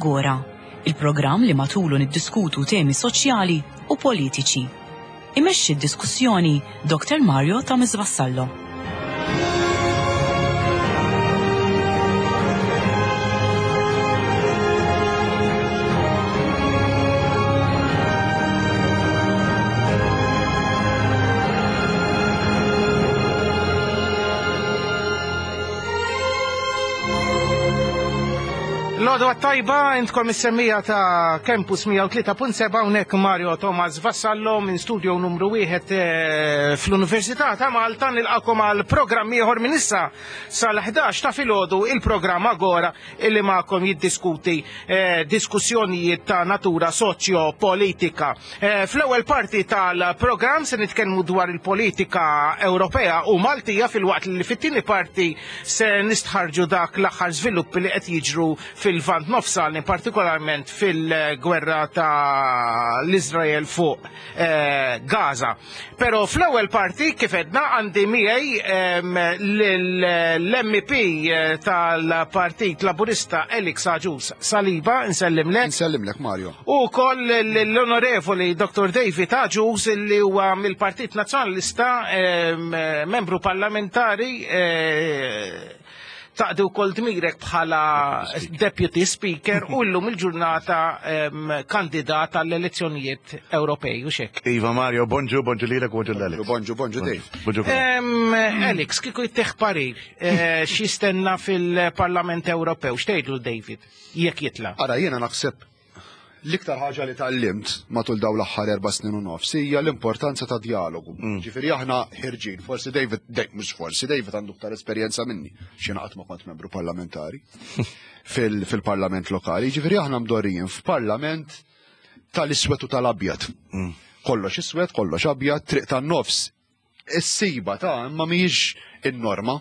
Agora, il-programm li matulu niddiskutu temi soċjali u politiċi. Imexxi d-diskussjoni Dr. Mario Thomas Vassallo. L-għodwa tajba, intkom is-semmija ta' Campus 103.7 hawnhekk Mario Thomas Vassallo minn studio numru 1 eh, fl-Università ta' Malta nilqakom għal programm ieħor minn issa sal-11 ta' filgħodu il-programm Agora illi magħkom jiddiskuti eh, diskussjonijiet ta' natura soċjo-politika. Eh, fl-ewwel parti tal-programm se nitkellmu dwar il-politika Ewropea u Maltija filwaqt li fit-tieni parti se nistħarġu dak l-aħħar żviluppi li qed jiġru fil-Lvant Nofsani, partikolarment fil-gwerra ta' l-Iżrael fuq eh, Gaza. Pero fl-ewwel parti kif edna għandi miegħi l-MP eh, tal-Partit Laburista Alex Agius Saliba, nsellimlek. Nsellimlek Mario. U wkoll l-Onorevoli Dr. David Agius li huwa mill-Partit Nazzjonalista membru parlamentari eh, taqdi wkoll dmirek bħala Deputy Speaker u llum il-ġurnata kandidat għall-elezzjonijiet Ewropej u xek. Iva Mario, bonġu, bonġu lilek, bonġu l-Alex. Bonġu, bonġu Dave. Bonġu. Alex, kieku jtieħ parir, eh, x'jistenna fil-Parlament Ewropew, x'tgħidlu David, jekk jitla'? Ara, jiena naħseb L-iktar ħaġa li tgħallimt matul dawn l-aħħar erba' snin u nofs hija l-importanza ta' djalogu. Mm. Ġifieri aħna ħirġin, forsi David, mhux forsi David għandu iktar esperjenza minni, x'jiena qatt ma kont membru parlamentari fil-parlament lokali. Ġifieri aħna mdorrijin f'parlament tal-iswed u tal-abjad. Mm. Kollox iswed, kollox abjad, triq tan-nofs Is-siba ta' imma mhijiex in-norma.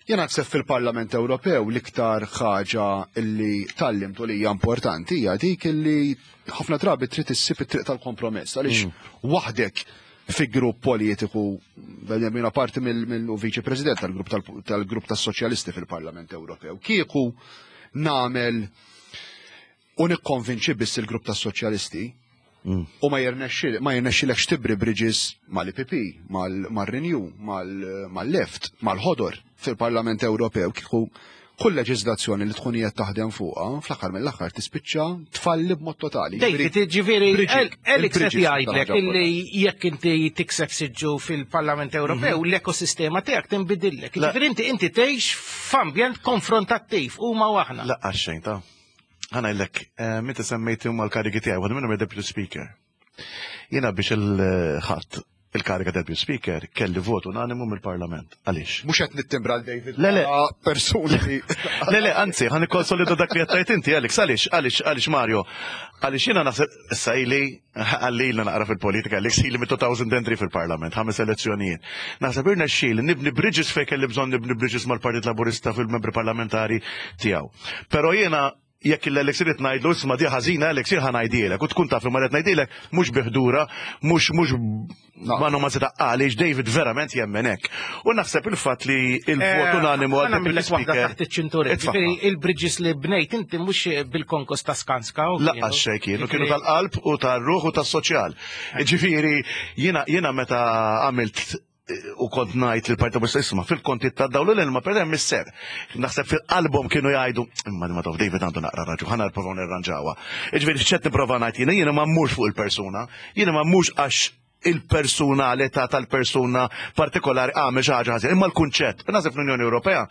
Jien naħseb fil-Parlament Ewropew l-iktar ħaġa li tgħallimt u li hija importanti hija dik li ħafna drabi trid issib it-triq tal-kompromess għaliex mm. waħdek fi grupp politiku jiena parti mill-viċi president tal-grupp tal-grupp tas-soċjalisti fil-Parlament Ewropew. Kieku nagħmel u nikkonvinċi biss il-grupp tas-soċjalisti mm. u ma jirnexxilekx tibri bridges mal-IPP, mal-Renew, mal-Left, mal-Ħodor fil-Parlament Ewropew kieku kull leġiżlazzjoni li tkun qed taħdem fuqha, fl-aħħar mill-aħħar tispiċċa tfalli b'mod totali. David, ġifieri Alex qed jgħidlek illi jekk inti tikseb siġġu fil-Parlament Ewropew, mhm. l-ekosistema tiegħek tinbidillek. Ġifieri inti inti tgħix f'ambjent konfrontattiv huma u aħna. Laqqas xejn ta' Ħa ngħidlek, eh, meta semmejt huma l-karigi tiegħi, waħda minnhom deputy speaker. Jiena biex il-ħadd il-kariga deputy speaker kelli vot unanimu mill-parlament. Għaliex? Mhux qed nittimbra l David. Le le. Persuni li. Le le, anzi, ħan ikkonsolida dak li qed inti, Alex, għaliex, għaliex, għaliex Mario. Għaliex jiena naħseb issa ili Għalli ilna naqra fil-politika, li ili mit-2003 fil-parlament, ħames elezzjonijiet. Naħseb irnexxieli nibni bridges fejn kelli bżonn nibni bridges mal-Partit Laburista fil-membri parlamentari tiegħu. Però jiena jekk l-Alex irid ngħidlu isma' di ħażina Alex jien ħa ngħidilek u tkun taf li ma qed ngħidilek mhux biħdura, mhux mhux ma no ma seta' għaliex David verament jemmen hekk. U naħseb il-fatt li il-vot eh, unanimu għal deputy speaker. Taħt iċ-ċintura. Il-bridges li bnejt inti mhux bil-konkos ta' Skanska. Laqqas xejn kienu, kienu tal-qalb u tar-ruħ u tas-soċjal. Eh. Ġifieri jiena jiena meta għamilt eh, u kont ngħid li parti Laburista isma' fil-konti ta' dawl l-ilma per hemm is-ser. Naħseb fil-qalbhom kienu jgħidu imma ma taf David għandu naqra raġu, ħana nipprova nirranġawha. Ġifieri x'qed nipprova ngħid jiena jiena ma mmurx fuq il-persuna, jiena ma mmurx għax. il-personalità tal-persuna partikolari għamel xi ħaġa ħażin, imma l-kunċett. Naħseb fl-Unjoni Ewropea,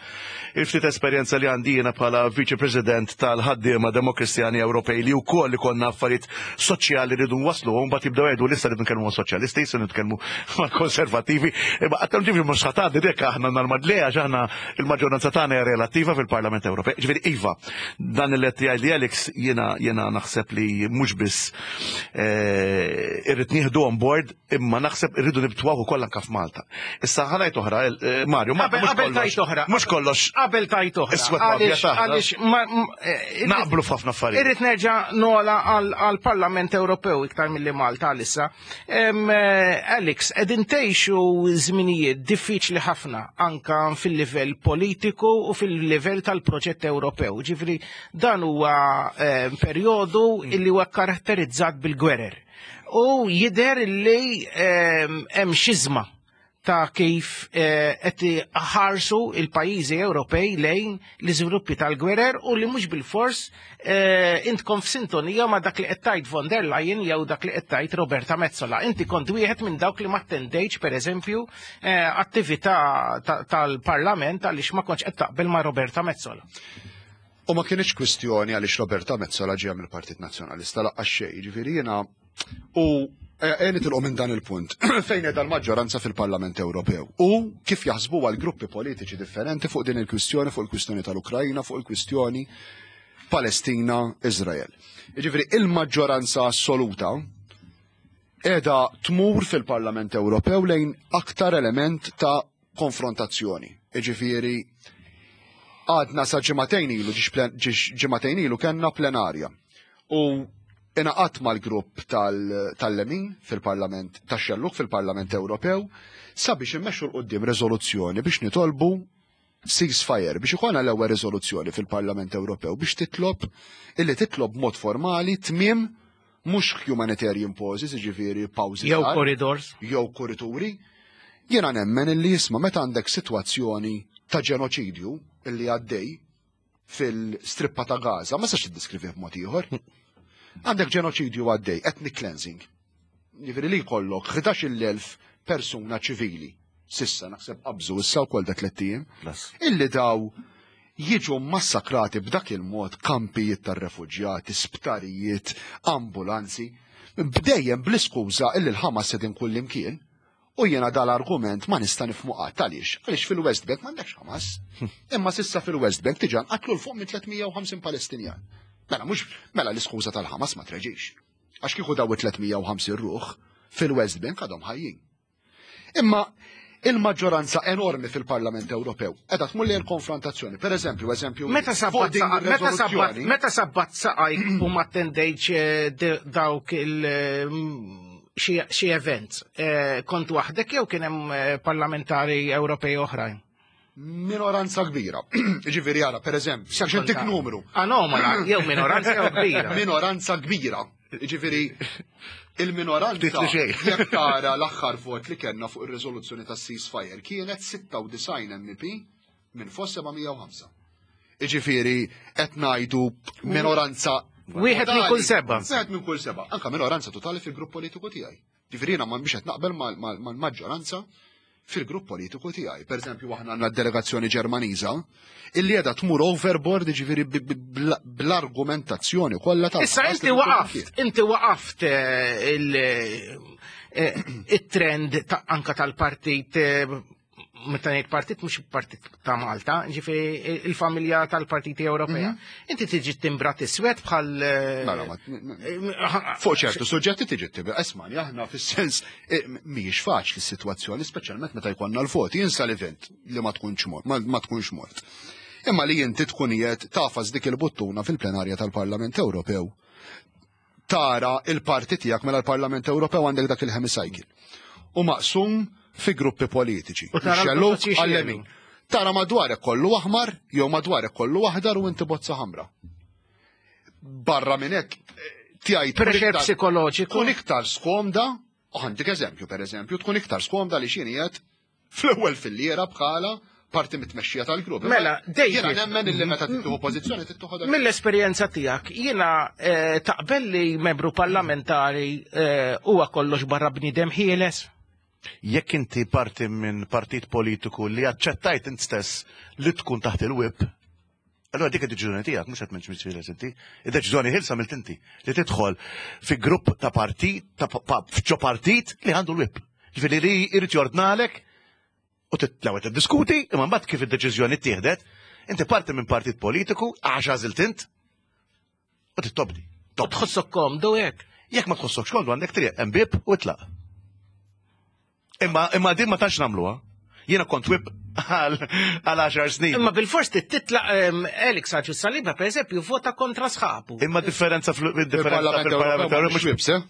il-ftit esperjenza li għandi jiena bħala Viċi President tal-ħaddiema Demokristjani Ewropej li wkoll ikollna affarijiet soċjali rridu nwasslu, u mbagħad jibdew jgħidu lista rridu nkellmu soċjalisti, se nitkellmu mal-konservattivi, imma qatt ġifieri mhux ħatgħaddi dek aħna normali għax aħna il-maġġoranza tagħna hija relattiva fil-Parlament Ewropej. Ġifieri iva, dan il qed jgħid li Alex jiena jiena naħseb li mhux biss eh, irrid nieħdu on board imma naħseb irridu nibtwaw ukoll anke f'Malta. Issa ħa ngħid oħra, eh, Mario, ma qabel tajt oħra. Mhux kollox. Qabel tajt oħra. Għaliex eh, naqblu f'ħafna affarijiet. Irrid nerġa' nola għall-Parlament Ewropew iktar milli Malta għalissa. Alex, qegħdin tgħixu żminijiet diffiċli ħafna anka fil-livell politiku u fil-livell tal-proġett Ewropew. Ġifieri dan huwa perjodu illi huwa karatterizzat bil-gwerer. U jidher li hemm xiżma ta' kif eh, qed ħarsu il-pajjiżi Ewropej lejn l-iżviluppi tal-gwerer u li mhux bil-fors eh, intkom f'sintonija ma' dak li qed tgħid von der Leyen jew dak li qed tgħid Roberta Metsola. Inti kont wieħed minn dawk li ma attendejtx pereżempju eh, attività tal-Parlament għaliex ma kontx qed taqbel ma' Roberta Metsola. U ma kienx kwistjoni għaliex Roberta Metsola ġejja mill-Partit Nazzjonalista laqqas xejn, jiġifieri jiena u e, nitilqu minn dan il-punt fejn qiegħda l-maġġoranza fil-Parlament Ewropew u kif jaħsbu għal gruppi politiċi differenti fuq din il-kwistjoni, fuq il-kwistjoni tal-Ukrajna, fuq il-kwistjoni Palestina, Izrael. Jiġifieri il-maġġoranza assoluta qiegħda tmur fil-Parlament Ewropew lejn aktar element ta' konfrontazzjoni. Iġifieri għadna sa ġimagħtejn ilu, ġimagħtejn ilu kellna plenarja. U ingħaqadt mal-grupp tal-Lemin fil-Parlament, tax-Xellug fil-Parlament Ewropew sabiex immexxu 'l quddiem riżoluzzjoni biex nitolbu ceasefire, biex ikollna l-ewwel riżoluzzjoni fil-Parlament Ewropew biex titlob illi titlob b'mod formali tmiem mhux humanitarian pauses, jiġifieri pawżi Jew corridors. Jew kurituri. Jiena nemmen illi jisma' meta għandek sitwazzjoni ta' ġenoċidju illi għaddej fil-strippa ta' Gaza, ma sax tiddeskrivih b'mod ieħor. Għandek ġenoċidju għaddej, ethnic cleansing. Jiġifieri li jkollok 11,000 persuna ċivili sissa naħseb qabżu issa wkoll da tlett ijiem, illi daw jiġu massakrati b'dak il-mod kampijiet tar-refuġjati, sptarijiet, ambulanzi, bdejjem bl-iskuża illi l-Ħamas qegħdin kullimkien, u jiena dal-argument ma nista' nifhmu qatt għaliex. Għaliex fil-West Bank m'għandekx Ħamas. Imma s'issa fil-West Bank diġà nqatlu 'l fuq minn 350 Palestinjan. Mela mhux mela l-iskuża tal-Ħamas ma treġix. Għax kieku daw it-350 ruħ fil-West Bank għadhom ħajjin. Imma il-maġġoranza enormi fil-Parlament Ewropew qiegħda tmur lejn konfrontazzjoni. Per eżempju, eżempju, meta sabbat meta sabbat meta sabbat saqajk u ma attendejtx eh, dawk il mm, xi events, eh, kont waħdek jew kien hemm eh, parlamentari Ewropej oħrajn? Minoranza kbira. Ġifieri ara, per eżempju, biex intik numru. Anomala, jew minoranza jew kbira. Minoranza kbira. Ġifieri il-minoranza jekk tara l-aħħar vot li kellna fuq ir-riżoluzzjoni tas-ceasefire kienet 96 MEP minn fost 705. Ġifieri qed ngħidu minoranza Wieħed minn kull seba. Wieħed minn kull seba. Anka minoranza totali fil-grupp politiku tiegħi. Ġifieri jiena ma biex qed naqbel mal-maġġoranza fil-grupp politiku tiegħi. Per eżempju, aħna għandna delegazzjoni Ġermaniża illi qiegħda tmur overboard ġifieri bl-argumentazzjoni kollha ta' Issa inti waqaft, inti waqaft eh, eh, il-trend anka tal-partit eh, meta ngħid partit mhux partit ta' Malta, ġifieri il-familja tal-Partiti Ewropea. Mhm. Inti tiġi timbrat iswed bħal eh, mela, eh, Fuq ċertu suġġetti tiġi tibra, esmani aħna fis-sens eh, mhijiex faċli s-sitwazzjoni, speċjalment meta jkollna l-voti, jinsa l-event li ma tkunx mort, ma tkunx mort. Imma li inti tkun qiegħed tafas dik il-buttuna fil-plenarja tal-Parlament Ewropew tara il-parti tiegħek mela l-Parlament Ewropew għandek dak il-hemicycle. U maqsum fi gruppi politiċi. U tara l-xellug għal-lemin. Tara madwarek kollu aħmar jew madwarek kollu aħdar u inti bozza ħamra. Barra minn hekk tiegħi pressure psikoloġiku. Tkun iktar skomda, u ħandik eżempju pereżempju, tkun iktar skomda li xini qed fl-ewwel filliera bħala parti mit-tmexxija tal-grupp. Mela, David. Jiena nemmen illi meta tieħu pożizzjoni tieħu Mill-esperjenza tiegħek, jiena eh, taqbel li membru parlamentari eh, huwa kollox barra bniedem ħieles? Jekk inti parti minn partit politiku li aċċettajt int stess li tkun taħt il-whip, allora dik id-deċiżjoni tiegħek mhux qed m'intx ħieles inti. Id-deċiżjoni ħielsa għamilt inti li tidħol fi grupp ta' partit ta' f'ġo partit li għandu l-whip. Ġifieri li jrid jordnalek u l-ewwel tiddiskuti, imma mbagħad kif id-deċiżjoni ttieħdet, inti parti minn partit politiku għax għażilt int u tittobdi. U tħossok komdu hekk. Jekk ma tħossokx komdu għandek triq hemm bieb u itlaq. Imma imma din ma tantx nagħmluha. Jiena kont whip għal 10 snin. Imma bil-fors titlaq Alex Agius Saliba pereżempju vota kontra sħabu. Imma differenza fil-differenza fil-Parlament Ewropew mhux whips, eh?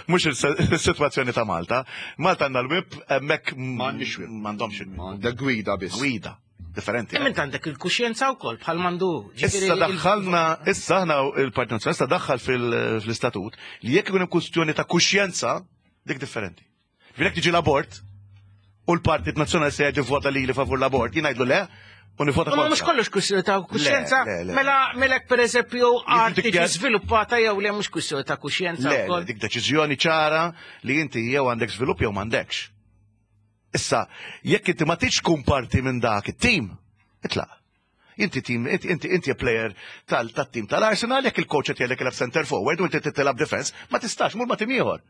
Mhux is-sitwazzjoni ta' Malta. Malta għandna l-whip hemmhekk m'għandniex whip. M'għandhomx il-whip. Għandek gwida biss. Gwida. Differenti. Imma int għandek il-kuxjenza wkoll bħal mandu. Issa daħħalna, issa aħna il-Partit Nazzjonalista daħħal fil-istatut li jekk ikun hemm kwistjoni ta' kuxjenza, dik differenti. Ġifieri jekk tiġi l-abort u l-Partit Nazzjonalista jgħid vota lili favur l-abort, jien ngħidlu le u nivvota kontra. Mhux kollox kwistjoni ta' kuxjenza. Mela mela pereżempju art tiġi żviluppata jew le mhux kwistjoni ta' kuxjenza wkoll. Dik deċiżjoni ċara li inti jew għandek żvilupp jew m'għandekx. Issa, jekk inti ma tridx tkun parti minn dak it-tim, itlaq. Inti tim, inti inti player tal-tim tal-Arsenal, jekk il-coach qed jgħidlek ilgħab center forward u inti tilgħab defense, ma tistax mur ma' tim ieħor.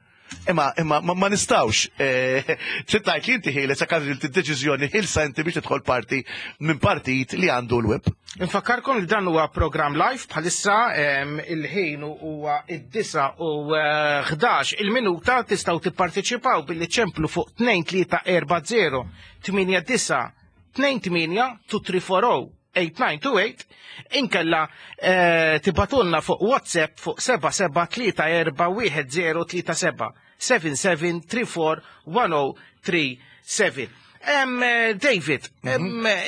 Imma imma ma nistgħux eh, trid tgħid li inti ħieles jekk għażilt id-deċiżjoni ħilsa inti biex tidħol parti minn partit li għandu l-whip. Infakkarkom li dan huwa programm live bħalissa il-ħin huwa id-9 u 11 eh, il-minuta tistgħu tipparteċipaw billi ċemplu fuq 2340 89 28 2340 8928 inkella eh, tibatunna fuq WhatsApp fuq 77341037 77341037. David,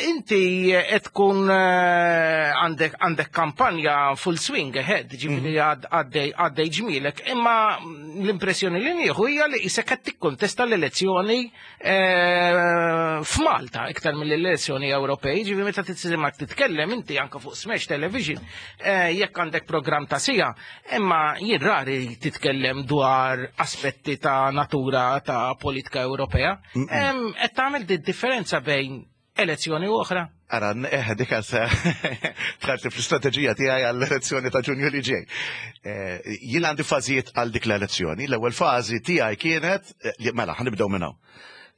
inti qed tkun eh, għandek għandek kampanja full swing ahead, ġifieri għaddej għaddej ġmielek, imma l-impressjoni li nieħu hija li isek qed tikkontesta l-elezzjoni Eh, f'Malta iktar mill-elezzjoni Ewropej, ġifi meta titsimgħek titkellem inti anke fuq Smash Television, eh, jekk għandek programm ta' sija, imma jien rari titkellem dwar aspetti ta' natura ta' politika Ewropea. Qed tagħmel differenza bejn elezzjoni u oħra. Ara, eh, dik se tħarti fl-istrateġija tiegħi għall-elezzjoni ta' Ġunju li ġej. Eh, jien għandi fażijiet għal dik l-elezzjoni. L-ewwel fażi tiegħi kienet, eh, mela, ħanibdew minn hawn.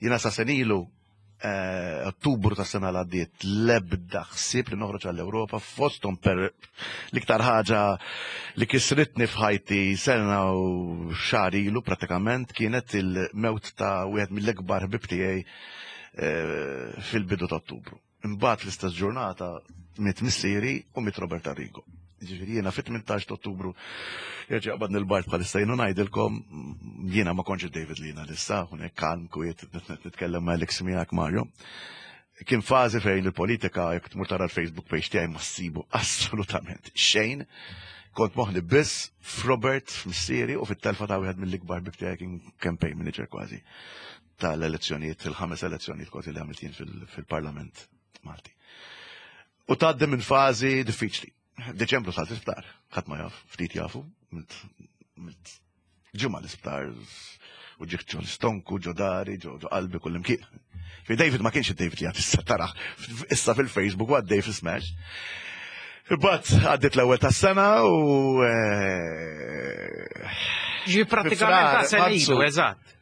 Jiena sa senilu Ottubru ta' sena l-għaddiet l-ebda ħsieb li noħroġ għall-Ewropa fosthom per l-iktar ħaġa li kisritni f'ħajti sena u xahar ilu pratikament kienet il-mewt ta' wieħed mill-ikbar ħbib tiegħi Eh, fil-bidu ta' Ottubru. Imbagħad l-istess ġurnata miet missieri u miet Robert Arrigo. Ġifieri jiena fit-18 ta' Ottubru jerġa' qabadni l-bart bħalissa jienu ngħidilkom jiena ma kontx David li jiena lissa, hawnhekk kalm kwiet nitkellem ma' Alex miegħek Mario. Kien fażi fejn il-politika jekk tmur tara l-Facebook page tiegħi ma ssibu assolutament xejn. Kont moħli biss f'Robert, f'missieri u fit-telfa ta' wieħed mill-ikbar bib tiegħi kien campaign manager kważi. tal-elezzjonijiet, il-ħames elezzjonijiet kważi li għamilt jien fil-Parlament Malti. U tgħaddi minn fażi diffiċli. Deċembru salt l-isptar, ħadd ma jaf, ftit jafu, ġimgħa l-isptar u ġiħ ġo l-istonku, ġo dari, ġo qalbi kull imkien. Fi David ma kienx id-David li għad issa taraħ, issa fil-Facebook u għaddej fil-Smash. Imbagħad għaddiet l-ewwel tas-sena u eh, Ġi pratikament ta' senilu, eżatt.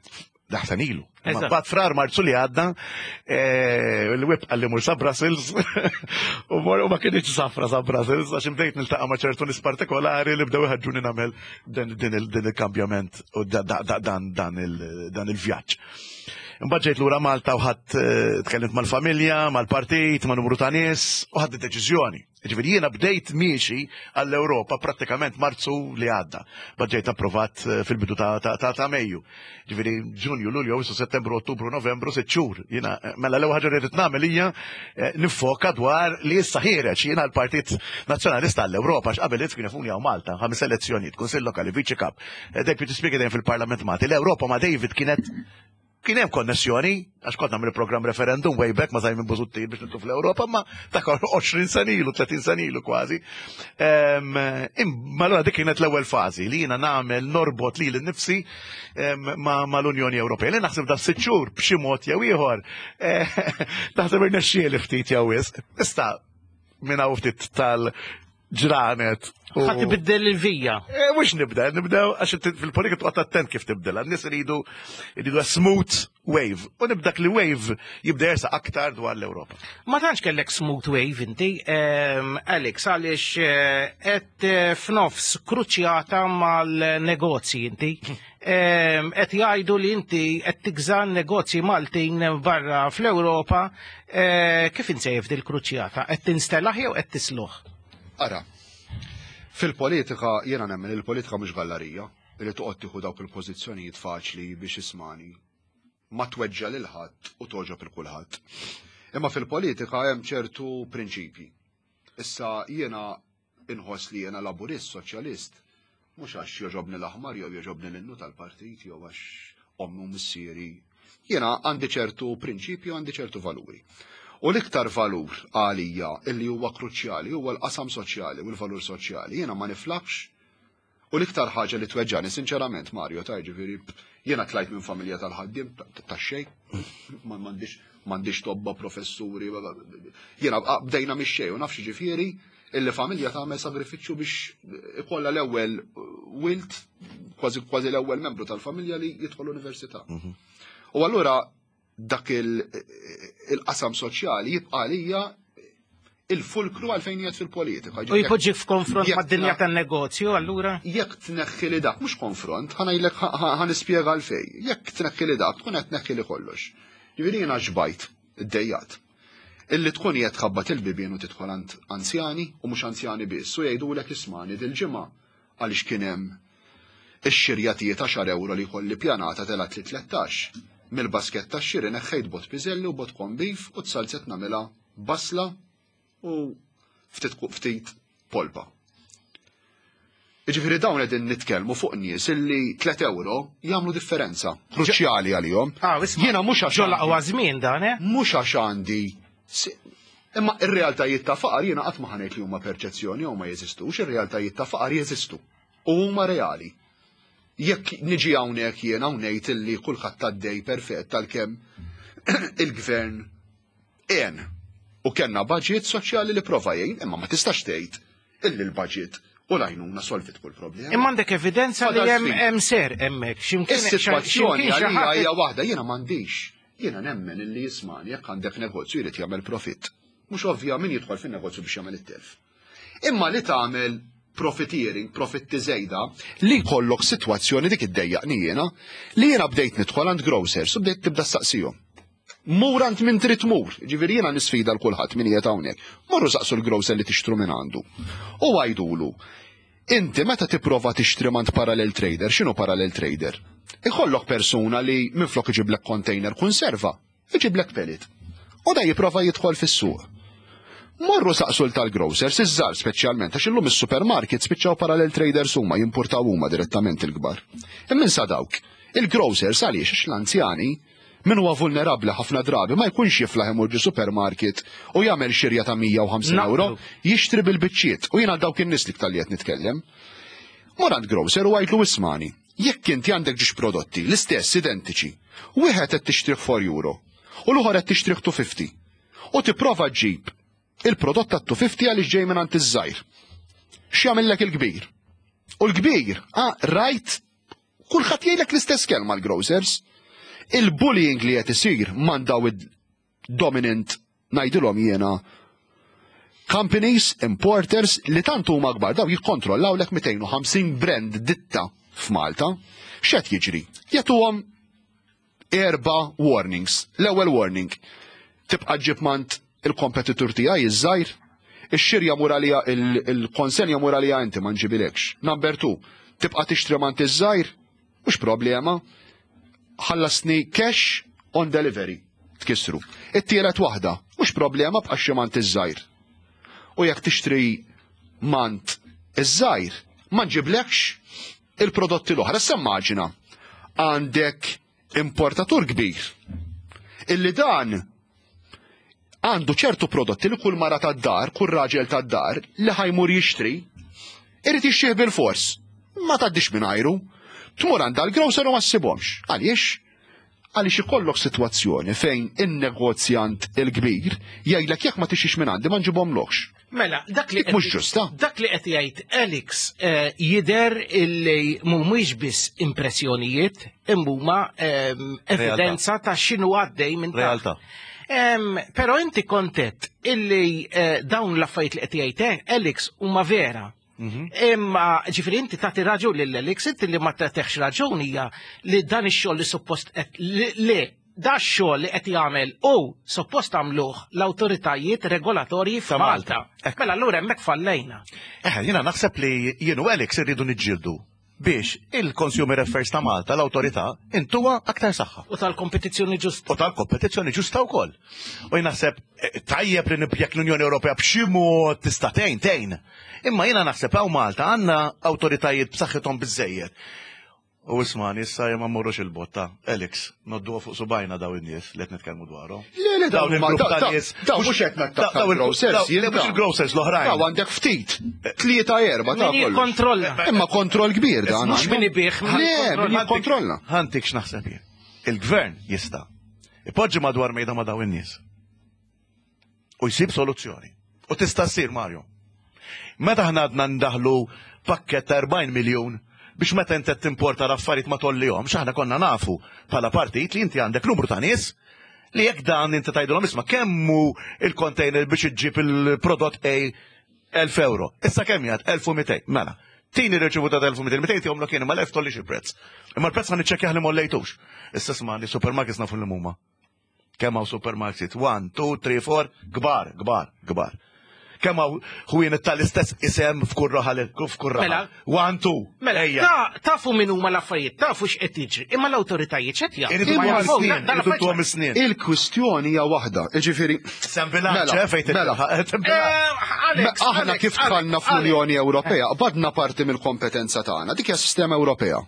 Daħsan ilu. Bat frar marzu li għadda, eh, il-web għalli mur sa Brussels, u mor u ma kienieċ safra sa Brussels, għax imdejt niltaqa ma ċertu nis partikolari li bdew ħadġuni namel din il-kambjament u dan il-vjaġġ. Imbagħad ġejt lura Malta u ħadd eh, tkellimt mal-familja, mal-partit, ma' numru ta' nies u ħadd deċiżjoni. Ġifieri jiena bdejt miexi għall-Ewropa prattikament Marzu li għadda. Bad ġejt approvat eh, fil-bidu ta' Mejju. Ġifieri Ġunju, Lulju, Awwissu, Settembru, Ottubru, Novembru, sitt xhur. Jiena eh, mela l-ewwel ħaġa li rrid nagħmel hija eh, nifoka dwar li issa ħiereġ jiena l-Partit Nazzjonalista għall-Ewropa x'qabel kien jafuni hawn Malta, ħames elezzjonijiet, Kunsill Lokali, Viċi Kap, Deputy Speaker dejjem fil-Parlament Malti. L-Ewropa ma' David kienet Kien hemm konnessjoni, għax kont nagħmel programm referendum way back ma' Simon Busuttil biex nitlu fl-Ewropa, ma ta' 20 sena ilu, 30 sena ilu kważi. Imma allura dik kienet l-ewwel fażi li jiena nagħmel norbot lili nnifsi mal-Unjoni Ewropea. Li naħseb da sitt xhur b'xi mod jew ieħor eh, naħseb irnexxieli ftit jew wisq. Issa minn hawn ftit tal ġranet. Ħa tibiddel il-vija. Eh, mhux nibda, nibdew għax fil-politika toqgħod attent kif tibdilha. N-nies iridu iridu smooth wave. U nibdak li wave jibda jersa aktar dwar l-Ewropa. Ma tantx kellek smooth wave inti, ehm, Alex, għaliex eh, qed eh, f'nofs kruċjata mal-negozji inti. Ehm, qed jgħidu li inti qed tigża negozji Maltin barra fl-Ewropa, eh, kif insejf dil-kruċjata? Qed tinstelaħ jew qed tisluħ? Ara, fil-politika jiena nemmen il-politika mhux gallarija li toqgħod tieħu dawk il-pożizzjonijiet faċli biex ismani ma tweġġa lil ħadd u toġob il kulħadd. Imma fil-politika hemm ċertu prinċipji. Issa jiena inħoss li jiena laburist, soċjalist, mhux għax jogħġobni l-aħmar jew jogħġobni l-innu tal-partit jew għax ommi u missieri. Jiena għandi ċertu prinċipji u għandi ċertu valuri. U l-iktar valur għalija illi huwa kruċjali huwa l-qasam soċjali u l-valur soċjali. Jiena ma niflaħx u l-iktar ħaġa li tweġġani sinċerament Mario ta' ġifieri jiena tlajt minn familja tal-ħaddiem ta' xejn, m'għandix m'għandix tobba professuri, jiena bdejna mix-xejn u nafx ġifieri illi familja tagħmel sagrifiċċju biex ikollha l-ewwel wilt, kważi kważi l-ewwel membru tal-familja li jidħol l-università. Mhm. U allura dak il-qasam soċjali jibqa' għalija il-fulkru għalfejn jgħid fil-politika. U jpoġġi f'konfront mad-dinja tan-negozju allura? Jekk tneħħi li dak mhux konfront, ħanajlek ħanispjega għalfej. Jekk tneħħi li dak tkun qed tneħħi li kollox. Ġifieri jiena xbajt, iddejjat. Illi tkun qiegħed tħabbat il-bibien u tidħol għand anzjani u mhux anzjani biss u jgħidulek ismani dil-ġimgħa għaliex kien hemm ix-xirja tiegħi ta' xar ewro li jkolli pjanata telgħet li 13. Mill-basket tax-xiri neħħejt bot piżelli u bot corn beef u t-salzet nagħmilha basla u ftit ftit polpa. Jiġifieri dawn qegħdin nitkellmu fuq nies illi 3 euro jagħmlu differenza kruċjali għalihom. Ah, Jiena mhux għax ġol żmien dan, eh? Mhux għax għandi Imma ir-realtajiet ta' faqar jiena qatt ma ħanejt li huma perċezzjoni jew ma jeżistux, ir-realtajiet ta' faqar jeżistu u huma reali. Jekk niġi hawnhekk jiena u ngħid illi kulħadd għaddej perfett għalkemm il-gvern għen u kellna budget soċjali li prova jgħin, imma ma tistax tgħid illi l-budget u l-għajnuna solvit kull problema. Imma għandek evidenza li hemm hemm ser hemmhekk. Is-sitwazzjoni għalija hija waħda jiena m'għandix. Jiena nemmen illi jismani jekk għandek negozju jrid jagħmel profitt. Mhux ovvja min jidħol fin-negozju biex jagħmel it-telf. Imma li tagħmel profiteering, profitti żejda, li jkollok sitwazzjoni dik iddejjaqni jiena, li jiena bdejt nidħol għand grocers u bdejt tibda staqsihom. Mur għand min trid tmur, ġifieri jiena nisfida l kulħadd min qiegħed hawnhekk. Morru saqsu l-grocer li tixtru minn għandu. U għajdulu, inti meta tipprova tixtri mant parallel trader, x'inhu parallel trader? Ikollok persuna li minflok iġiblek container konserva, iġiblek pellet. U da jipprova jidħol fis-suq. Morru saqsu tal-grocers, iż-żgħar speċjalment, għax illum is-supermarket spiċċaw parallel traders huma jimportaw huma direttament il-kbar. Immin sa dawk, il-grocers għaliex għax l-anzjani min huwa vulnerabbli ħafna drabi ma jkunx jiflaħ imur ġi supermarket u jagħmel xirja ta' 150 euro, jixtri bil-biċċiet u jiena dawk in-nies li tal qed nitkellem. Mur għand grocer u għidlu ismani, jekk inti għandek ġiex prodotti l-istess identiċi, wieħed qed tixtrih 4 euro u l-ieħor qed tixtrih 250 u tipprova ġġib il-prodott ta' 250 għaliex ġej minn għand iż-żgħir. X'jagħmellek il-kbir? U l-kbir, ah, rajt kulħadd jgħidlek l-istess kelma l-grocers. Il-bullying li qed isir man daw dominant ngħidilhom jiena companies, importers li tant huma kbar daw jikkontrollaw lek 250 brand ditta f'Malta. X'qed jiġri? Jagħtuhom erba' warnings. L-ewwel warning, tibqa' ġib mant il-kompetitur tiegħi iż-żgħir, ix-xirja mur għalija il-konsenja mur għalija inti ma nġibilekx. Number two, tibqa' tixtri mant iż-żgħir, mhux problema, ħallasni cash on delivery, tkissru. It-tielet waħda, mhux problema bqa' xi mant iż-żgħir. U jekk tixtri mant iż-żgħir, ma nġiblekx il-prodotti l-oħra. Issa immaġina għandek importatur kbir illi dan għandu ċertu prodotti li kull mara tad-dar, kull raġel tad-dar li ħa jmur jixtri, irid jixtrih bil-fors. Ma tgħaddix mingħajru. Tmur għand dal-grocer u ma ssibhomx. Għaliex? Għaliex ikollok sitwazzjoni fejn in-negozjant il-kbir jgħidlek jekk ma tixtrix minn għandi ma nġibhomlokx. Mela, dak li Dik mhux ġusta. Dak li qed jgħid Alex eh, jidher illi mhumiex biss impressjonijiet imma huma ehm, evidenza ta' x'inhu għaddej minn taħt. Realtà. Ehm, Però inti kontet illi eh, dawn l-affarijiet li qed jgħid Alex huma vera. Imma ġifieri inti tagħti raġun lil Alex, inti li ma tagħtihx raġun hija li dan ix-xogħol li suppost qed li- li da x-xogħol li qed jagħmel u suppost għamluh l-awtoritajiet regolatorji Ta' Malta. f'Malta. Mela allura hemmhekk fallejna. Eh, jiena naħseb li jien u Alex irridu niġġieldu biex il-Consumer Affairs ta' Malta, l-awtorità, intuha aktar saħħa. U tal-kompetizzjoni ġusta. U tal-kompetizzjoni ġusta wkoll. U jien naħseb eh, tajjeb li nibjek l-Unjoni Ewropea b'xi mod tista' tgħin tgħin. Imma jiena naħseb hawn Malta għandna awtoritajiet b'saħħithom biżejjed. U ismani, issa ma mmorrux il-botta. Alex, nodduha fuq subajna daw in-nies li qed nitkellmu dwarhom. Le, le, Dawn dawn huma- il-grupp ta' daw- nies. daw mhux qed nattakka Daw il- l-grocers, daw- jien le, mhux daw. il-grocers l-oħrajn. Daw għandek ftit, tlieta erba ta' Min kollox. jikkontrolla. Imma kontroll kbir dan. Mhux għandu. min ibih, min Le, jikkontrolla. min jikkontrolla. Ħantik x'naħseb jien. Il-gvern jista' ipoġġi madwar mejda ma' daw in-nies. U jsib soluzzjoni. U tista' ssir Mario. Meta aħna għadna ndaħlu pakket ta' 40 miljun biex meta inti qed timporta l-affarijiet ma tollihomx, aħna konna nafu bħala partit li inti għandek numru ta' nies li jekk dan inti tgħidulhom isma' kemm hu il-container biex iġġib il-prodott A 1000 euro. Issa kemm jgħid 1200. Mela. Tini riċevuta ta' 1200, 200 jomlok jien imma l-1000 tollix il-prezz. Imma l-prezz ħa niċċekkjah li mollejtux. Issa isma' li supermarkets nafu li huma. Kemm hawn supermarkets? 1, 2, 3, 4, kbar, kbar, kbar. Kemm hawn ħwienet tal-istess isem f'kull raħal f'kull raħal. Mela. 1, 2. Mela, Ejja. ta- tafu min huma l-affarijiet, tafu x'qed jiġri, imma l-awtoritajiet x'qed jagħmlu? Iridu Ma tuhom jafu, is-snin, dan iridu l-affarijiet tuhom is-snin. Il-kwistjoni hija waħda, jiġifieri. Sem bilanċ, Mela, eh, fejn mela. tilħaq. Eh, Alex, Aħna Alex, kif Alex, dħalna Alex. fl-Unjoni Ewropea, qbadna parti mill-kompetenza tagħna, dik hija sistema Ewropea.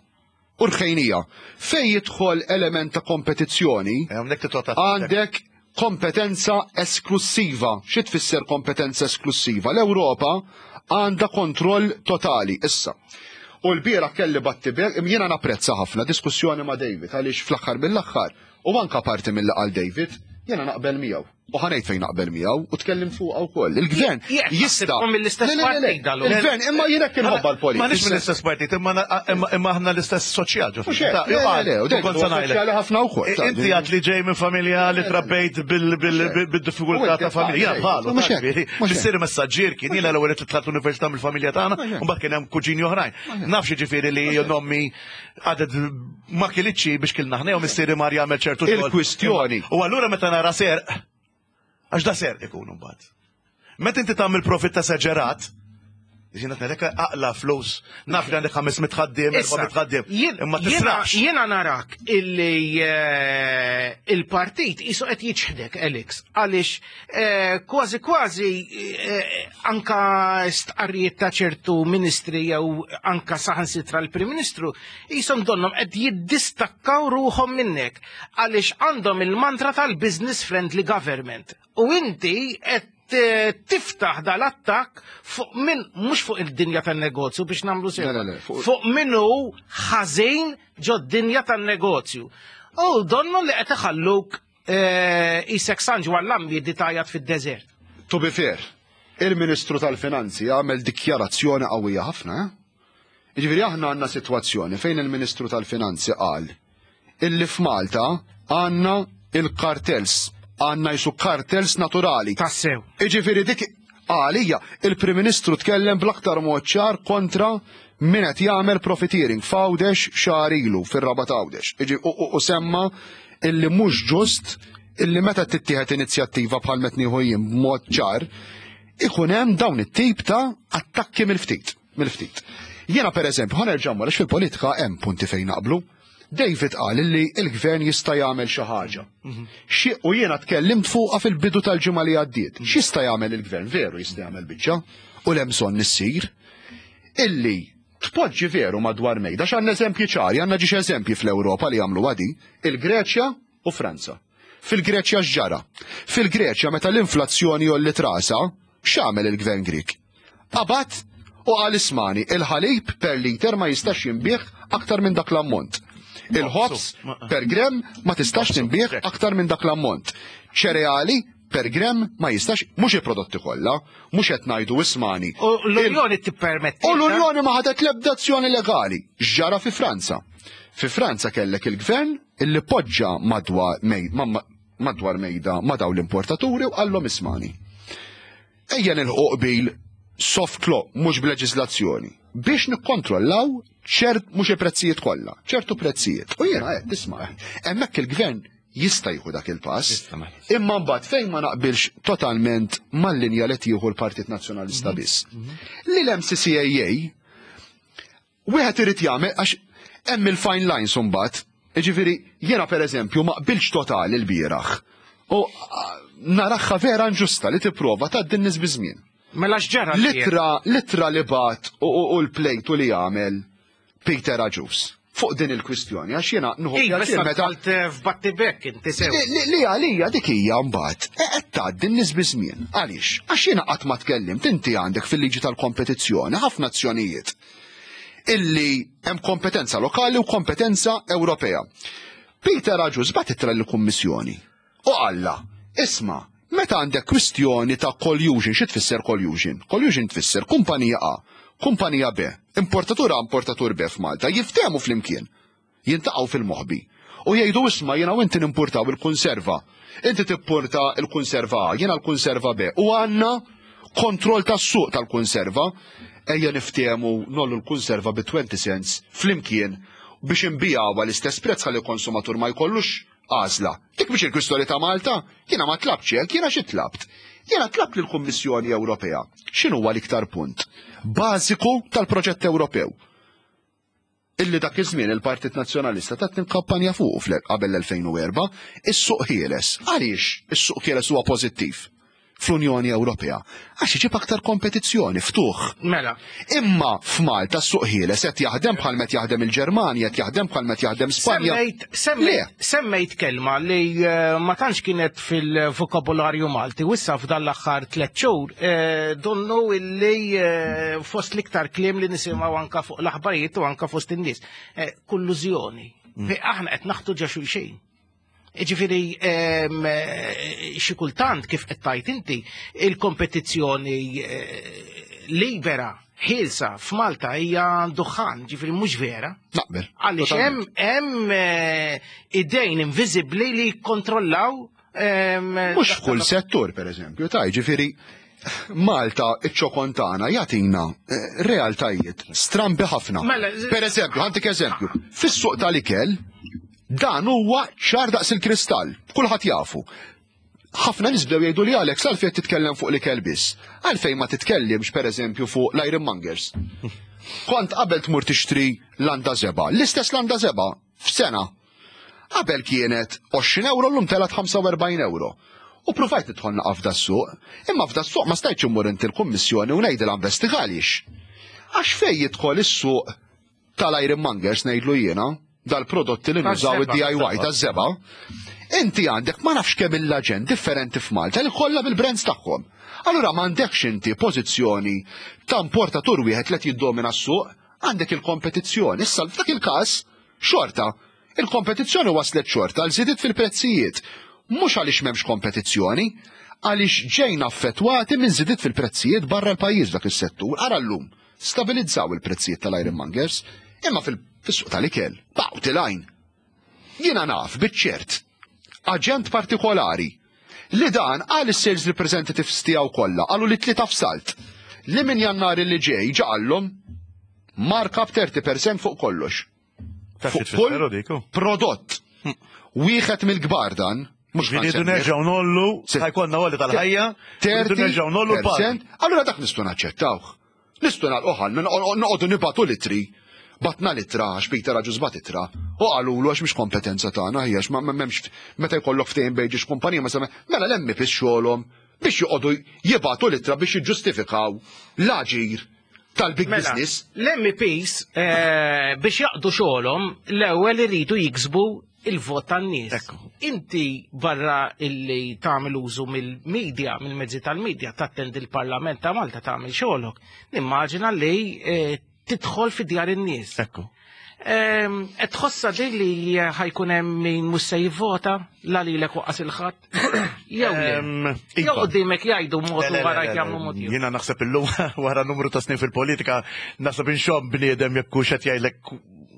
U rħejnija, fejn jidħol element ta' kompetizzjoni, Hawnhekk titgħod għandek kompetenza esklusiva. Xi tfisser kompetenza esklusiva? L-Ewropa għandha kontroll totali issa. U l-bira kelli battibek, jiena napprezza ħafna diskussjoni ma' David għaliex fl-aħħar mill-aħħar u anka parti mill qal David, jiena naqbel miegħu. U ħanejt fejn naqbel miegħu u tkellim fuqha wkoll. Il-gvern Jekk jista' naħsibkom mill-istess Le, le, le, le. partit, dallu. Il-gvern imma jiena kien ħobba l-politika. Ma nix mill-istess partit, imma imma- imma aħna l-istess soċjal ġo. Mhux hekk, le, le, le, u David huwa soċjali ħafna wkoll, ta' Inti għad li ġej minn familja li trabbejt bil-diffikultà ta' familja. Mhux Jien bħalu, hekk, ġifieri, mhux hekk. missieri messaġġier kien jiena l-ewwel li tlaqt l-università mill-familja tagħna, u mbagħad kien hemm kuġini oħrajn. Nafx ġifieri li nommi għadet ma kilitx biex kilna ħna jew missieri mar jagħmel ċertu xogħol. Il-kwistjoni. U allura meta nara serq, għax da serq ikun mbagħad. Meta inti tagħmel profitt esaġerat, jiena ngħidlek aqla flus, naf li għandek 500 ħaddiem, Issa, 400 ħaddiem, jien- imma jiena- tisrax. Jiena narak illi eh, il-partit isu qed jiċħdek, Alex, għaliex eh, kważi kważi eh, anka stqarrijiet ta' ċertu ministri jew anka saħansitra l-Prim Ministru jisom donnom qed jiddistakkaw ruħhom minnek għaliex għandhom il-mantra tal-business friendly government. U inti qed eh, tiftaħ dal-attakk fuq min mhux fuq id-dinja tan-negozju biex nagħmlu sew. Le, le, le, fuq- Fuq minnu ħażin ġo d-dinja tan-negozju. U donnu li qed iħalluk eh, isek San Ġwann l-Ambi tajat fid-deżert. To be fair, il-Ministru tal-Finanzi għamel dikjarazzjoni qawwija ħafna. eh? Jiġifieri aħna għandna sitwazzjoni fejn il-Ministru tal-Finanzi qal illi f'Malta għandna il-kartels, għandna jisu kartels naturali. Tassew. Iġifieri dik għalija il-Prim Ministru tkellem bl-aktar mod ċar kontra min qed jagħmel profiteering f'Għawdex xahar ilu fir-Rabat Għawdex. Iġi- U u- u semma illi mhux ġust illi meta tittieħed inizjattiva bħal meta nieħu jien b'mod ċar ikun hemm dawn it-tip ta' attakki mill-ftit, mill-ftit. Jiena pereżempju ħa nerġa' mmur għax fil-politika hemm punti fejn naqblu. David qal illi il-gvern jista' jagħmel xi ħaġa. Xi u jiena tkellimt fuqha fil-bidu tal-ġimgħa li għaddiet. X'jista' jagħmel il-gvern? Veru jista' jagħmel biċċa u l bżonn issir. Illi Tpoġġi veru madwar mejda, x'għandna eżempji ċari, għandna ġiex eżempji fl-Ewropa li għamlu għadi, il-Greċja u Franza. Fil-Greċja x'ġara? Fil-Greċja meta l-inflazzjoni għolliet rasha, x'għamel il-gvern Grieg? Qabad u qal ismani, il-ħalib per liter ma jistax jinbiegħ aktar minn dak l-ammont. Il-ħobż per gram ma tistax tinbiegħ aktar minn dak l-ammont. Ċereali per gram ma jistax, mhux il-prodotti kollha, mhux qed ngħidu ismani. U l-Unjoni tippermetti. U l-Unjoni ma ħadet l-ebda azzjoni legali. X'ġara fi Franza? Fi Franza kellek il-gvern illi poġġa madwar madwar mejda ma' dawn l-importaturi u qallhom ismani. Ejja nilħqu qbil soft law mhux b'leġiżlazzjoni biex nikkontrollaw ċert mhux il-prezzijiet kollha, ċertu prezzijiet. U jiena qed tisma' hemmhekk il-gvern jista' jieħu dak il-pass. Imma mbagħad fejn ma naqbilx totalment mal-linja li tieħu l-Partit Nazzjonalista biss. Li l-MCCAA Wieħed irid jagħmel għax hemm il-fine lines imbagħad. Jiġifieri jiena pereżempju ma qbiltx totali lbieraħ. U naraha vera inġusta li tipprova tgħaddi n-nies biż-żmien. Mela x'ġara? L-ittra, l-ittra li bagħat u l-plejtu li għamel Peter Agius fuq din il-kwistjoni għax jiena nieħu iva, pjaċir meta f'battibek inti sew. Li għalija dik hija mbagħad e qed tgħaddi n-nies biż-żmien. Għaliex? Għax jiena qatt ma tkellimt inti għandek fil-liġi tal-kompetizzjoni ħafna azzjonijiet illi hemm kompetenza lokali u kompetenza Ewropea. Peter Agius bagħat ittra lill-Kummissjoni u qallha, isma' meta għandek kwistjoni ta' collusion, xi tfisser collusion? Collusion tfisser kumpanija A, kumpanija B, importatur A, importatur B f'Malta, jiftehmu flimkien, jiltaqgħu fil-moħbi u jgħidu isma' jiena u inti nimpurtaw il-kunserva. Inti tippurta l-kunserva A, jiena l-kunserva B u għandna kontroll tas-suq tal-kunserva. Ejja niftehmu nollu l-kunserva bi 20 cents flimkien biex inbigħuha l-istess prezz ħalli l-konsumatur ma jkollux għażla. Dik mhix il-kwistjoni ta' Malta, jiena ma tlabtx hekk, jiena xi tlabt? Jiena tlabt lill-Kummissjoni Ewropea x'inhuwa l-iktar punt bażiku tal-proġett Ewropew illi dak iż-żmien il-Partit Nazzjonalista tat kampanja fuqu qabel l-2004, is-suq ħieles. Għaliex is-suq ħieles huwa pożittiv fl-Unjoni Ewropea? Għax iġib aktar kompetizzjoni, ftuħ. Mela. Imma f'Malta s-suq ħieles qed jaħdem bħal met jaħdem il-Ġermanja, qed jaħdem bħal met jaħdem Spanja. Semmejt kelma li eh, ma tantx kienet fil-vokabularju Malti, u issa f'dan l-aħħar tliet xhur eh, donnu illi eh, fost l-iktar kliem li nisimgħu anka fuq l-aħbarijiet u anka fost in-nies. Kollużjoni. Aħna qed naħtu ġa xulxin. Ġifieri xi kultant kif qed tgħid inti il-kompetizzjoni eh, libera ħielsa f'Malta hija duħan, ġifieri mhux vera. Naqbel. Għaliex hemm hemm eh, idejn inviżibbli li jikkontrollaw Mhux f'kull settur, pereżempju, ta' ġifieri Malta iċ-ċokon tagħna jagħtina eh, realtajiet strambi ħafna. Mela, per eżempju, ħantik eżempju, fis-suq tal-ikel dan huwa ċar daqs il-kristall, kulħadd jafu. Ħafna nies bdew jgħidu li Alex għalfejn titkellem fuq l-ikel biss. Għalfejn ma titkellimx pereżempju fuq l-ironmongers. Kont qabel tmur tixtri landa żebgħa, l-istess landa żebgħa f'sena Qabel kienet 20 euro llum telgħet 45 euro. U provajt nidħol naqa' f'das-suq, imma f'das-suq ma stajtx immur int il-Kummissjoni u ngħidilha investiga għaliex. Għax fejn jidħol is-suq tal-ironmongers ngħidlu jiena, dal-prodotti li nużaw id-DIY taż-żebgħa, inti għandek ma nafx kemm il-aġent differenti f'Malta li kollha bil-brands tagħhom. Allura m'għandekx inti pożizzjoni ta' importatur wieħed li qed jiddomina s-suq, għandek il-kompetizzjoni. Issa f'dak il-każ Xorta, il-kompetizzjoni wasslet xorta għal żidiet fil-prezzijiet. Mhux għaliex m'hemmx kompetizzjoni, għaliex ġejna affettwati minn żidiet fil-prezzijiet barra l-pajjiż f'dak is-settur. Ara llum, stabilizzaw il-prezzijiet tal-ironmongers, imma fis-suq tal-ikel, baqgħu tilgħin. Jiena naf biċ-ċert, aġent partikolari, li dan qal is-sales representatives tiegħu kollha, qalu li tlieta f'salt, li minn Jannar li ġej ġa qallhom markup 30% fuq kollox. Fuq kull prodott. Wieħed mill-kbar dan, mhux Rridu nerġgħu nollu, ħajkonna għolli tal-ħajja, rridu nerġgħu nollu l-pagi. Allura dak nistgħu naċċettawh. Nistgħu nagħlqu ħalna, noqogħdu nibgħatu litri. Batna litra għax Peter Agius bat itra. U qalulu għax mhix kompetenza tagħna hija għax ma m'hemmx meta jkollok ftehim bejn ġiex kumpanija ma mela l-MEPs xogħolhom biex joqogħdu jibgħatu litra biex jiġġustifikaw l-aġir. tal-big Mela, business. L-MEPs biex jaqdu xogħolhom l-ewwel iridu jiksbu il-vot tan-nies. Ekku. Inti barra illi tagħmel użu mill-medja, mill-mezzi tal-medja, tattendi l-Parlament ta' Malta tagħmel xogħolok. Nimmaġina li tidħol fi djar in-nies. Ekku. Qed tħossha din li ħa jkun hemm min mhux se jivvota la lilek waqqas il-ħadd? Jew le? Jew Iva. quddiemek jgħidu mod Le, u le, le, wara le, le. jagħmlu mod ieħor. Jiena naħseb illum wara numru ta' snin fil-politika naħseb inxomm bniedem jekk hux qed jgħidlek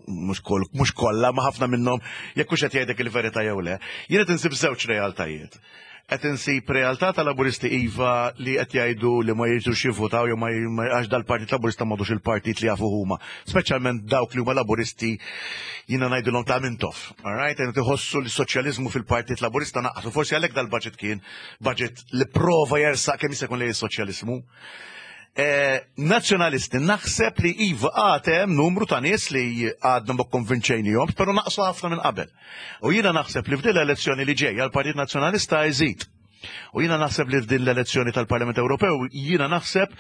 mhux koll mhux kollha ma ħafna minnhom jekk hux qed jgħidlek il-verità jew le. Jien qed insib żewġ realtajiet. Qed insib realtà ta' Laburisti iva li qed jgħidu li ma jiġux jivvutaw jew ma għax dal-Partit Laburista m'għadux il-partit li jafu huma. Speċjalment dawk li huma Laburisti jiena ngħidilhom ta' Mintoff. All right? Qed iħossu li s-soċjaliżmu fil-Partit Laburista naqsu. Forsi għalhekk dal-budget kien budget li prova jersaq kemm jista' jkun lejn is-soċjaliżmu. Nazzjonalisti naħseb li iva għad hemm numru ta' nies li għadna ma konvinċejnihom, però naqsu ħafna minn qabel. U jiena naħseb li f'din l-elezzjoni li ġejja l-Partit Nazzjonalista jżid. U jiena naħseb li f'din l-elezzjoni tal-Parlament Ewropew jiena naħseb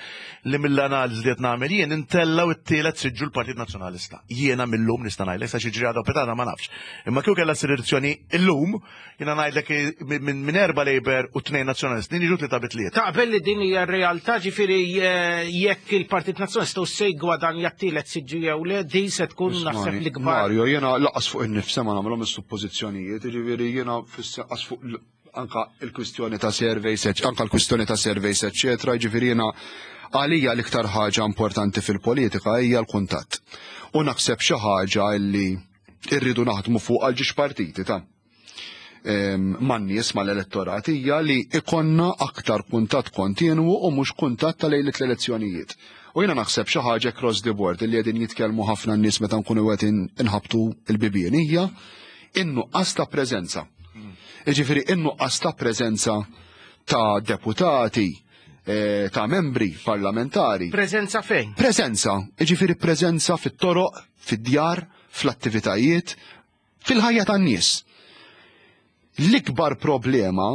li mill-analiżi li qed nagħmel jien intellaw it-tielet siġġu l-Partit Nazzjonalista. Jiena mill-lum nista' ngħidlek sa xiġri għadha pitgħada ma nafx. Imma kieku kellha ssir elezzjoni illum, jiena ngħidlek minn 4 Labour u 2 Nazzjonalisti niġu 3 bi 3. Taqbel li din hija r-realtà, ġifieri jekk il-Partit Nazzjonalista u se jgwadanja t-tielet siġġu jew le, din se tkun naħseb Ismani, l-ikbar. Mario, jiena laqas fuq in-nifsa ma nagħmilhom is-suppożizzjonijiet, jiġifieri jiena fis-qas fuq anka il-kwistjoni ta' surveys, anka l-kwistjoni ta' surveys, eccetera, jiġifieri jiena għalija l-iktar ħaġa importanti fil-politika hija l-kuntatt. U naħseb xi ħaġa li rridu naħdmu fuq għal ġiex partiti ta' man-nies mal-elettorat hija li ikonna aktar kuntatt kontinwu u mhux kuntatt ta' lejlet l-elezzjonijiet. U jiena naħseb xi ħaġa across the board li qegħdin jitkellmu ħafna n-nies meta nkunu qed inħabtu l-bibien hija in-nuqqas ta' preżenza. Jiġifieri in-nuqqas ta' preżenza ta' deputati, ta' membri parlamentari. Preżenza fejn? Preżenza, jiġifieri preżenza fit-toroq, fid-djar, fl-attivitajiet, fil-ħajja tan-nies. L-ikbar problema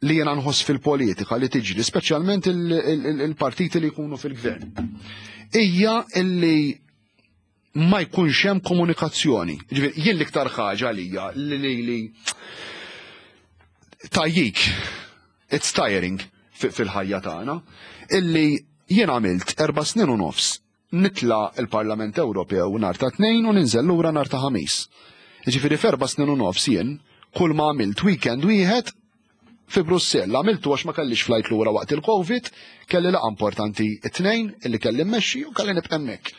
li jena nħoss fil-politika li tiġri, speċjalment il-partiti li jkunu fil-gvern, hija illi ma jkunx hemm komunikazzjoni. Ġifieri, jien l-iktar ħaġa għalija li tajjik, it's tiring fil-ħajja tagħna, illi jien għamilt 4 snin u nofs nitla il-Parlament Ewropew nhar ta' 2 u ninżel lura nhar ta' Ħamis. Ġifieri f'erba' snin u nofs jien kull ma għamilt weekend wieħed fi Brussell, għamiltu għax ma kellix flight lura waqt il-Covid, kelli laqgħa importanti it-tnejn illi kelli mmexxi u kelli nibqa' hemmhekk.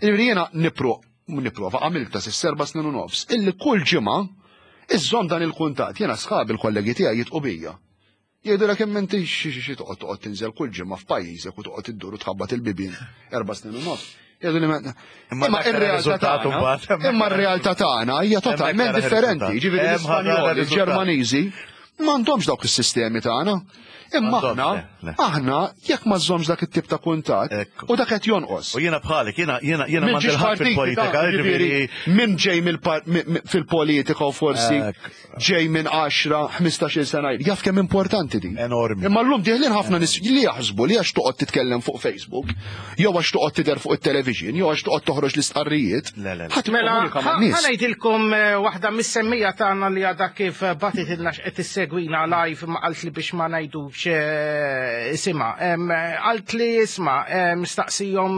Ġifieri jiena nipprova għamilta s'issa 4 snin u nofs, illi kull ġimgħa iżżomm dan il-kuntatt, jiena sħabi l-kollegi tiegħi jitqu bija. Jgħidu lek hemm inti xi toqgħod tinżel kull ġimgħa f'pajjiżek u toqgħod iddur u tħabbat il-bibien 4 snin u nofs. Jgħidu li ma- Imma Imma dak era ir-realtà riżultat tagħna, imbagħad. imma r-realtà tagħna hija Hemmhekk totalment era differenti. riżultat. Ġifieri Hemm ħafna l-Ispanjoli, riżultat. il-Ġermaniżi m'għandhomx dawk is-sistemi tagħna. Imma M'għandhomx, le, le. aħna jekk ma żżommx dak it-tip ta' kuntatt, Ekku. u dak qed jonqos. U jiena bħalek, jiena Minn m'għandi ġiex l-ħadd partiti fil-politika, ta' ġifieri ġifieri, min ġej fil-politika u forsi Ekku. ġej minn 10, 15-il sena, jaf kemm importanti din. Enormi. Imma llum dieħlin ħafna nies li jaħsbu li għax toqgħod titkellem fuq Facebook, jew għax toqgħod tidher fuq it-television, jew għax toqgħod toħroġ l-istqarrijiet. Le, le, le. Ħadd Mela, ikkomunika man-nies. ħa ngħidilkom waħda mis-semmija tagħna li għadha kif bagħtitilna x'qed issegwina live ma qalt li biex ma ngħidux isimha. Qalt li isma', mistaqsihom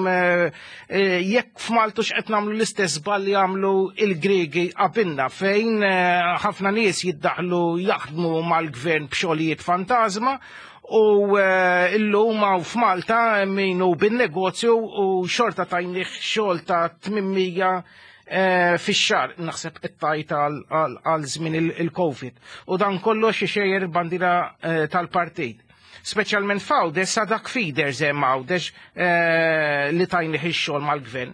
jekk f'Maltu x'qed nagħmlu l-istess żball li għamlu il-Griegi qabilna fejn ħafna nies jiddaħlu jaħdmu mal-gvern b'xogħlijiet fantasma u illum hawn f'Malta min hu bin-negozju u xorta tajnih xogħol ta' 800 fix-xahar, naħseb qed tajt għal żmien il-Covid. U dan kollox ixejjer il-bandiera tal-partit. Speċjalment f'Għawdex sa dak feeders hemm Għawdex li tajnih ix-xogħol mal-gvern.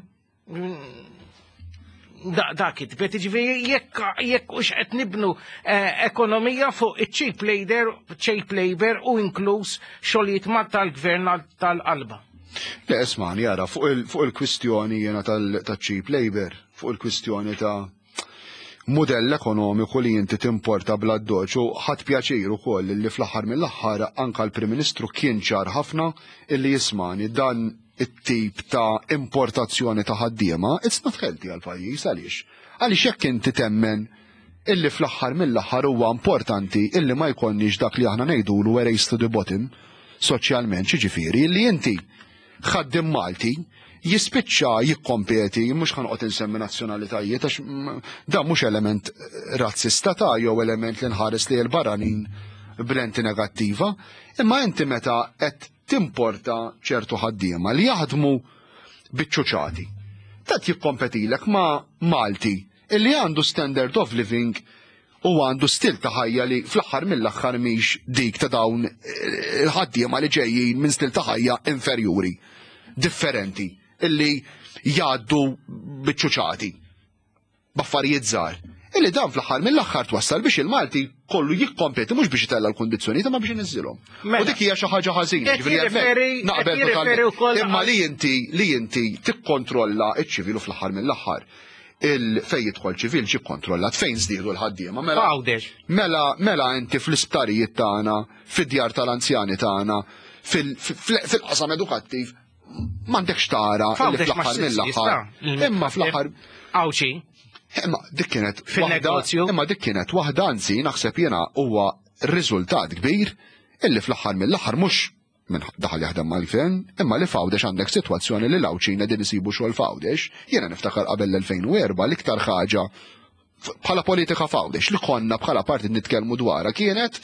Da kitbet, ġifieri jekk hux qed nibnu ekonomija fuq iċ-cheap labor, cheap labor u inkluż xogħlijiet ma tal-gvern tal-qalba. Le, ismani, jara, fuq il-kwistjoni jena tal-cheap labor, fuq il-kwistjoni ta' modell ekonomiku li inti timporta bla doċ, u ħadd pjaċir ukoll li fl-aħħar mill-aħħar anka l-Prim Ministru kien ċar ħafna illi jismani dan it-tip ta' importazzjoni ta' ħaddiema, it's not healthy għal pajjiż għaliex. Għaliex jekk inti temmen illi fl-aħħar mill-aħħar huwa importanti illi ma jkollniex dak li aħna ngħidulu a race to the bottom soċjalment, xiġifieri illi inti ħaddiem Malti jispiċċa jikkompeti, mhux ħa noqgħod insemmi nazzjonalitajiet għax dan mhux element razzista ta' jew element li nħares li l-barranin b'lenti negattiva, imma inti meta qed timporta ċertu ħaddiema li jaħdmu biċ-ċuċati. Qed jikkompetilek ma' Malti illi għandu standard of living u għandu stil ta' ħajja li fl-aħħar mill-aħħar mhix dik ta' dawn il-ħaddiema li ġejjin minn stil ta' ħajja inferjuri, differenti, illi jgħaddu biċ-ċuċati, b'affarijiet żgħar. Illi dan fl-aħħar mill-aħħar twassal biex il-Malti kollu jikkompeti mhux biex itella' l-kundizzjonijiet imma biex iniżżilhom. U dik hija xi ħaġa ħażina. Qed jirreferi Naqbel qed jirreferi totalment. wkoll Imma li inti li inti tikkontrolla ċ-ċivil u fl-aħħar mill-aħħar il fejn jidħol ċivil ġie kkontrollat fejn żdiedu l-ħaddiema. Mela F'Għawdex. mela mela inti fl-isptarijiet tagħna, fid-djar tal-anzjani tagħna, fil-qasam edukattiv m'għandekx tara illi F'Għawdex ma fl-aħħar ssibx mill-aħħar. jista' Imma fl-aħħar Għawdxi. Imma dik kienet waħda, Fin-negozju. imma dik kienet waħda anzi naħseb jiena huwa riżultat kbir illi fl-aħħar mill-aħħar mhux minn daħal jaħdem mal-gvern, imma li f'Għawdex għandek sitwazzjoni li l-Għawdxin qegħdin isibu xogħol f'Għawdex. Jiena niftakar qabel l-2004 l-iktar ħaġa bħala politika f'Għawdex li konna bħala partit nitkellmu dwarha kienet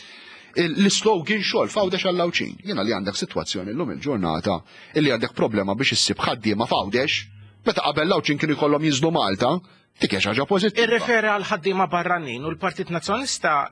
l-slogan xogħol f'Għawdex għall-Għawdxin. Jiena li għandek sitwazzjoni llum il-ġurnata illi għandek problema biex issib ħaddiema f'Għawdex, meta qabel l-Għawdxin kienu jkollhom jinżlu Malta, dik hija xi ħaġa pożittiva. Irrefera għal ħaddiema barranin u l-Partit Nazzjonalista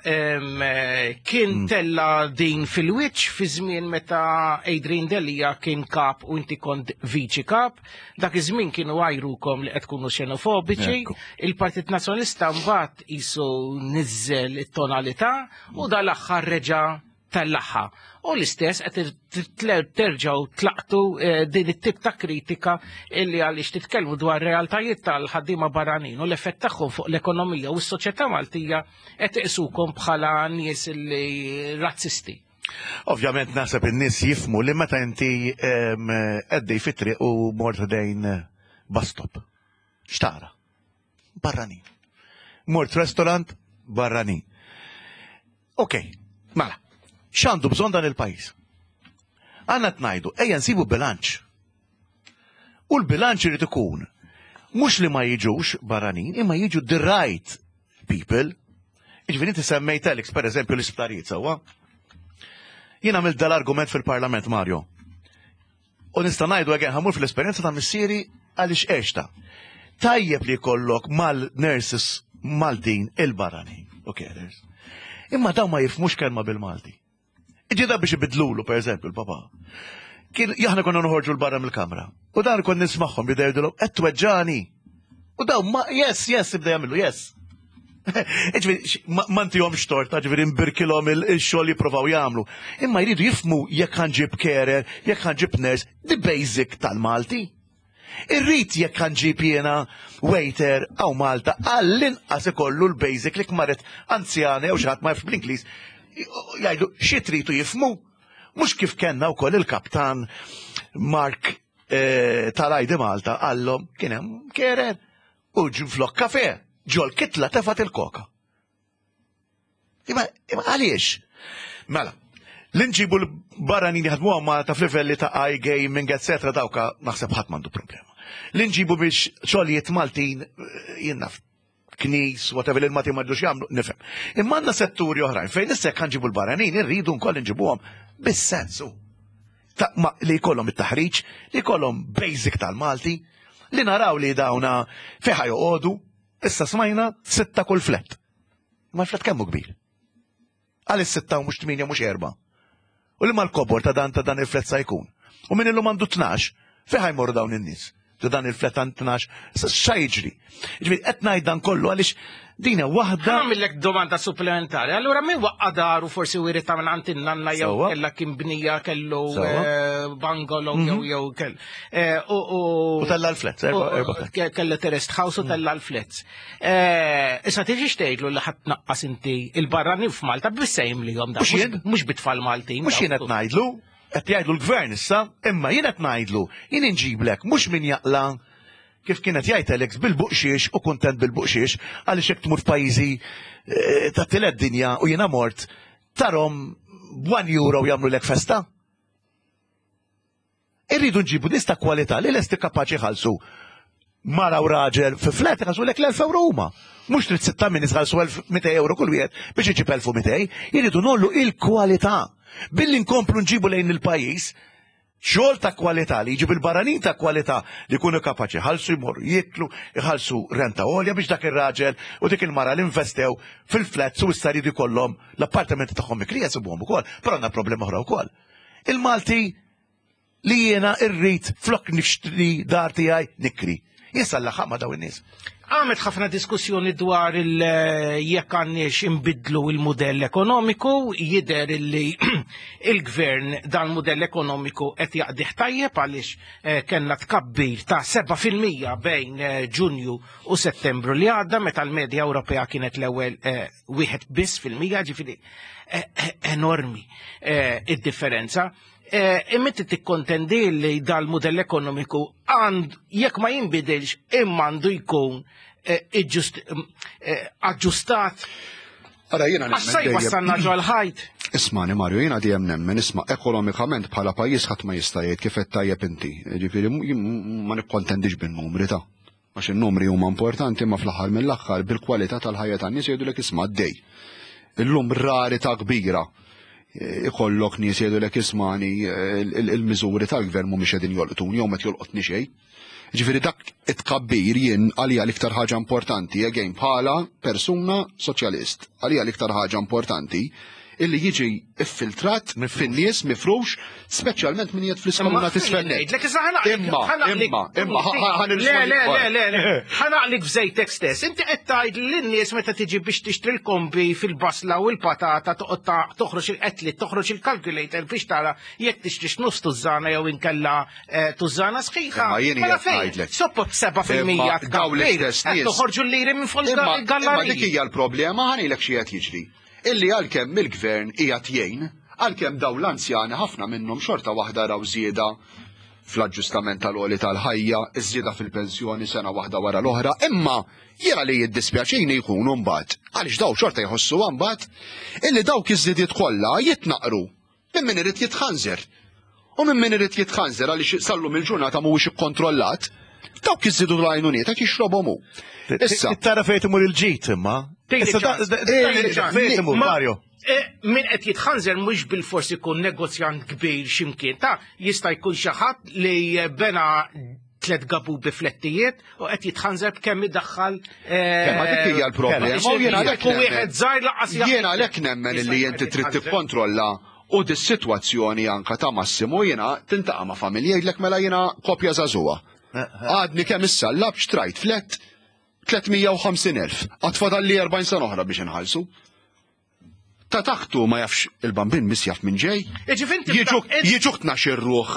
kien tella din fil-wiċċ fi żmien meta Adrian Delia kien kap u inti kont viċi kap. Dak iż-żmien kienu għajrukom li qed tkunu xenofobiċi. Ekku. Il-Partit Nazzjonalista mbagħad qisu niżżel it-tonalità u dal-aħħar reġa' tellaħħa. U l-istess qed terġgħu tlaqtu din it-tip ta' kritika illi għaliex titkellmu dwar realtajiet tal-ħaddiema barranin u l-effett tagħhom fuq l-ekonomija u s-soċjetà Maltija qed iqisukom bħala nies illi razzisti. Ovvjament naħseb in-nies jifmu li meta inti għaddej fit-triq u mort dejn bus stop. X'tara? Barranin. Mort restaurant, barranin. Ok, mela, x'għandu bżonn dan il-pajjiż? Għandna tnajdu, ejja nsibu bilanċ. U l-bilanċ irid ikun mhux li ma jiġux barranin, imma jiġu the right people. Jiġifieri inti semmejt Alex, per eżempju, l-isptarijiet sewwa. Jien għamilt dal-argument fil-Parlament, Mario. U nista' ngħidu again ħa mmur fl-esperjenza ta' missieri għaliex għexta. Tajjeb li jkollok mal-nurses Maltin il-barranin. U carers. Imma dawn ma jifhmux kelma bil-Malti. Ġida biex ibidlulu, per eżempju, l-papa. Kien aħna konna noħorġu l-barra mill-kamra. U dan kon nismagħhom bida jgħidulhom qed tweġġani. U dawn ma yes, yes, ibda jagħmlu yes. Ġifieri, ma ntihomx torta, ġifieri nbirkilhom il-xogħol jippruvaw jagħmlu. Imma jridu jifhmu jekk ħa nġib carer, jekk ħa nġib nurse, the basic tal-Malti. Irrid jekk ħa nġib jiena waiter hawn Malta għall-inqas ikollu l-basic li kmaret anzjana jew xi ħadd ma jafx bl-Ingliż jgħidu xi tridu jifhmu. Mhux kif kellna wkoll il-kaptan Mark tal-ID Malta qallhom kien hemm carer u flok kafe ġol kitla tefat il-koka. Imma għaliex? Mela, li nġibu l-barranin jaħdmu Malta f'livelli ta' iGaming, etc. dawka naħseb ħadd m'għandu problema. Li nġibu biex xogħlijiet Maltin jien naf knis, whatever il Maltin ma jridux jagħmlu, nifhem. Imma għandna setturi oħrajn fejn issa jekk nġibu l-barranin irridu nkoll nġibuhom bis-sensu. Li jkollhom it-taħriġ, li jkollhom basic tal-Malti, li naraw li dawna fejn ħa joqogħdu, issa smajna 6 kull flat. Ma l-flat kemm hu kbir? Għal 6 u mhux 8 mhux 4. U li mal-kobor ta' dan il-flat sa jkun. U min illum għandu 12, fejn ħa jmorru dawn in-nies? Ta' dan il-flat għand 12, xa jiġri? Ġifieri qed ngħid dan kollu għaliex dina waħda. Għamillek domanda supplementari. Allura min waqqa daru forsi wirita minn għand in-nanna jew kella kien bnija kellu bungalow jew kell. U tella l-flats, erba' flats. Kellu terraced house u tella l-flats. Issa tiġi xtejtlu li ħadd naqqas inti il-barranin f'Malta bissejm li jom da. Mhux jien. Mhux bit-tfal Maltin. Mhux jien qed ngħidlu. Qed jgħidlu l-gvern issa, imma jien qed ngħidlu, jien inġiblek mhux min jaqla' kif kien qed jgħid Alex bil-buqxiex u kuntent bil-buqxiex għaliex jekk tmur f'pajjiżi eh, ta' tielet dinja u jiena mort tarhom b'one euro jagħmlulek festa. Irridu nġibu nies ta' kwalità li lesti kapaċi jħallsu mara u raġel fi flat iħallsu lek l-1000 euro huma. Mhux trid sitta minn jħallsu 1200 euro kull wieħed biex iġib 1200, irridu nollu il-kwalità. Billi nkomplu nġibu lejn il-pajjiż xogħol ta' kwalità li jġib il-barranin ta' kwalità li jkunu kapaċi jħallsu jmorru jieklu, jħallsu renta għolja biex dak ir-raġel u dik il-mara li investew fil-flats u issa jridu jkollhom l-appartamenti tagħhom mikrija jsibuhom ukoll, però għandna problema oħra wkoll. Il-Malti li jiena irrid flok nixtri dar tiegħi nikri. Jien sallaħaq ma' daw in-nies. Għamet ħafna diskussjoni dwar il jekk għandniex inbidlu il-modell ekonomiku, jider li il-gvern dan modell ekonomiku qed jaqdih tajjeb għaliex eh, kellna tkabbir ta' 7% bejn eh, Ġunju u Settembru li għadda meta l-medja Ewropea kienet l-ewwel eh, wieħed biss fil-mija, ġifieri enormi id-differenza. Imma inti tikkontendi li dal-mudell ekonomiku għand jekk ma jinbidilx imma għandu jkun aġġustat. Ara jiena nemmen. Għax wassalna ġol ħajt. Ismani Mario, jiena dejjem nemmen, isma' ekonomikament bħala pajjiż ħadd ma jista' jgħid kif qed tajjeb inti. Ġifieri ma nikkontendix bin-numri ta' Għax in-numri huma importanti imma fl-aħħar mill-aħħar bil-kwalità tal-ħajja tan-nies jgħidulek isma' għaddej. Illum rarità kbira eh, ikollok nies jgħidulek ismani eh, il-miżuri tal-gvern mhumiex qegħdin jolqtuni jew qed jolqotni xejn. Ġifieri dak it-tkabbir jien għalija l-iktar ħaġa importanti, again bħala persuna soċjalist, għalija l-iktar ħaġa importanti illi jiġi iffiltrat fin-nies mifrux, speċjalment min jgħid fl-iskolna t'isfel nett. Imma, imma, imma, Le, le, le, le, le, ħanaqlik f'żejtek stess. Inti qed tgħid lin-nies meta tiġi biex tixtri l-kombi fil-basla u l-patata toqgħod toħroġ il-qetli, toħroġ il-calculator biex tara jekk tixtrix nofs tużżana jew inkella eh, tużżana sħiħa. Imma jien Mela qiegħed fejn? ngħidlek. Suppot 7% Imma dawn l-istess tkabbir, qed nies. toħorġu l-liri minn fost Imma imma il-gallariji. dik hija l-problema ħanilek xi qed jiġri. Illi għalkemm il-gvern qiegħed jgħin, għalkemm dawn l-anzjani ħafna minnhom xorta waħda raw żieda fl-aġġustament tal-għoli tal-ħajja, iż-żieda fil-pensjoni sena waħda wara l-oħra, imma jiena li jiddispjaċini jkunu mbagħad, għaliex dawn xorta jħossuha mbagħad, illi dawk iż-żidiet kollha jitnaqqru minn min irid jitħanżer. U minn min irid jitħanżer għaliex sal-lum il-ġurnata mhuwiex ikkontrollat, dawk iżidu l-għajnuniet qed jixrobhom hu. Issa. Tara fejn imur il-ġid imma. Fejn imur, Mario? Eh, min qed jitħanżer mhux bil-fors ikun negozjant kbir x'imkien ta' jista' jkun xi ħadd li bena tlet gabu bi flettijiet u qed jitħanżer b'kemm idaħħal. Eh, Ma dik hija l-problema. U jiena għalhekk wieħed żgħir laqas Jiena għalhekk nemmen illi inti trid tikkontrolla u dis-sitwazzjoni anka ta' Massimo jiena tintaqa' ma' familja jgħidlek mela jiena kopja żagħżugħa. Eh, eh. Għadni kemm issa lab xtrajt flet 350,000. Għad fadalli 40 sena oħra biex inħallsu. Ta' taħtu ma jafx il-bambin miss jaf minn ġej. Jiġuk tnax ruħ.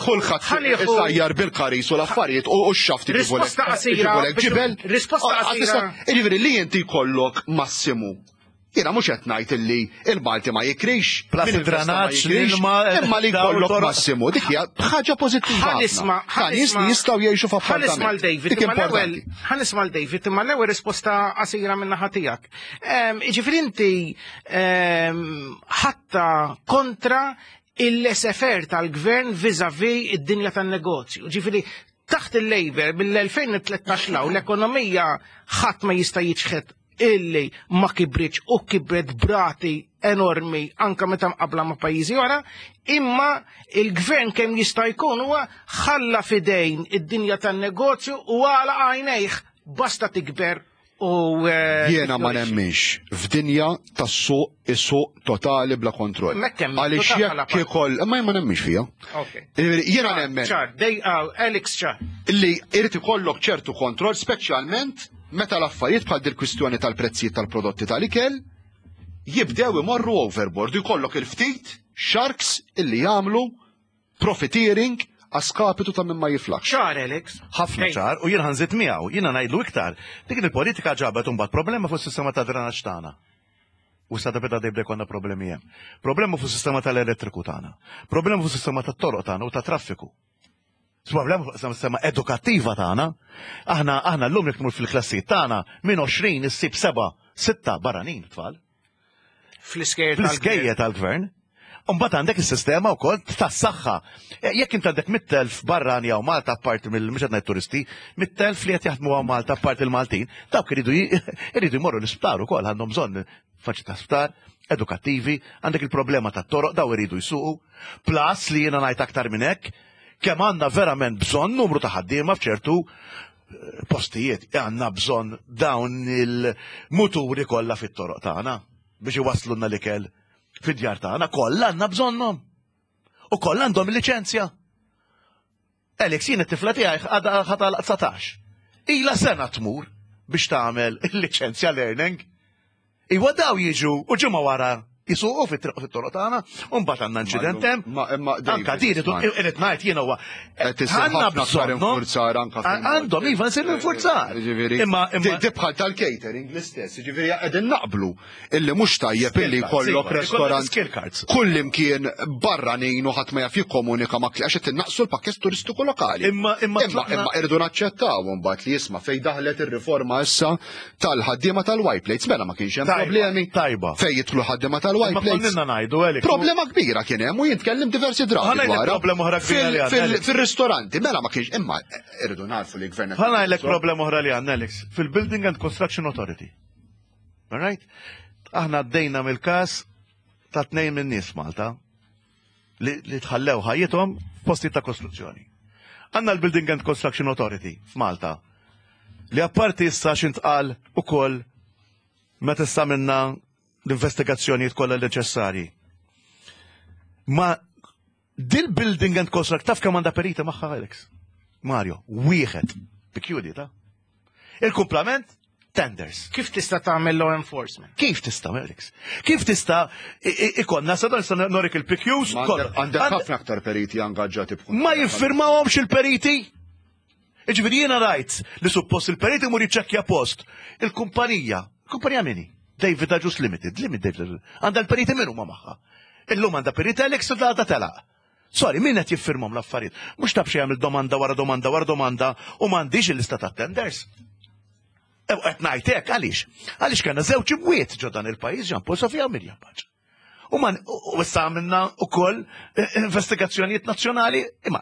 Kulħadd isajjar bil-karis u l-affarijiet u x-xaft Risposta qasira. Ġibel. Risposta qasira. Jiġifieri li inti jkollok massimu. Jiena mhux qed ngħid illi il-Malti ma jikrix. Plus il-dranaġġ, l-ilma. Imma li jkollok massimu, dik hija ħaġa pożittiva. Ħanisma, Ta' nies li jistgħu jgħixu f'appartament. Ħanisma' l-David. Dik importanti. Ħanisma' l-David, imma l-ewwel risposta qasira minn naħa tiegħek. Jiġifieri inti ħatta kontra il-laissez-faire tal-gvern vis-a-vis id-dinja tan-negozju. Ġifieri taħt il-Labour mill-2013 law l-ekonomija ħadd ma jista' jiċħed illi ma kibritx u kibret b'rati enormi anka meta mqabla ma' pajjiżi oħra, imma il-gvern kemm jista' jkun huwa ħalla fidejn id-dinja tan-negozju u għala għajnejh basta tikber u eh, Jiena ma nemminx f'dinja tas-suq is-suq totali bla kontroll. Għaliex jekk ikoll, imma jien ma nemminx fiha. Jiena nemmen. Ċar, dej ah, Alex ċar. Li irid ikollok ċertu kontroll speċjalment meta l-affarijiet bħal dil-kwistjoni tal-prezzijiet tal-prodotti tal-ikel jibdew imorru overboard u jkollok il-ftit sharks illi jagħmlu profiteering għaskapitu ta' min ma jiflaħx. Ċar, Alex. Ħafna ċar, u jien ħanżid miegħu, jiena ngħidlu iktar. Dik il-politika ġabet imbagħad problema fuq is-sistema ta' drenaġġ tagħna. U sa beda dejjem konna problemi hemm. Problema fuq sistema tal-elettriku tagħna. Problema fuq sistema tat-toroq tagħna u tat-traffiku. Problema fuq sistema edukattiva tagħna. Aħna aħna llum jekk tmur fil-klassijiet tagħna minn 20 issib seba' sitta barranin tfal. Fl-iskejjer tal-gvern. Umbagħad għandek is-sistema wkoll tas-saħħa. E, jekk int għandek 100,000 barrani hawn Malta apparti mill mhux qed ngħid turisti, 100,000 li qed jaħdmu hawn Malta apparti l-Maltin, dawk iridu iridu jmorru l-isptar ukoll għandhom bżonn faċi ta' sptar, edukattivi, għandek il-problema tat-toroq daw iridu jsuqu. Plus li jiena ngħid aktar minn hekk, kemm għandna verament bżonn numru ta' ħaddiema f'ċertu eh, postijiet għandna bżonn dawn il-muturi kollha fit-toroq tagħna biex iwasslulna l-ikel fid-djar tagħna kollha għandna bżonnhom. U kollha għandhom il-liċenzja. Alex, jien it-tifla tiegħi għadha ħatal 19. Ila sena tmur biex tagħmel il-liċenzja learning. Iwa daw jiġu u ġimgħa wara jisuqu fit-triq fit-toroq tagħna, u mbagħad għandna inċident hemm. Anka din irid ngħid jien huwa. Għandna bżonn infurzar anka. Għandhom iva nsir infurzar. Imma bħal tal-catering l-istess, jiġifieri qegħdin naqblu illi mhux tajjeb illi jkollok restorant kullimkien barranin u ħadd ma jaf jikkomunika ma' għax qed innaqsu l-pakkett turistiku lokali. Imma imma imma irridu naċċettaw imbagħad li jisma' fejn daħlet ir-riforma issa tal-ħaddiema tal-white plates mela ma kienx hemm problemi. Tajba. Fejn jidħlu ħaddiema tal-white plates. Imma ngħidu Alex. Problema kbira kien hemm u jien tkellim diversi drabi. Problema oħra kbira li għandna. Fil-ristoranti mela ma kienx imma irridu narfu li gvern. Ħa ngħidlek problema oħra li għandna Alex fil-Building and Construction Authority. All right? Aħna għaddejna mill-każ ta' tnejn minn nies Malta li, li tħallew ħajjithom f'postijiet ta' kostruzzjoni. Għandna l-Building and Construction Authority f'Malta li apparti issa x'intqal ukoll meta issa minna l-investigazzjonijiet kollha neċessarji. Ma dil-Building and Construct taf kemm għandha perita magħha Alex? Mario, wieħed. Pikjudi ta' Il-kumplament tenders. Kif tista' tagħmel law enforcement? Kif tista' Alex? Kif tista' ikonna sa dan nista' norik il-PQs? Għandek ħafna aktar periti angaġġati b'kun. Ma jiffirmawhomx il-periti? Iġifieri jiena rajt li suppost il-periti mur jiċċekkja post. Il-kumpanija, kumpanija mini? David Agius Limited, Limited, għandha l-periti min huma magħha. Illum għandha periti Alex u għadha telaq. Sorry, min qed jiffirmhom l-affarijiet? Mhux taf xi jagħmel domanda wara domanda wara domanda u m'għandix il-lista ta' tenders. E, qed ngħid hekk għaliex? Għaliex kellna żewġ imwiet ġo dan il-pajjiż Jean Paul Sofia u Mirjam Paċ. U man u issa għamilna wkoll eh, investigazzjonijiet nazzjonali, imma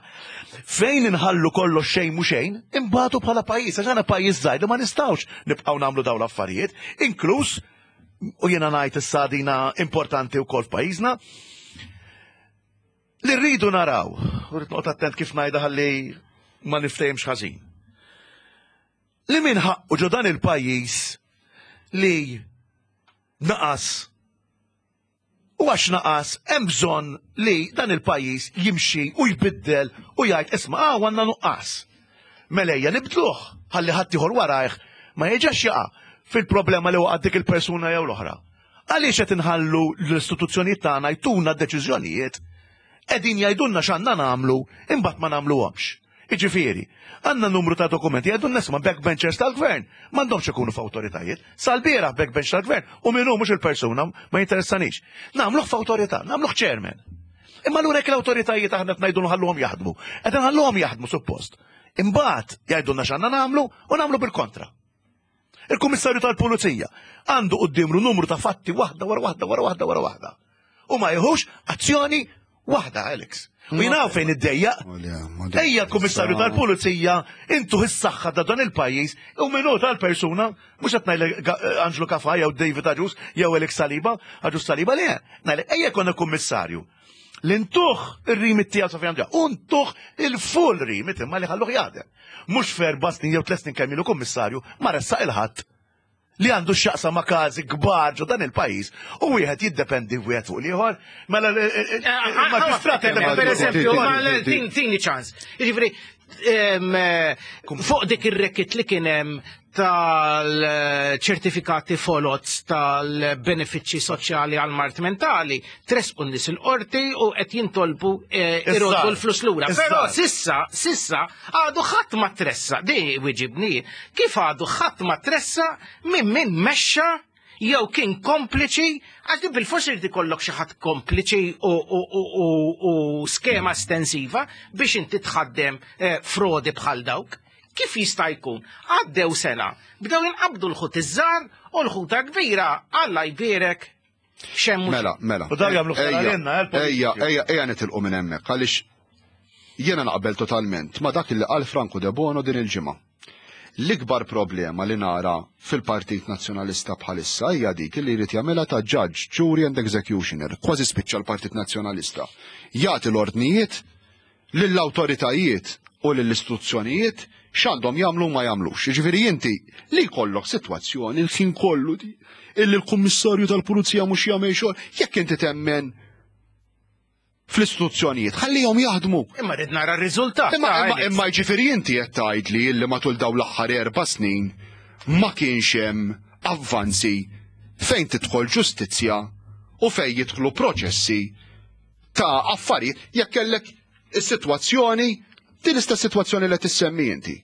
fejn inħallu kollox xejn mhu xejn, imbagħtu bħala pajjiż, għax aħna pajjiż żgħir li ma nistgħux nibqgħu nagħmlu dawn l-affarijiet, inkluż u jiena ngħid issa dina importanti wkoll f'pajjiżna, Li rridu naraw, u rrid noqgħod attent kif ngħidha ħalli ma niftehimx ħażin. Li min ħaqqu ġo dan il-pajjiż li naqas u għax naqas hemm bżonn li dan il-pajjiż jimxi u jbiddel u jgħid isma' ah għandna nuqqas. Mela ejja nibdluh ħalli ħadd ieħor warajh ma jerġax jaqa' fil-problema li waqgħet dik il-persuna jew l-oħra. Għaliex qed inħallu l-istituzzjonijiet tagħna jtuna d-deċiżjonijiet qegħdin jgħidulna x'għandna nagħmlu imbagħad ma nagħmluhomx. Jiġifieri, għandna numru ta' dokumenti jgħidulna isma' backbenchers tal-gvern m'għandhomx ikunu f'awtoritajiet. Sal-bieraħ backbench tal-gvern u min hu mhux il-persuna ma jinteressanix. Nagħmluh f'awtorità, nagħmluh chairman. Imma allura jekk l-awtoritajiet aħna qed ngħidu nħalluhom jaħdmu, qed inħalluhom jaħdmu suppost. Imbagħad jgħidulna x'għandna nagħmlu u nagħmlu bil-kontra. Il-Kummissarju tal-Pulizija għandu quddiemlu numru ta' fatti waħda wara waħda wara waħda wara waħda. U ma jieħux azzjoni waħda, Alex. U jien fejn iddejjaq. Ejja l-Kummissarju tal-Pulizija intu is-saħħa ta' dan il-pajjiż u minnu tal-persuna mhux qed ngħidlek eh, Anġlu Kafa jew David Aġus jew Alex Saliba, Aġus Saliba le, ngħidlek ejja konna kummissarju li ntuh ir-rimit tiegħu sa fejn u ntuh il-full rimit imma li ħalluh jaħdem. Mhux f'erba' snin jew tliet snin kemm ilu kummissarju ma ressaq il-ħadd li għandu x'jaqsam ma' każi kbar ġo dan il-pajjiż u wieħed jiddependi wieħed fuq l-ieħor. Mela il-maġistrat Per eżempju, tini ċans. Jiġifieri fuq dik ir-rekit li kien hemm tal-ċertifikati folots tal-benefiċċji soċjali għal mart mentali, tresqu n-nies il-qorti u qed jintolbu eh, iroddu l-flus lura. Però sissa, sissa għadu ħadd ma tressa, di wiġibni, kif għadu ħadd ma tressa minn min mexxa jew kien kompliċi, għax din bil-forsi irid ikollok xi ħadd kompliċi u skema estensiva biex inti tħaddem eh, frodi bħal dawk. Kif jista' jkun? Għaddew sena, bdew jinqabdu l-ħut iż-żgħar u l-ħuta kbira, Alla jbierek xemmu. Mela, mela. U dawn jagħmlu ħsara lilna, eh, Ejja, ejja, ejja nitilqu minn hemmhekk għaliex jiena naqbel totalment ma dak li qal Franco De Bono din il-ġimgħa. L-ikbar problema li nara fil-Partit Nazzjonalista bħalissa hija dik li jrid jagħmilha ta' judge, jury and executioner, kważi spiċċa l-Partit Nazzjonalista. Jagħti l-ordnijiet lill-awtoritajiet u lill-istituzzjonijiet x'għandhom jagħmlu u ma jagħmlux. Jiġifieri inti li jkollok sitwazzjoni l-ħin kollu di illi l-Kummissarju tal-Pulizija mhux jagħmel xogħol, jekk inti temmen fl-istituzzjonijiet, ħallihom jaħdmu. Imma rrid nara r-riżultat. Imma imma imma jiġifieri inti qed tgħidli illi matul dawn l-aħħar erba' snin ma kienx hemm avvanzi fejn tidħol ġustizzja u fejn jidħlu proċessi ta' affarijiet jekk kellek is-sitwazzjoni din l-istess sitwazzjoni li tissemmi inti.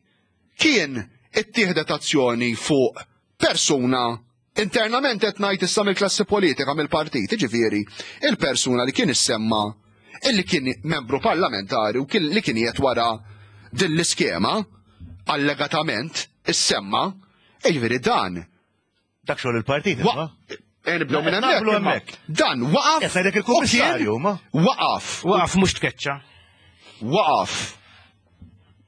Kien ittieħdet azzjoni fuq persuna Internament qed ngħid issa mill-klassi politika mill-partit, jiġifieri il-persuna li kien issemma illi kien membru parlamentari u li kien qiegħed wara din l-iskema allegatament issemma, jiġifieri dan. Dak xogħol il-partit, imma. Eh, nibdew minn hemmhekk. Dan waqaf. Qed ngħidlek il-kummissarju, ma. Waqaf. Waqaf mhux tkeċċa. Waqaf.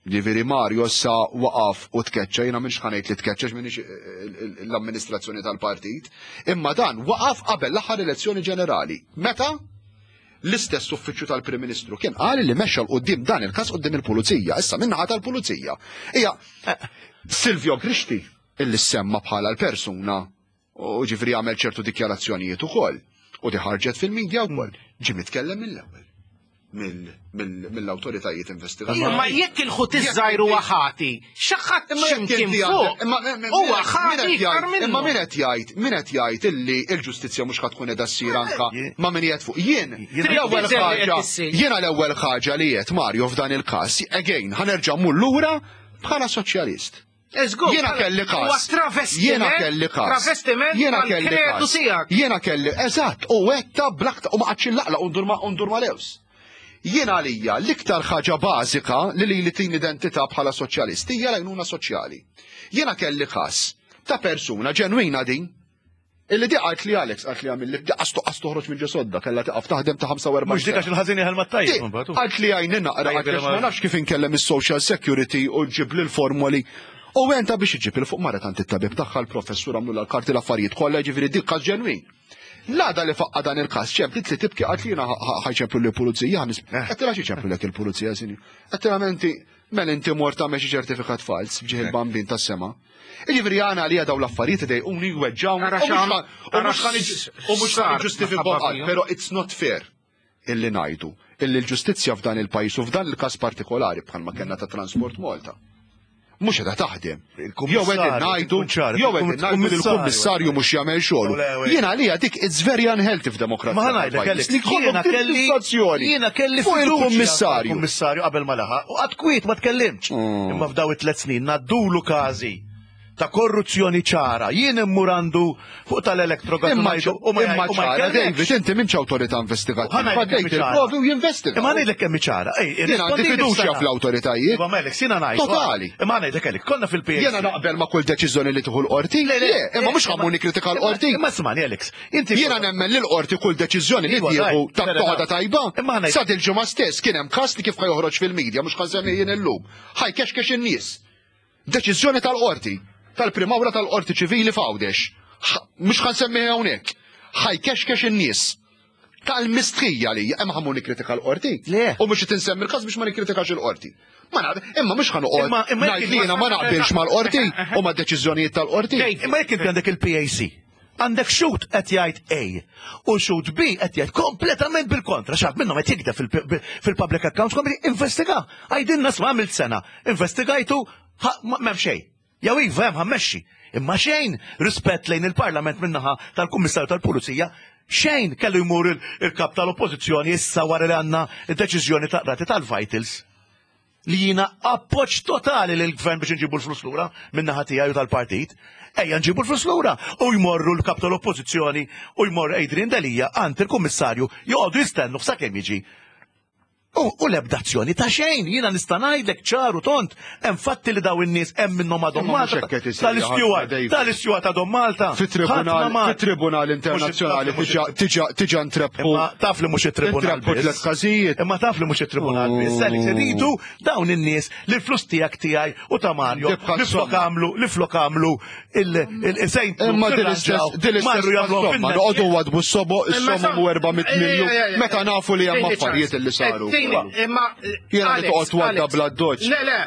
Ġifieri Mario issa waqaf u tkeċċa, jiena m'iniex ħa ngħid li tkeċċa għax m'iniex l-amministrazzjoni tal-partit, imma dan waqaf qabel l-aħħar elezzjoni ġenerali. Meta l-istess uffiċċju tal-Prim Ministru kien qal li mexxa 'l quddiem dan il-każ quddiem il-Pulizija, issa min-naħa tal-Pulizija. Hija Silvio Grixti illi ssemma bħala l-persuna U ġifri għamel ċertu dikjarazzjonijiet ukoll. U di ħarġet fil-media wkoll. Ġie mitkellem mill-ewwel mill-awtoritajiet investigattivi. Imma jekk il-ħut iż-żgħir huwa ħati, xi ħadd x'imkien fuq. Huwa ħati iktar minnu. Imma min qed jgħid, min qed jgħid illi l-ġustizzja mhux ħa tkun qiegħda ssir anka ma' min qiegħed fuq. Jien l-ewwel ħaġa, jiena l-ewwel ħaġa li qed Mario f'dan il-każ, again, ħa nerġa' mmur lura bħala soċjalist. Jiena kelli każ. Jiena kelli każ. Travestiment Jiena kelli każ. Jiena kelli, eżatt, u għetta blakta u ma qatx illaqla u ndur ma ndur ma lews. Jiena għalija l-iktar ħaġa bażika li lili tin identità bħala soċjalist hija l-għajnuna soċjali. Jiena kelli każ ta' persuna ġenwina din Illi di qalt li Alex qalt li għamilli qas toqas toħroġ minn ġo sodda kellha tiqaf taħdem ta' 45. Mhux dik għax il-ħażin jeħel mat-tajjeb. Qalt li għajni naqra għax ma nafx kif inkellem is-social security u ġib li l-formoli. U għenta biex iġib il fuq mara tant it-tabib tagħha l-professur għamlu l-karti l-affarijiet kollha ġifieri dik każ ġenwin. L-għada li faqqa dan il-każ ċemplit li tibki qalt li jiena ħajċemplu li pulizija Għedtilha xi ċemplu il-pulizija sinju. Għedtilha menti Mela inti mort tagħmel xi ċertifikat fals b'ġieħ il-bambin tas-sema. Jiġifieri għana għalija dawn l-affarijiet idejquni jweġġgħuni u mhux ħa niġġustifikahom qatt, però it's not fair illi ngħidu illi l-ġustizzja f'dan il-pajjiż u f'dan il-każ partikolari bħalma kellna ta' Transport Malta mhux qiegħda taħdem. Jew qegħdin ngħidu jew qegħdin ngħidu li l-kummissarju mhux jagħmel xogħlu. Jien għalija dik it's very unhealthy f'demokrazija. Ma ngħidlek Alex, li jkollok jiena kelli jiena kelli fuq il-kummissarju. Kummissarju qabel ma laħaq u qatt kwiet ma tkellimx. Imma f'daw it-tliet snin ngħaddulu każi ta' korruzzjoni ċara. Jien immur għandu fuq tal-electrogas Imma u ma imma ċara, David, inti m'intx awtorità investigattiva. Dejt il-provi u jinvestiga. Imma ngħidlek kemm ċara. Jien għandi fiduċja fl-awtoritajiet. Iva melek, sina ngħid. Totali. Imma ngħidlek Alex, konna fil-PAC. Jiena naqbel ma' kull deċiżjoni li tieħu l-qorti. Le, imma mhux ħammur nikkritika l-qorti. Imma smani Alex, inti. Jiena nemmen li l-qorti kull deċiżjoni li tieħu ta' toħodha tajba. Sa dil-ġimgħa stess kien hemm każ li kif ħa joħroġ fil-media mhux ħa nsemmi jien illum. Ħa jkexkex in-nies. Deċiżjoni tal-qorti, tal-Prim'Awla tal-Qorti Ċivili f'Għawdex, mhux ħa nsemmiha hawnhekk, ħa jkexkex in-nies. Tal-mistħija li hemm ħa mmur nikkritika l-qorti. Le. U mhux qed insemmi l-każ biex ma nikkritikax il-qorti. Ma naf, imma mhux ħa noqgħod ngħid li jiena ma naqbilx mal-qorti u mad-deċiżjonijiet tal-qorti. Imma jekk inti għandek il-PAC, għandek xhud qed jgħid A u xhud B qed jgħid kompletament bil-kontra, xi ħadd minnhom qed jigdeb fil-Public Accounts Committee, investiga. Għidilna sma' għamilt sena, investigajtu, m'hemm xejn. Jew iva hemm ħammexxi. Imma xejn rispett lejn il-Parlament min-naħa tal-Kummissarju tal-Pulizija, xejn kellu jmur il-kap tal-Oppożizzjoni issa wara li għandna d-deċiżjoni ta' qrati tal-Vitals li jiena appoġġ totali lill-gvern biex inġibu l-flus lura min-naħa tiegħi u tal-partit. Ejja nġibu l-flus lura u jmorru l-kap tal-oppożizzjoni u jmorru Adrian Delia għand il-kummissarju joqogħdu jistennu sakemm jiġi. U l-ebda azzjoni ta' xejn, jiena nista' ngħidlek ċar u tond, hemm fatti li daw in-nies hemm minnhom għadhom Malta. Tal-isteward, tal-isteward għadhom Malta. Fit-tribunal internazzjonali tiġa ntrebħu. Imma taf li mhux it-tribunal. Intrebħu tliet każijiet. Imma taf li mhux it-tribunal biss. Għaliex iridu dawn in-nies li l-flus tiegħek tiegħi u ta' Mario li flok għamlu li flok għamlu il-sejn. Imma din l-istess din l-istess somma noqogħdu wadbu s-sobo s-somma mu 400 miljun meta nafu li hemm affarijiet li saru. Imma jiena li toqgħod wadda bla doċ. Le le,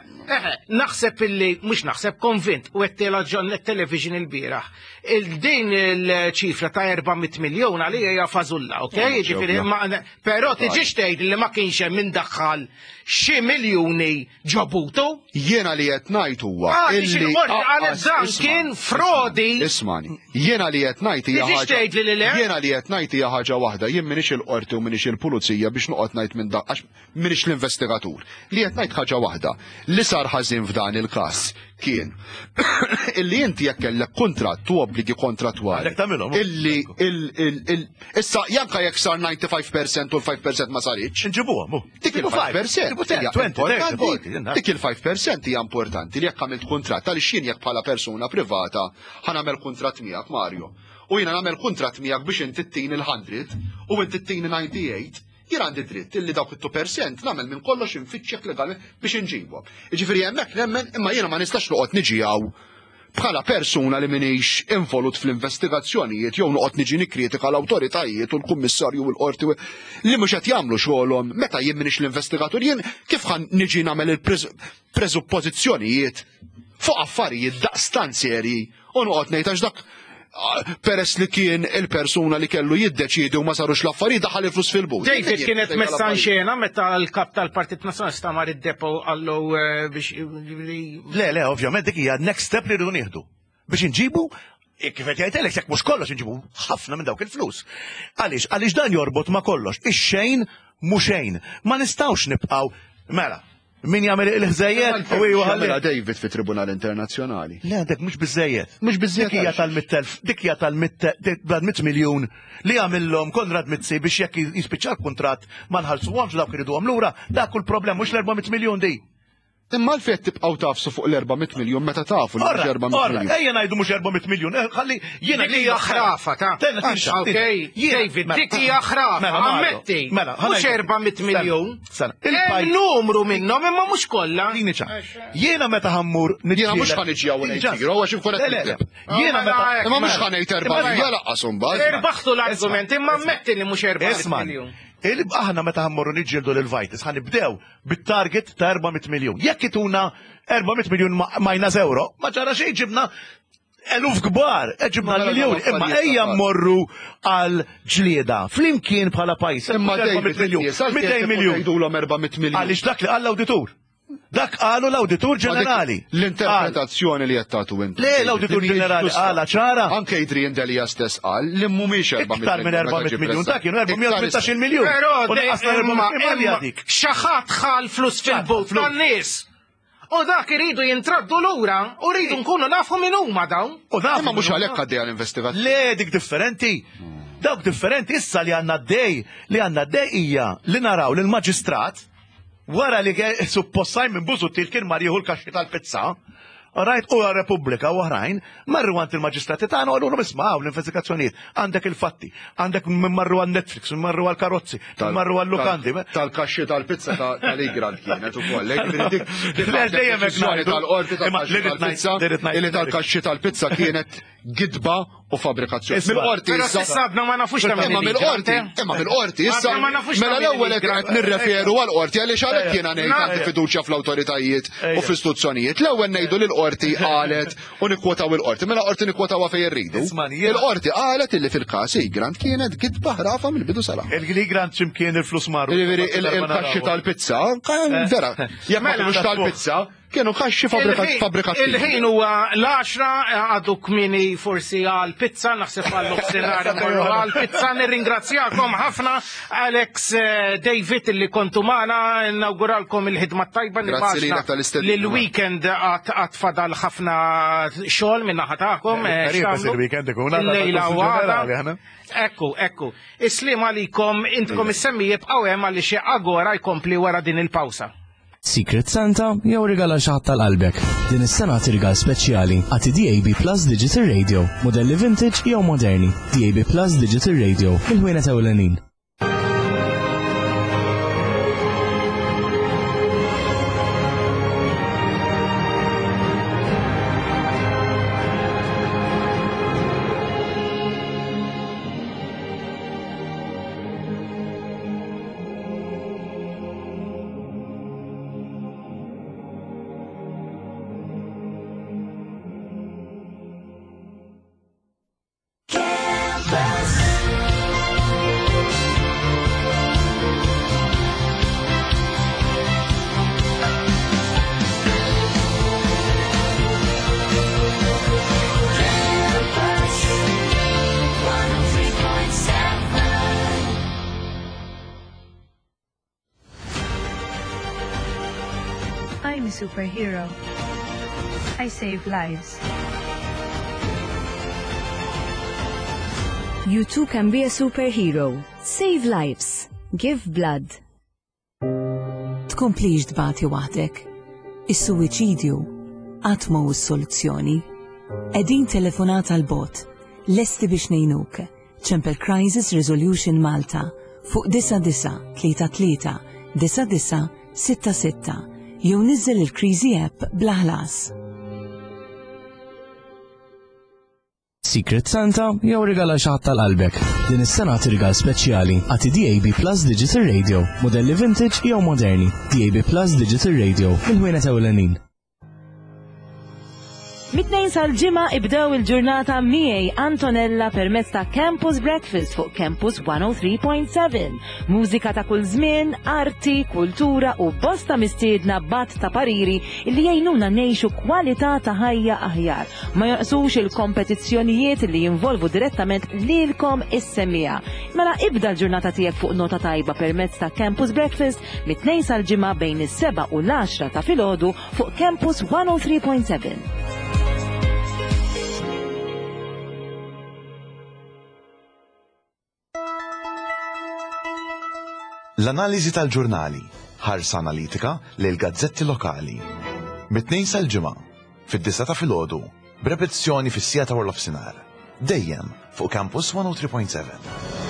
naħseb illi mhux naħseb konvint u qed tela ġon television il-bieraħ. Il-din il-ċifra ta' 400 miljun għalija hija fażulla, ok? Ġifieri però tiġix tgħid li ma kienx hemm min daħħal xi miljuni ġobutu. Jiena li qed ngħid huwa. Ah, illi qalet dan kien frodi. Ismani, jiena li qed ngħid hija ħaġa. Jiena li qed ngħid hija ħaġa waħda, jien m'iniex il-qorti u m'iniex il-pulizija biex noqgħod ngħid minn dak għax m'iniex l-investigatur. Li qed ngħid ħaġa waħda, li sar ħażin f'dan il-każ kien illi inti jekk kellek kuntratt u obbligi kontrattwali. Illi issa janka jekk sar 95% u l-5% ma saritx. Nġibuhom. Dik il-5% hija importanti. Dik il-5% hija importanti li jekk għamilt kuntratt għaliex jien jekk bħala persuna privata ħa nagħmel kuntratt miegħek Mario. U jiena nagħmel kuntratt miegħek biex inti ttini l-100 u inti ttini 98, jien għandi dritt illi dawk it-2% nagħmel minn kollox infittxek legalment biex inġibhom. Jiġifieri hemmhekk nemmen imma jiena ma nistax noqgħod niġi hawn bħala persuna li m'iniex involut fl-investigazzjonijiet jew noqgħod niġi nikkritika l-awtoritajiet u l-kummissarju u l-qorti li mhux qed jagħmlu xogħolhom meta jien m'iniex l-investigatur jien kif ħan niġi nagħmel il-preżuppożizzjonijiet fuq affarijiet daqstant serji u noqgħod ngħid għax dak peress li kien il-persuna li kellu jiddeċiedi u ma sarux l-affarijiet daħal il-flus fil-but. David kienet messa xena meta l-kap tal-Partit Nazzjonalista mar id-depo għallu eh, biex. Le, le, ovvjament dik hija next step li rridu nieħdu. Biex inġibu eh, kif qed jgħid Alex, jekk mhux kollox inġibu ħafna minn dawk il-flus. Għaliex, għaliex dan jorbot ma' kollox. Ix-xejn mhu xejn. Ma nistgħux nibqgħu mela, Min jagħmel il-ħżejjed u iwa ħalli. David fi Tribunal Internazzjonali. Le, dak mhux biżejjed. Mhux biżejjed. Dik hija tal-mittelf, dik hija tal-mit miljun li għamillhom Konrad Mizzi biex jekk jispiċċa l-kuntratt ma nħallsuhomx dawk iriduhom lura, dak kull problem mhux l-400 miljun di. Imma għalfejn qed tibqgħu tafsu fuq l-400 miljun meta tafu li mhux 400 miljun. Ejja ngħidu mhux 400 miljun, eh, ħalli jiena Dik hija ħrafa ta' Okej, David, dik hija ħrafa, mela, ammetti. Mela, mhux 400 miljun. Hemm numru minnhom imma mhux kollha. Dini ċa. Jiena meta ħammur Jiena mhux ħa niġi hawn ngħid zero għax inkun qed nikdeb. Jiena meta Imma mhux ħa ngħid 400 laqqas imbagħad. Irbaħtu l-argument imma ammetti li mhux 400 miljun. Aħna meta ħammorru niġġieldu lil Vitis ħa nibdew bit-target ta' 400 miljun. Jekk ituna 400 miljun minus euro, ma ġara xejn ġibna eluf kbar, eh, ġibna Mela, miljoni, mela, imma affarijiet ejja ta' mmorru għal ġlieda. Flimkien bħala pajjiż. Imma 400 miljun, 200 miljun. Jgħidulhom 400 miljun. Għaliex dak li qal l-awditur. Dak qalu l-awditur ġenerali. L-interpretazzjoni li qed tagħtu intom. Le, l-Awditur Ġenerali qala ċara. Anke Adrian Delia stess qal li mhumiex 400 Iktar minn 400 miljun, dak kienu 418 miljun. Però U naqasna 400 miljun imma dik. xi ħadd ħa l-flus fil-but tan-nies. U dak iridu jintraddu lura u rridu nkunu nafu min huma dawn. U nafu Imma mhux min huma. għalhekk għaddejja l-investigazzjoni. Le, dik differenti. Dawk differenti issa li għandna d-dej, li għandna d-dej hija li naraw li l-maġistrat wara li suppost Simon Busuttil kien mar jieħu l-kaxxi tal-pizza, Right, u Repubblika u oħrajn, marru għand il-maġistrati tagħna u għalulhom isma' hawn l-investigazzjonijiet, għandek il-fatti, għandek min marru għal Netflix, min marru għal karozzi, min marru għal lukandi. Tal-kaxxi tal-pizza tal-Igrant kienet ukoll. Jiġifieri dik dik Le, dejjem hekk deċiżjoni ngħidu. tal-qorti Imma tal-kaxxi li rrid ngħid- tal-pizza li rrid ngħid- illi tal-kaxxi tal-pizza kienet gidba u fabrikazzjoni. Isma' Mill-qorti Però issa s'issa għadna ma nafux ta' min Imma mill-qorti, il-migrant, eh? imma mill-qorti issa. Għadna ma nafux ta' Mela min l-ewwel qed il-migrant. nirreferu għall-qorti għaliex għalhekk jiena ngħid għandi fiduċja fl-awtoritajiet u fl-istituzzjonijiet. L-ewwel ngħidu li l-qorti qalet u nikkwotaw il-qorti. Mela qorti nikkwotawha fejn irridu. Isma' jiena- Il-qorti qalet illi fil-każ Egrant kienet gidba ħrafa mill-bidu sal-aħħar. Il-Grant x'imkien il-flus marru. Jiġifieri il-kaxxi tal-pizza, vera, jekk ma Mela, kinux tal-pizza, Kienu kaxxi fabbrikattivi. Il-ħin huwa l-10 għadu kmini forsi għal pizza, naħseb għal nofsinhar imorru għal pizza. Nirringrazzjakom ħafna Alex eh, David li kontu magħna, nawguralkom il-ħidma tajba Grazzi lilek tal-istedina. li l-weekend għad fadal ħafna xogħol minn naħa tagħkom. Eh, Qrib il-weekend ikun għadha Lejla u għada. ġenerali, aħna. Ekku, ekku. Islim għalikom, intkom is-semmi jibqgħu hemm għaliex Agora jkompli wara din il-pawsa. Secret Santa jew rigala xi ħadd tal-qalbek. Din is-sena rigal speċjali għati DAB Plus Digital Radio, modelli vintage jew moderni. DAB Plus Digital Radio, il-ħwienet ewlenin. I'm a superhero. I save lives. You too can be a superhero. Save lives. Give blood. Tkomplix tbati waħdek. Is-suwiċidju qatt ma hu s-soluzzjoni. Qegħdin telefonata l bot lesti biex ngħinuk. Ċempel Crisis Resolution Malta fuq 9933 9966 jew niżel il-Kriżi app bla ħlas. Secret Santa jew rigala xi ħadd tal-qalbek. Din is-sena rigal speċjali għati DAB Plus Digital Radio, modelli vintage jew moderni. DAB Plus Digital Radio, il-ħwienet ewlenin. Mit-tnejn sal-ġimgħa ibdew il-ġurnata miegħi Antonella permezz ta' Campus Breakfast fuq Campus 103.7. Mużika ta' kull żmien, arti, kultura u bosta mistiedna bat ta' pariri li jgħinuna ngħixu kwalità ta' ħajja aħjar. Ma jonqsux il-kompetizzjonijiet li jinvolvu direttament lilkom is-semmiegħa. Mela ibda l-ġurnata tiegħek fuq nota tajba permezz ta' Campus Breakfast mit-tnejn sal-ġimgħa bejn is-7 u l-10 ta' filgħodu fuq Campus 103.7. L-analiżi tal-ġurnali, ħarsa analitika lil gazzetti lokali. Mit-tnejn sal-ġimgħa, fid-disa ta' filgħodu, b'repetizzjoni fis-sija ta' warlofsinhar. Dejjem fuq Campus 103.7.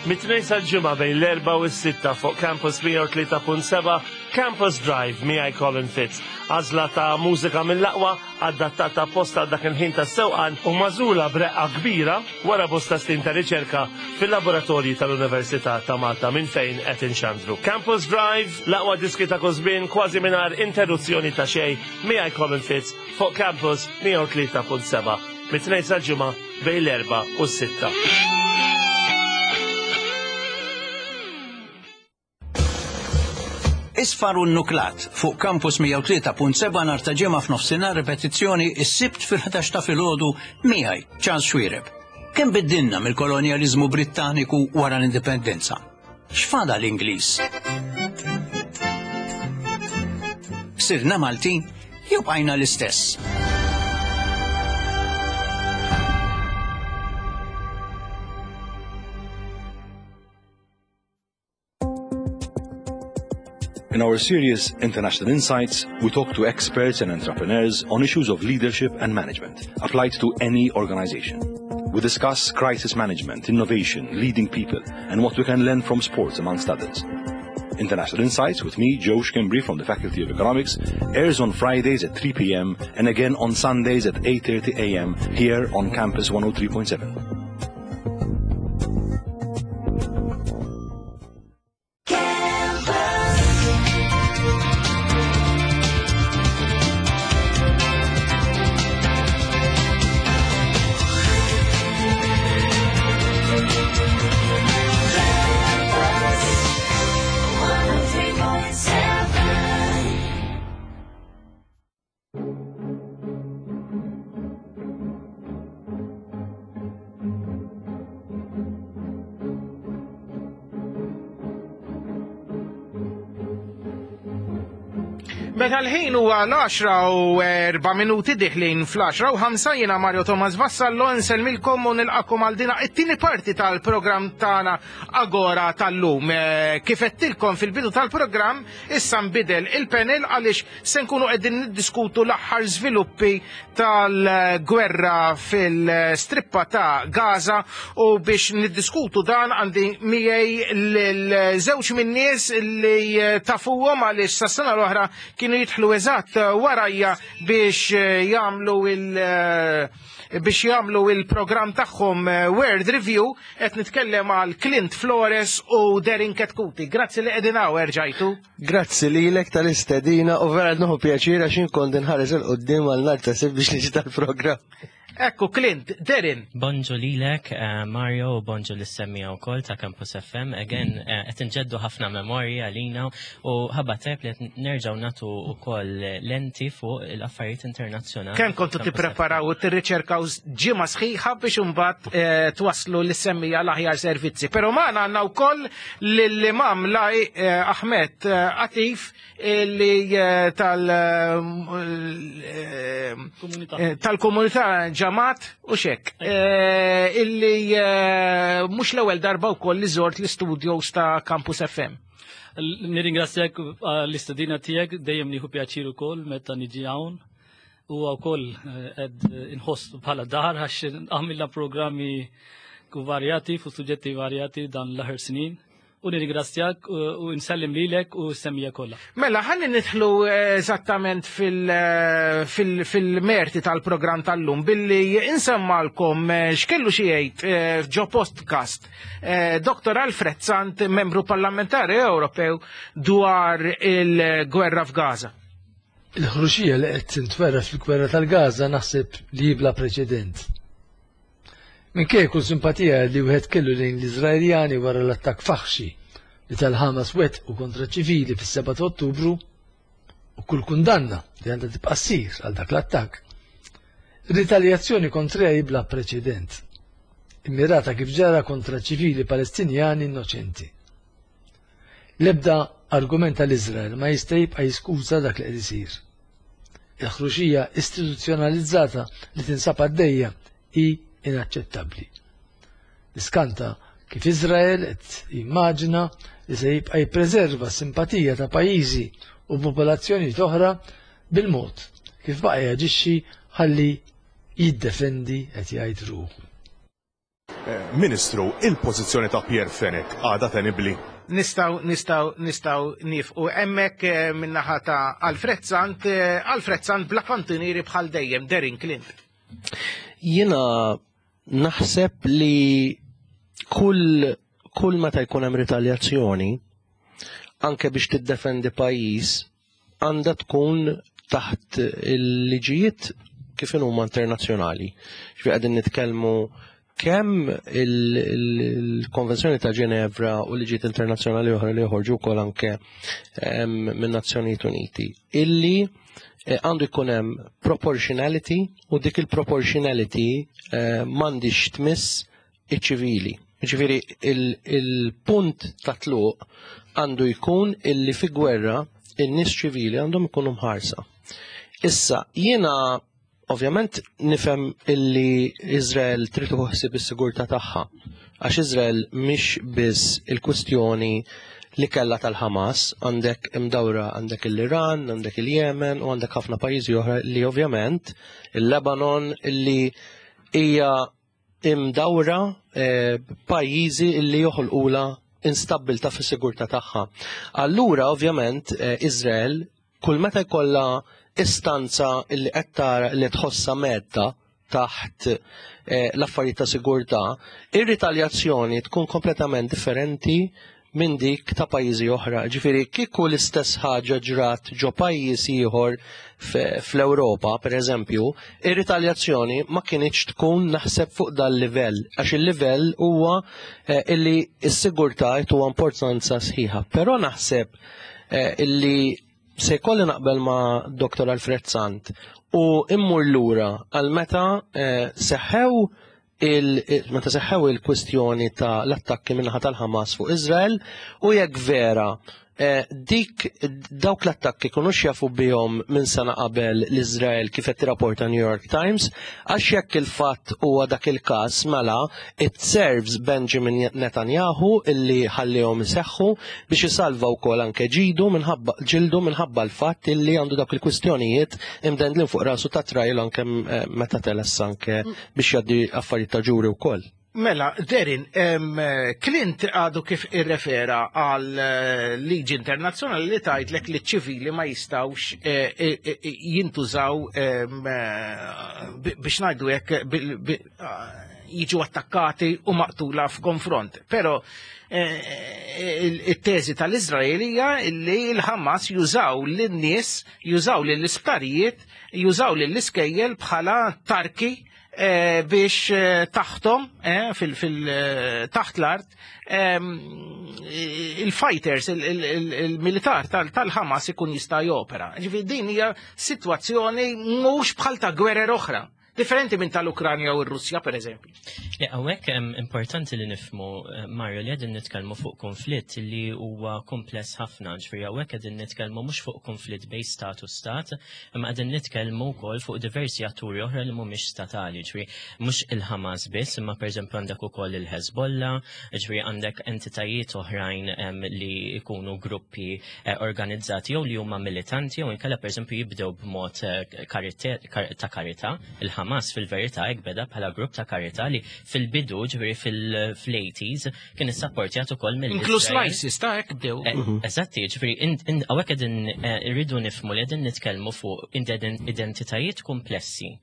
Mit-tnejn sal-ġimgħa bejn l-4 u s-6 fuq Campus 103.7 Campus Drive miegħi Colin Fitz. Għażla ta' mużika mill-aqwa adattata apposta dak il-ħin tas-sewqan u magħżula b'reqqa kbira wara bosta snin ta' riċerka fil-laboratorji tal-Università ta' Malta minn fejn qed inxandru. Campus Drive, l-aqwa diski ta' kull kważi mingħajr interruzzjoni ta' xejn miegħi Colin Fitz fuq Campus 103.7 mit-tnejn sal-ġimgħa bejn l-4 u s-6. Isfar u nuklat fuq Campus 103.7 nhar ta' ġimgħa f'nofsinhar ripetizzjoni s-Sibt fil-11 ta' filgħodu miegħi Charles Xuereb. Kemm biddilna mill-kolonjaliżmu Brittaniku wara l-indipendenza? X'fada l-Ingliż? Sirna Maltin jew bqajna l-istess? In our series International Insights, we talk to experts and entrepreneurs on issues of leadership and management applied to any organization. We discuss crisis management, innovation, leading people, and what we can learn from sports, amongst others. International Insights with me, Joe Schembri from the Faculty of Economics, airs on Fridays at 3 p.m. and again on Sundays at 8:30 a.m. here on Campus 103.7. Campus. Meta l-ħin huwa l-10 u 4 minuti diħlin fl-10 u 5 jiena Mario Thomas Vassallo nsellmilkom u nilqakom għal dina it-tieni parti tal-programm tagħna Agora tal-lum. Eh, kif għedtilkom fil-bidu tal-programm issa nbidel il-panel għaliex se nkunu qegħdin niddiskutu l-aħħar żviluppi tal-gwerra fil-strippa ta' Gaza u biex niddiskutu dan għandi miegħi l-żewġ min-nies li tafuhom għaliex sas-sena l-oħra kienu jidħlu eżatt warajja biex jagħmlu il- biex jagħmlu il-programm tagħhom World Review qed nitkellem għal Clint Flores u Derin Ketkuti. Grazzi li qegħdin hawn erġajtu. Grazzi lilek tal-istedina u vera nieħu pjaċir għax inkont inħares 'il quddiem għal nhar ta' Sibt biex niġi tal-programm. Ekku, Clint, Derin. Bonġu lilek, eh, Mario, u bonġu l-semmija u koll ta' Campus FM. Again, eh, qed nġeddu ħafna memorji għalina u ħabba tajb li qed nerġgħu natu wkoll lenti fuq l-affarijiet internazzjonali. Kemm kontu tippreparaw u tirriċerkaw ġimgħa sħiħa biex imbagħad eh, twaslu l-semmija l-aħjar servizzi. Però magħna għandna wkoll lill-imam Laj Ahmed Atif li eh, tal eh, eh, tal-komunità ġamat u xek illi mhux l-ewwel darba wkoll li żort l-istudios ta' Campus FM. Nirringrazzjak l-istedina tiegħek dejjem nieħu pjaċir ukoll meta niġi hawn u wkoll qed inħoss bħala dar għax għamilna programmi varjati fuq suġġetti varjati dan l-aħħar snin u nirringrazzjak u nsellim lilek u s-semmija kollha. Mela, ħalli nidħlu eh, eżattament eh, fil-merti tal-programm tal-lum billi insemmalkom eh, x'kellu xi jgħid ġo podcast Dr. Alfred Sant, membru parlamentari Ewropew dwar il-gwerra f'Gaza. Il-ħruxija li qed tintwera fil-gwerra tal-Gaza naħseb li bla preċedent. Minkejja kull simpatija li wieħed kellu lejn l-Iżraeljani wara l-attakk faħxi li tal-Ħamas wettqu kontra ċivili fis-7 ta' Ottubru u kull kundanna li għandha tibqa' ssir għal dak l-attakk, ritaljazzjoni kontriha hi bla preċedent, immirata kif ġara kontra ċivili Palestinjani innoċenti. L-ebda argument tal-Iżrael ma jista' jibqa' jiskuża dak li qed isir. Il-ħruxija istituzzjonalizzata li tinsab għaddejja hi inaċċettabbli. Niskanta kif Iżrael qed jimmaġina li se jibqa' jippreserva s-simpatija ta' pajjiżi u popolazzjonijiet oħra bil-mod kif baqa' jaġixxi ħalli jiddefendi qed jgħid ruħu. Ministru, il-pożizzjoni ta' Pierre Fenech għadha tenibbli? Nistgħu, nistgħu, nistgħu niefqu hemmhekk eh, min-naħa ta' Alfred Sant, eh, Alfred Sant bla kantunieri bħal dejjem, Derin Clint. Jiena naħseb li kull kull meta jkun hemm ritaljazzjoni, anke biex tiddefendi pajjiż, għandha tkun taħt il-liġijiet kif huma internazzjonali. Ġifieri qegħdin nitkellmu kemm il-Konvenzjoni ta' Ġenevra u liġijiet internazzjonali oħra li joħorġu wkoll anke minn Nazzjonijiet Uniti illi eh, għandu jkun hemm proportionality u dik il-proportionality eh, m'għandix tmiss iċ-ċivili. Ġifieri il-punt ta' tluq għandu jkun illi fi gwerra in-nies ċivili għandhom ikunu mħarsa. Issa, jiena ovvjament nifhem illi Izrael trid ħsieb is-sigurtà tagħha. Għax Izrael mhix biss il-kwistjoni li kellha tal-Hamas, għandek imdawra għandek l-Iran, għandek il-Yemen u għandek ħafna pajjiżi oħra li ovvjament il-Lebanon illi hija imdawra eh, pajjiżi li joħolqula instabbilta fis-sigurtà tagħha. Allura ovvjament eh, Izrael kull meta jkollha istanza li qed tara li tħossha medda taħt eh, l-affarijiet ta' sigurtà, ir-ritaljazzjoni tkun kompletament differenti minn dik ta' pajjiżi oħra. Ġifieri kieku l-istess ħaġa ġrat ġo pajjiż ieħor fl-Ewropa, pereżempju, ir-ritaljazzjoni ma kinitx tkun naħseb fuq dal-livell, għax il-livell huwa eh, illi s-sigurtà huwa importanza sħiħa. Però naħseb eh, illi se jkolli naqbel ma' Dr. Alfred Sant u immur lura għal meta eh, seħħew meta seħħew il-kwistjoni ta' l-attakki minnaħa tal-Ħamas fuq Izrael u jekk vera Eh, dik dawk l-attakki kienu jafu bihom minn sena qabel l-Izrael kif qed tirrapporta New York Times, għax jekk il-fatt huwa dak il-każ mela it serves Benjamin Netanyahu illi ħallihom iseħħu biex isalva wkoll anke ġidu minħabba ġildu minħabba l-fatt illi għandu dawk il-kwistjonijiet imdendlin fuq rasu ta' trial anke eh, meta teless anke biex jgħaddi affarijiet ta' ġuri wkoll. Mela, Derin, Clint għadu kif irrefera għal eh, liġi internazzjonali li tgħidlek li ċivili ma jistawx eh, eh, jintużaw biex ngħidu hekk jiġu attakkati u maqtula f'konfront. Però it-teżi tal-Izrael hija li l-Hamas jużaw lin-nies, jużaw lill-isptarijiet, jużaw lill-iskejjel bħala tarki Eh, biex eh, taħtom eh, fil taħt l-art ehm, il-fighters, il-militar tal-Hamas ikun jista' jopera. Ġifieri din hija sitwazzjoni mhux bħal ta' gwerer oħra. Differenti minn tal-Ukranja u r-Russja, per eżempju. Le, hawnhekk importanti li nifhmu, Mario, li qegħdin nitkellmu fuq konflitt li huwa kompless ħafna, ġifieri hawnhekk qegħdin nitkellmu mhux fuq konflitt bejn stat u stat, imma qegħdin nitkellmu wkoll fuq diversi atturi oħra li mhumiex statali, ġifieri mhux il-Hamas biss, imma pereżempju għandek ukoll il-Hezbollah, ġifieri għandek entitajiet oħrajn li jkunu gruppi organizzati jew li huma militanti jew inkella pereżempju jibdew b'mod ta' karità. Il-Hamas fil-verità hekk beda bħala grupp ta' karità li fil-bidu, ġifieri fil-80s, kien issapportjat ukoll mill Inkluż l-ISIS ta' hekk bdew. Eżatti, ġifieri hawnhekk qegħdin irridu nifhmu li qegħdin nitkellmu fuq identitajiet komplessi.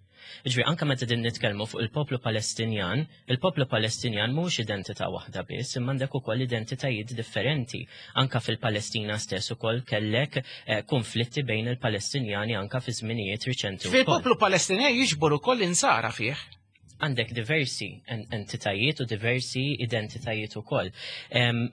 Ġifieri anke meta qegħdin nitkellmu fuq il-poplu Palestinjan, il-poplu Palestinjan mhux identità waħda biss, imma għandek ukoll identitajiet differenti. Anka fil-Palestina stess ukoll kellek konflitti bejn il-Palestinjani anka fi żminijiet riċenti. Fil-poplu Palestinjan jiġbor ukoll insara fih. Għandek diversi entitajiet u diversi identitajiet ukoll.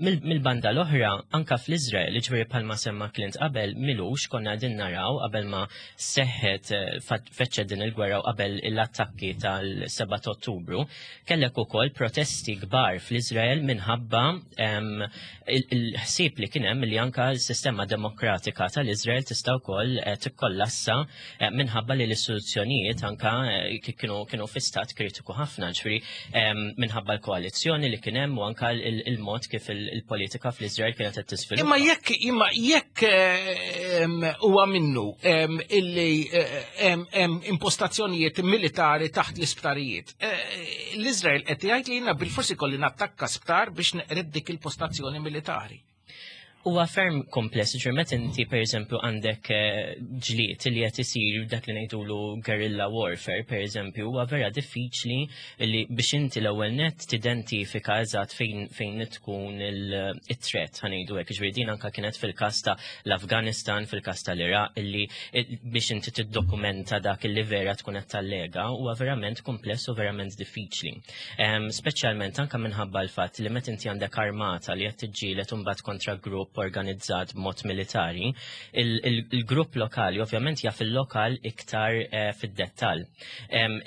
Mill-banda l-oħra, anka fl-Izrael, ġifieri bħalma semma Clint qabel, m'ilux konna qegħdin naraw qabel ma seħħet feċċet din il-gwerra u qabel l-attakki tal-7 Ottubru, kellek ukoll protesti kbar fl-Izrael minħabba il-ħsieb li kien hemm li anka l-sistema demokratika tal-Izrael tista' wkoll tikkollassa minħabba li l-istituzzjonijiet anka kienu fi stat kritiku ħafna, ġifieri minħabba l-koalizzjoni li kien hemm u anka il-mod kif il-politika fl-Izrael kienet qed tiżviluppa. Imma jekk huwa minnu illi hemm impostazzjonijiet militari taħt l-isptarijiet, l-Izrael qed jgħid li jiena bil-forsi kolli nattakka sptar biex neqred dik il-postazzjoni militari. Huwa ferm kompless, ġifieri meta inti pereżempju għandek ġlied li qed isir dak li ngħidulu guerrilla warfare, pereżempju, huwa vera diffiċli li biex inti l-ewwel net tidentifika eżatt fejn tkun il-threat, ħa ngħidu hekk. Ġifieri din anka kienet fil-każ ta' l-Afganistan, fil-każ tal-Iraq, illi biex inti tiddokumenta dak illi vera tkun qed tallega huwa verament kompless u verament diffiċli. Speċjalment anka minħabba l-fatt li meta inti għandek armata li qed tiġġieled imbagħad kontra grupp organizzat b'mod militari, il-grupp lokali ovvjament jaf il-lokal iktar fid-dettall.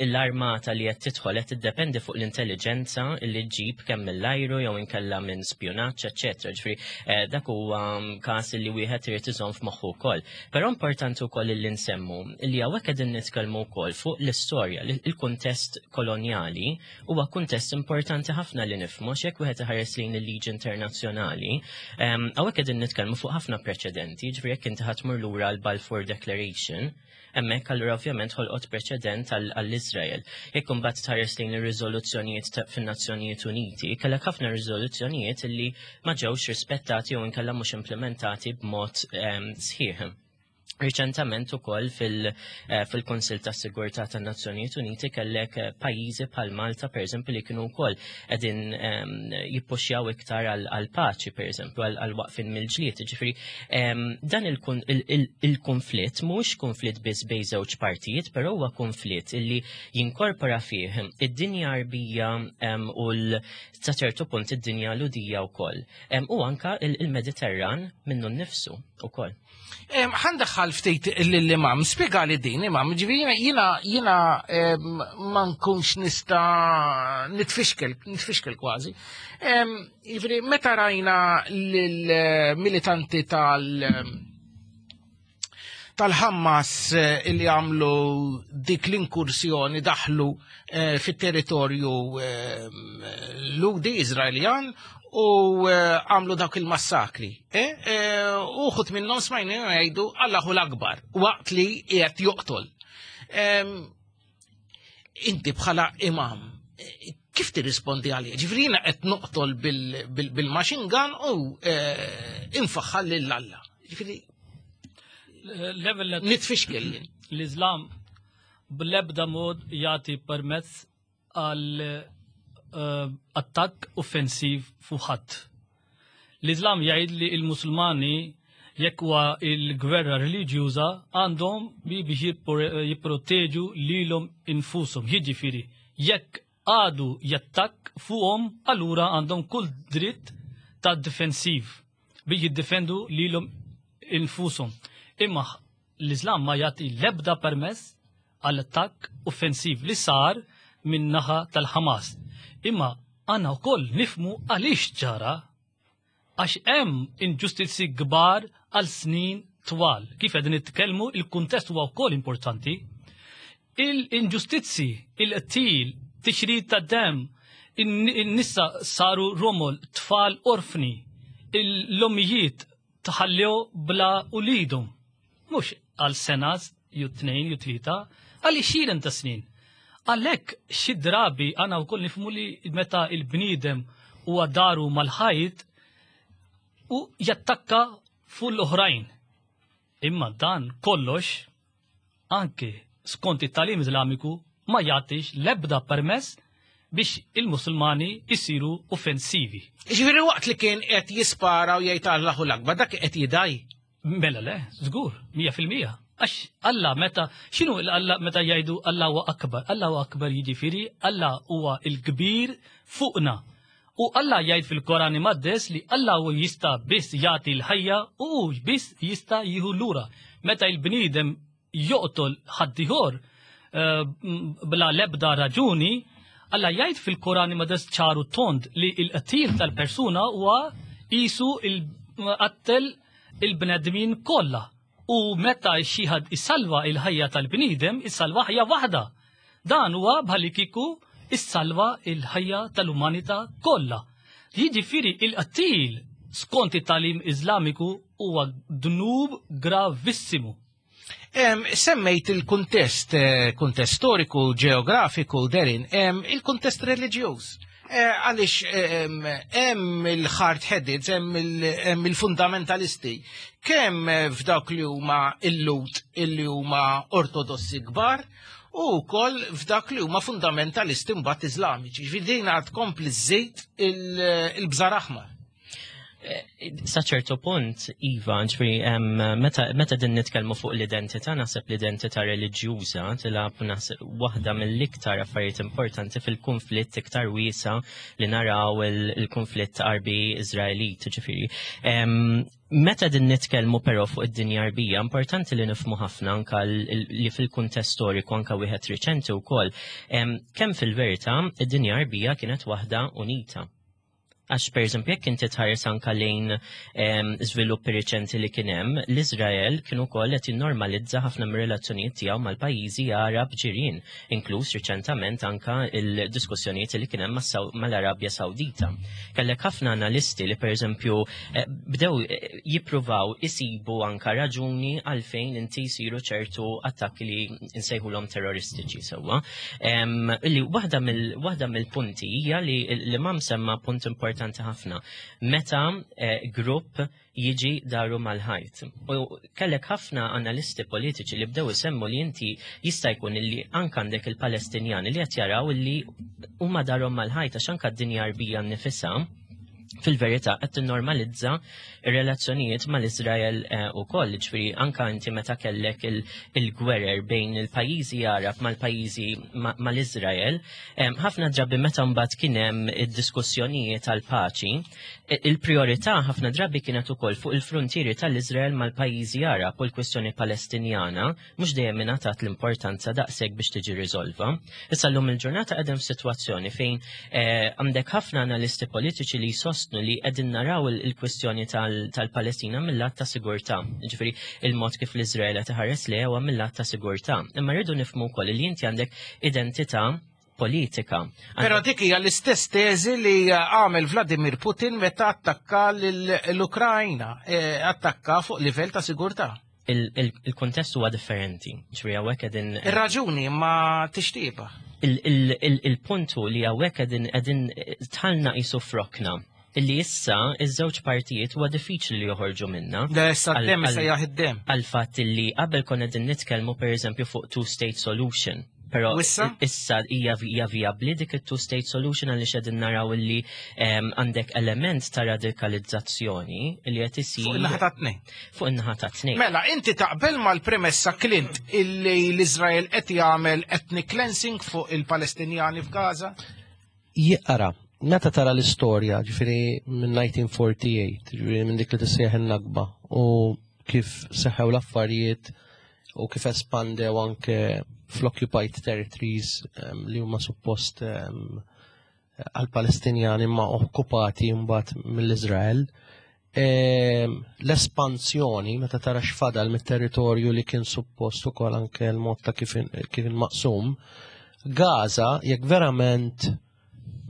L-armata li qed tidħol qed tiddependi fuq l-intelligenza li ġġib kemm mill-ajru jew inkella minn spjunaġġ, eċċetera. Ġifieri dak huwa każ li wieħed irid iżomm f'moħħu wkoll. Però importanti wkoll li nsemmu li hawnhekk qegħdin nitkellmu wkoll fuq l-istorja, il-kuntest kolonjali huwa kuntest importanti ħafna li nifhmu x'jekk wieħed iħares lejn il-liġi internazzjonali. Hawnhekk qegħdin nitkellmu fuq ħafna preċedenti, ġifieri jekk inti ħa tmur lura l-Balfour Declaration, hemmhekk allura ovvjament ħolqot preċedent għall-Izrael. Jekk imbagħad tħares lejn ir-riżoluzzjonijiet fin-Nazzjonijiet Uniti, kellek ħafna riżoluzzjonijiet illi ma ġewx rispettati jew inkella mhux implementati b'mod sħiħ. Riċentament ukoll fil-Kunsill tas Sigurtà tan-Nazzjonijiet Uniti kellek pajjiżi bħal Malta pereżempju li kienu wkoll qegħdin jippuxjaw iktar għal paċi pereżempju għal waqfin mill-ġlied. Ġifieri dan il-konflitt mhux konflitt biss bejn żewġ partijiet, però huwa konflitt illi jinkorpora fih id-dinja Arbija u sa ċertu punt id-dinja Lhudija wkoll. U anka il-Mediterran minnu nnifsu ukoll. Ħandaħħal ftit l-imam, spiega li din imam, ġifieri jiena jiena ma nkunx nista' nitfixkel, nitfixkel kważi. Ġifieri meta rajna lill-militanti tal- tal-Ħamas eh, li għamlu dik l-inkursjoni daħlu eh, fit-territorju eh, Ludi Izraeljan u għamlu dawk il-massakri. Uħut minnhom smajna jgħidu Allahu l-akbar waqt li qiegħed joqtol. Inti bħala imam, kif tirrispondi għalih? Ġifieri jiena qed noqtol bil-machine gun u infaħħal lil Alla. Ġifieri Level nitfixkel jien. L-Islam bl-ebda mod jagħti permezz għal eh, attakk offensiv fuq ħadd. L-Islam jgħid li l-Musulmani jekk huwa il-gwerra reliġjuża għandhom bi biex jipproteġu lilhom infushom. Jiġifieri jekk għadu jattakk fuqhom allura għandhom kull dritt ta' difensiv biex jiddefendu lilhom infushom. Imma l-Islam ma jagħti l-ebda permess għal attakk offensiv li sar min naħa tal-Ħamas. Imma għandna wkoll nifmu għaliex ġara għax hemm inġustizzi kbar għal snin twal. Kif qegħdin nitkellmu il-kuntest huwa wkoll importanti. Il-inġustizzi, il-qtil, tixrid ta' dem, in-nisa saru romol, tfal orfni, l-ommijiet tħallew bla ulidhom. Mhux għal sena, ju tnejn, ju tlieta, għal xiren ta' snin. Għalhekk xi drabi għandna wkoll nifhmu li meta il-bniedem huwa daru mal-ħajt u jattakka fuq l-oħrajn. Imma dan kollox anke skont it-tagħlim Iżlamiku ma jagħtix l-ebda permess biex il-Musulmani jsiru offensivi. Ġifieri waqt li kien qed jispara u jgħid Allahu l-Akbar dak qed jidaj. Mela le, żgur, 100%. Għax Alla meta, x'inhu Alla meta jgħidu Alla huwa akbar? Alla huwa akbar jiġifieri Alla huwa l-kbir fuqna. U Alla jgħid fil-Koran Imqaddes li Alla hu jista' biss jagħti l-ħajja u hu biss jista' jieħu lura. Meta l-bniedem joqtol ħaddieħor eh, bla l-ebda raġuni, Alla jgħid fil-Koran Imqaddes ċaru tond li l-qtil tal-persuna huwa qisu il-qattel il-bnedmin kollha. U meta xi ħadd isalva il-ħajja tal-bniedem, isalva ħajja waħda. Dan huwa bħallikieku issalva il-ħajja tal-umanità kollha. Jiġifieri il-qtil skont it-tagħlim Iżlamiku huwa dnub gravissimu. Semmejt il-kuntest, eh, kuntest storiku, ġeografiku, Derin, il-kuntest reliġjuż. Eh, għaliex hemm il-hard headed, hemm il-fundamentalisti, kemm f'dawk li huma il-lut illi huma ortodossi kbar, u wkoll f'dak li huma fundamentalisti mbagħad Iżlamiċi. Ġifieri din għad tkompli żżid il-bżar aħmar. Eh, sa ċertu punt, Iva, ġifieri meta, meta din nitkellmu fuq l-identità, naħseb l-identità reliġjuża tilgħab naħseb waħda mill-iktar affarijiet importanti fil-konflitt iktar wiesa li naraw il-konflitt Arbi Iżraelit, ġifieri. Meta din nitkellmu però fuq id-dinja Arbija, importanti li nifhmu ħafna anka li fil-kuntest storiku anka wieħed riċenti wkoll, kemm fil-verità id-dinja Arbija kienet waħda unita. Għax per eżempju jekk inti tħares anka lejn żviluppi riċenti li kien hemm, l-Iżrael kien ukoll qed jinnormalizza ħafna mir-relazzjonijiet tiegħu mal-pajjiżi Arab ġirien, inkluż riċentament anka il-diskussjonijiet li kien hemm mal-Arabja Sawdita. Kellek ħafna analisti li per eżempju eh, bdew eh, jippruvaw isibu anka raġuni għalfejn inti jsiru ċertu attakki li nsejħulhom terroristiċi sewwa. Li waħda mill-punti hija li l-imam semma punt importanti ħafna. Meta eh, grupp jiġi daru mal-ħajt. U kellek ħafna analisti politiċi li bdew isemmu li inti jista' jkun li anke għandek il-Palestinjani li qed jaraw li huma darhom mal-ħajt għax anke d-dinja Arbija nnifisha. Fil-verità qed tinnormalizza r-relazzjonijiet mal-Iżrael eh, ukoll, ġifieri anka inti meta kellek il-gwerer bejn il-pajjiżi Arab mal-pajjiżi mal-Iżrael, ħafna drabi meta mbagħad kien hemm id-diskussjonijiet għall-paċi, il-priorità ħafna drabi kienet ukoll fuq il-frontieri tal-Iżrael mal-pajjiżi Arab u l-kwistjoni Palestinjana mhux dejjem ingħatat l-importanza daqshekk biex tiġi riżolva. Issa llum il-ġurnata qegħdin f'sitwazzjoni fejn eh, għandek ħafna analisti politiċi li jsostnu li qegħdin naraw il-kwistjoni tal-Palestina mill-lat ta' sigurtà. Ġifieri il-mod kif l-Iżrael qed iħares li huwa mill-lat ta' sigurtà. Imma rridu nifhmu wkoll li inti għandek identità politika. Però dik hija l-istess teżi li għamel Vladimir Putin meta attakka l-Ukrajna, eh, attakka fuq livell ta' sigurtà. Il-kuntest huwa differenti. Ġifieri hawnhekk qegħdin Ir-raġuni ma tixtieqha. Il-punt hu li hawnhekk qegħdin qegħdin tħallna qisu frokna illi issa iż-żewġ partijiet huwa diffiċli li joħorġu minna. Le issa d-dem issa id-dem. Għal fatt illi qabel konna qegħdin nitkellmu pereżempju fuq two-state solution. Però issa hija hija vijabbli dik it-two-state solution għaliex qegħdin naraw illi għandek element ta' radikalizzazzjoni li qed isir. Fuq in-naħa ta' tnejn. Fuq in-naħa ta' tnejn. Mela, inti taqbel mal-premessa Clint illi l-Iżrael qed jagħmel ethnic cleansing fuq il-Palestinjani f'Gaza? Jiqra, meta tara l-istorja, ġifieri minn 1948, ġifieri minn dik li tissejjaħ in-Nakba u kif seħħew l-affarijiet u kif espandew anke fl-occupied territories li huma suppost għal-Palestinjani ma okkupati mbagħad mill-Iżrael. L-espansjoni meta tara x'fadal mit-territorju li kien suppost ukoll anke l-mod ta' kif kien maqsum, Gaza jekk verament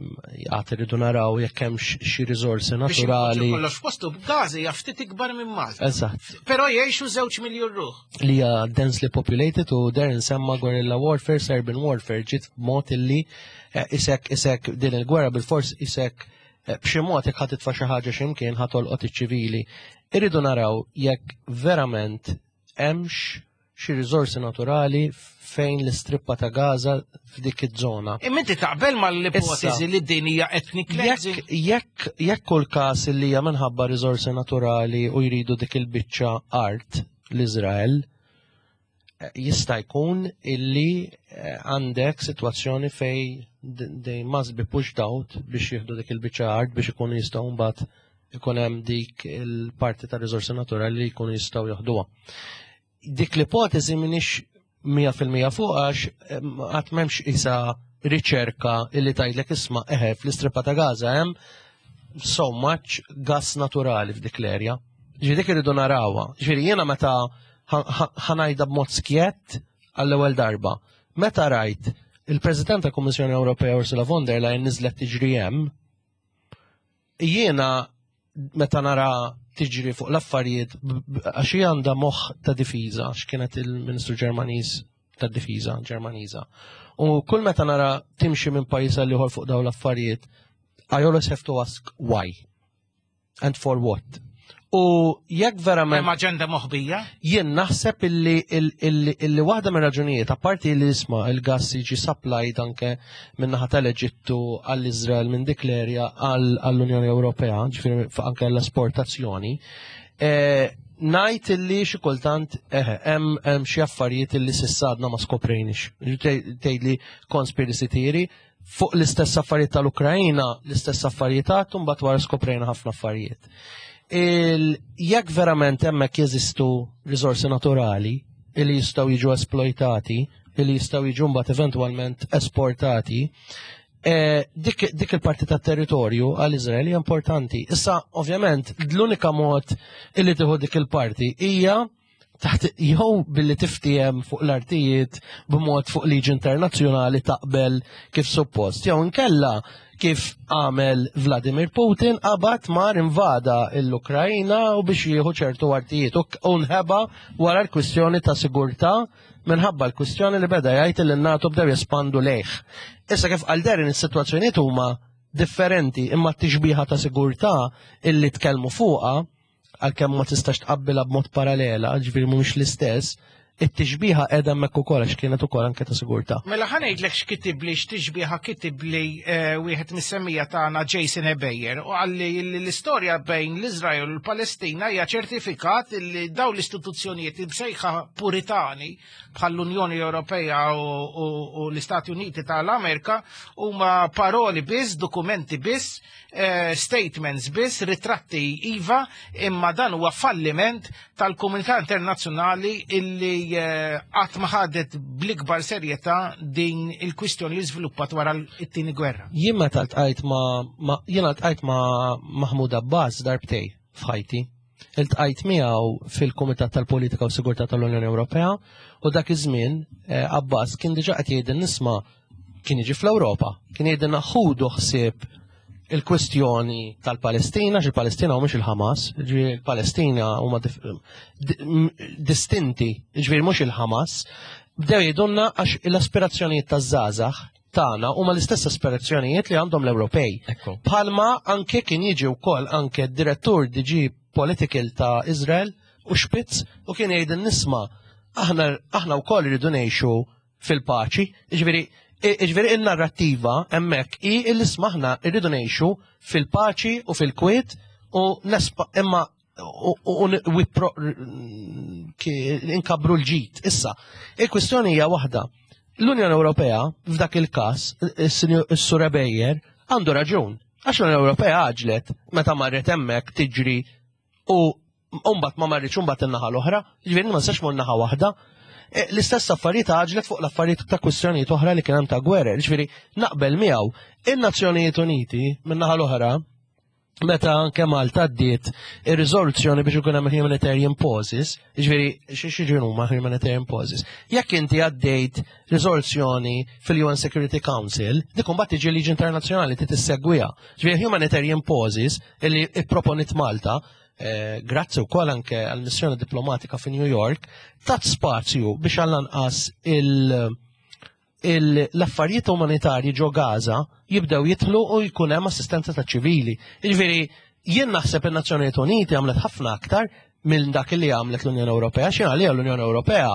għad irridu naraw jekk hemm xi riżorsi naturali. Kollox postu Gaza hija ftit ikbar minn Malta. Eżatt. Però jgħixu żewġ miljun ruħ. Li hija densely populated u der insemma guerrilla warfare, Serbian warfare ġiet b'mod illi eh, isek isek din il-gwerra bil-fors isek eh, b'xi mod jekk ħadd titfa' xi ħaġa x'imkien ħa tolqot iċ-ċivili. Irridu naraw jekk verament hemmx xi riżorsi naturali fejn l-istrippa ta' Gaza f'dik iż-żona. Imma inti taqbel mal-ipoteżi li din hija ethnic cleansing? Jekk jekk kull każ li hija minħabba riżorsi naturali u jridu dik il-biċċa art l-Iżrael, eh, jista' jkun illi eh, għandek sitwazzjoni fej they must be pushed out biex jieħdu dik il-biċċa art biex ikunu jistgħu mbagħad ikun hemm dik il-parti ta' riżorsi naturali li jkunu jistgħu joħduha. Dik l-ipotezi minix 100% fuq għax qatt m'hemmx isa riċerka illi tgħidlek isma' eħe fl-istripa ta' Gaza hemm so much gas naturali f'dik l-erja. Ġifieri dik irridu narawha. Ġifieri jiena meta ħanajda b'mod skjett għall-ewwel darba. Meta rajt il-President tal-Kummissjoni Ewropea Ursula von der Leyen niżlet tiġri hemm, jiena meta nara tiġri fuq l-affarijiet għax hija għandha moħħ ta' difiża, għax kienet il-Ministru Ġermaniż tad-Difiża Ġermaniża. U kull meta nara timxi minn pajjiż għal ieħor fuq dawn l-affarijiet, I always have to ask why and for what. U jekk verament. Hemm aġenda moħbija? Jien naħseb illi illi waħda minn raġunijiet, apparti li isma' il-gass jiġi supplied anke min-naħa tal-Eġittu għall-Iżrael minn dik l-erja għall-Unjoni Ewropea, ġifieri anke l-esportazzjoni, eh, ngħid illi xi kultant eh, hemm xi affarijiet illi s'issa għadna ma skoprejniex. Tgħidli conspiracy theory, fuq l-istess affarijiet tal-Ukrajina, l-istess affarijiet għattu, mbagħad wara skoprejna ħafna affarijiet. Jekk verament hemmhekk jeżistu riżorsi naturali li jistgħu jiġu esploitati, li jistgħu jiġu mbagħad eventwalment esportati, eh, dik, dik il-parti tat territorju għal Izrael hija importanti. Issa, ovvjament, l-unika mod illi tieħu dik il-parti hija taħt jew billi tiftiehem fuq l-artijiet b'mod fuq liġi internazzjonali taqbel kif suppost, jew inkella kif għamel Vladimir Putin qabad mar invada l-Ukrajna u biex jieħu ċertu artijiet u nħeba wara l-kwistjoni ta' sigurtà minħabba l-kwistjoni li beda jgħid li n-NATO bdew jespandu lejh. Issa kif qal Darren is-sitwazzjonijiet huma differenti imma t-tixbiha ta' sigurtà illi tkellmu fuqha għalkemm ma tistax tqabbilha b'mod paralela, ġifieri mhumiex l-istess, It-tixbiha qiegħda hemmhekk ukoll għax kienet ukoll anke ta' sigurtà. Mela ħa ngħidlek x'kitibli x'tixbiha kitibli eh, wieħed mis-semmija tagħna Jason Ebejer u qalli li l-istorja bejn l-Iżrael u l-Palestina hija ċertifikat li dawn l-istituzzjonijiet imsejħa puritani bħall-Unjoni Ewropea u l-Istati Uniti tal-Amerika huma paroli biss, dokumenti biss Eh, statements biss, ritratti iva, imma dan huwa falliment tal-komunità internazzjonali illi eh, qatt ma ħadet bl-ikbar serjetà din il-kwistjoni li żviluppat wara t-tieni gwerra. Jien meta ltqajt ma' jiena ltqajt ma' Mahmoud Abbas darbtej f'ħajti. Iltqajt miegħu fil-Kumitat tal-Politika u Sigurtà tal-Unjoni Ewropea u dak iż-żmien eh, Abbas kien diġà qed jgħidil nisma' kien jiġi fl-Ewropa, kien jgħidilna ħudu ħsieb il-kwestjoni tal-Palestina, xi palestina mhux il-Ħamas, ġifieri il-Palestina huma distinti, ġifieri mhux il-Ħamas, bdew jgħidulna għax l-aspirazzjonijiet taż-żgħażagħ tagħna huma l-istess aspirazzjonijiet li għandhom l-Ewropej. Palma anke kien jiġi wkoll anke d-direttur DG Political ta' Israel u Spitz u kien jgħid nisma' aħna aħna wkoll irridu ngħixu fil-paċi. Ġifieri ġifieri in-narrattiva hemmhekk hi li smaħna rridu ngħixu fil-paċi u fil-kwiet u nespa imma u inkabru l-ġid. Issa, il-kwistjoni hija waħda. L-Unjoni Ewropea f'dak il-każ, is-Sur Bejer, għandu raġun. Għax l-Unjoni Ewropea għaġlet meta marret hemmhekk tiġri u mbagħad ma marritx mbagħad in-naħa l-oħra, ġifieri ma nistax mur naħa waħda. E, l-istess affarijiet għaġlet fuq l-affarijiet ta' kwistjonijiet oħra li kien hemm ta' gwerer, ġifieri naqbel miegħu. In-Nazzjonijiet Uniti min-naħa l-oħra meta anke Malta għaddiet ir-riżoluzzjoni biex ikun hemm humanitarian pauses, ġifieri xi huma humanitarian pauses. Jekk inti għaddejt riżoluzzjoni fil-UN Security Council, dik imbagħad tiġi liġi internazzjonali ti tissegwiha. Ġifieri humanitarian pauses illi ipproponit Malta, eh, grazzi wkoll anke għall-missjoni diplomatika fi New York, tat spazju biex għall-anqas il- l-affarijiet umanitarji ġo Gaza jibdew jitlu u jkun hemm assistenza ta' ċivili. Jiġifieri jien naħseb in-Nazzjonijiet Uniti għamlet ħafna aktar minn dak li għamlet l-Unjoni Ewropea, xi għalija l-Unjoni Ewropea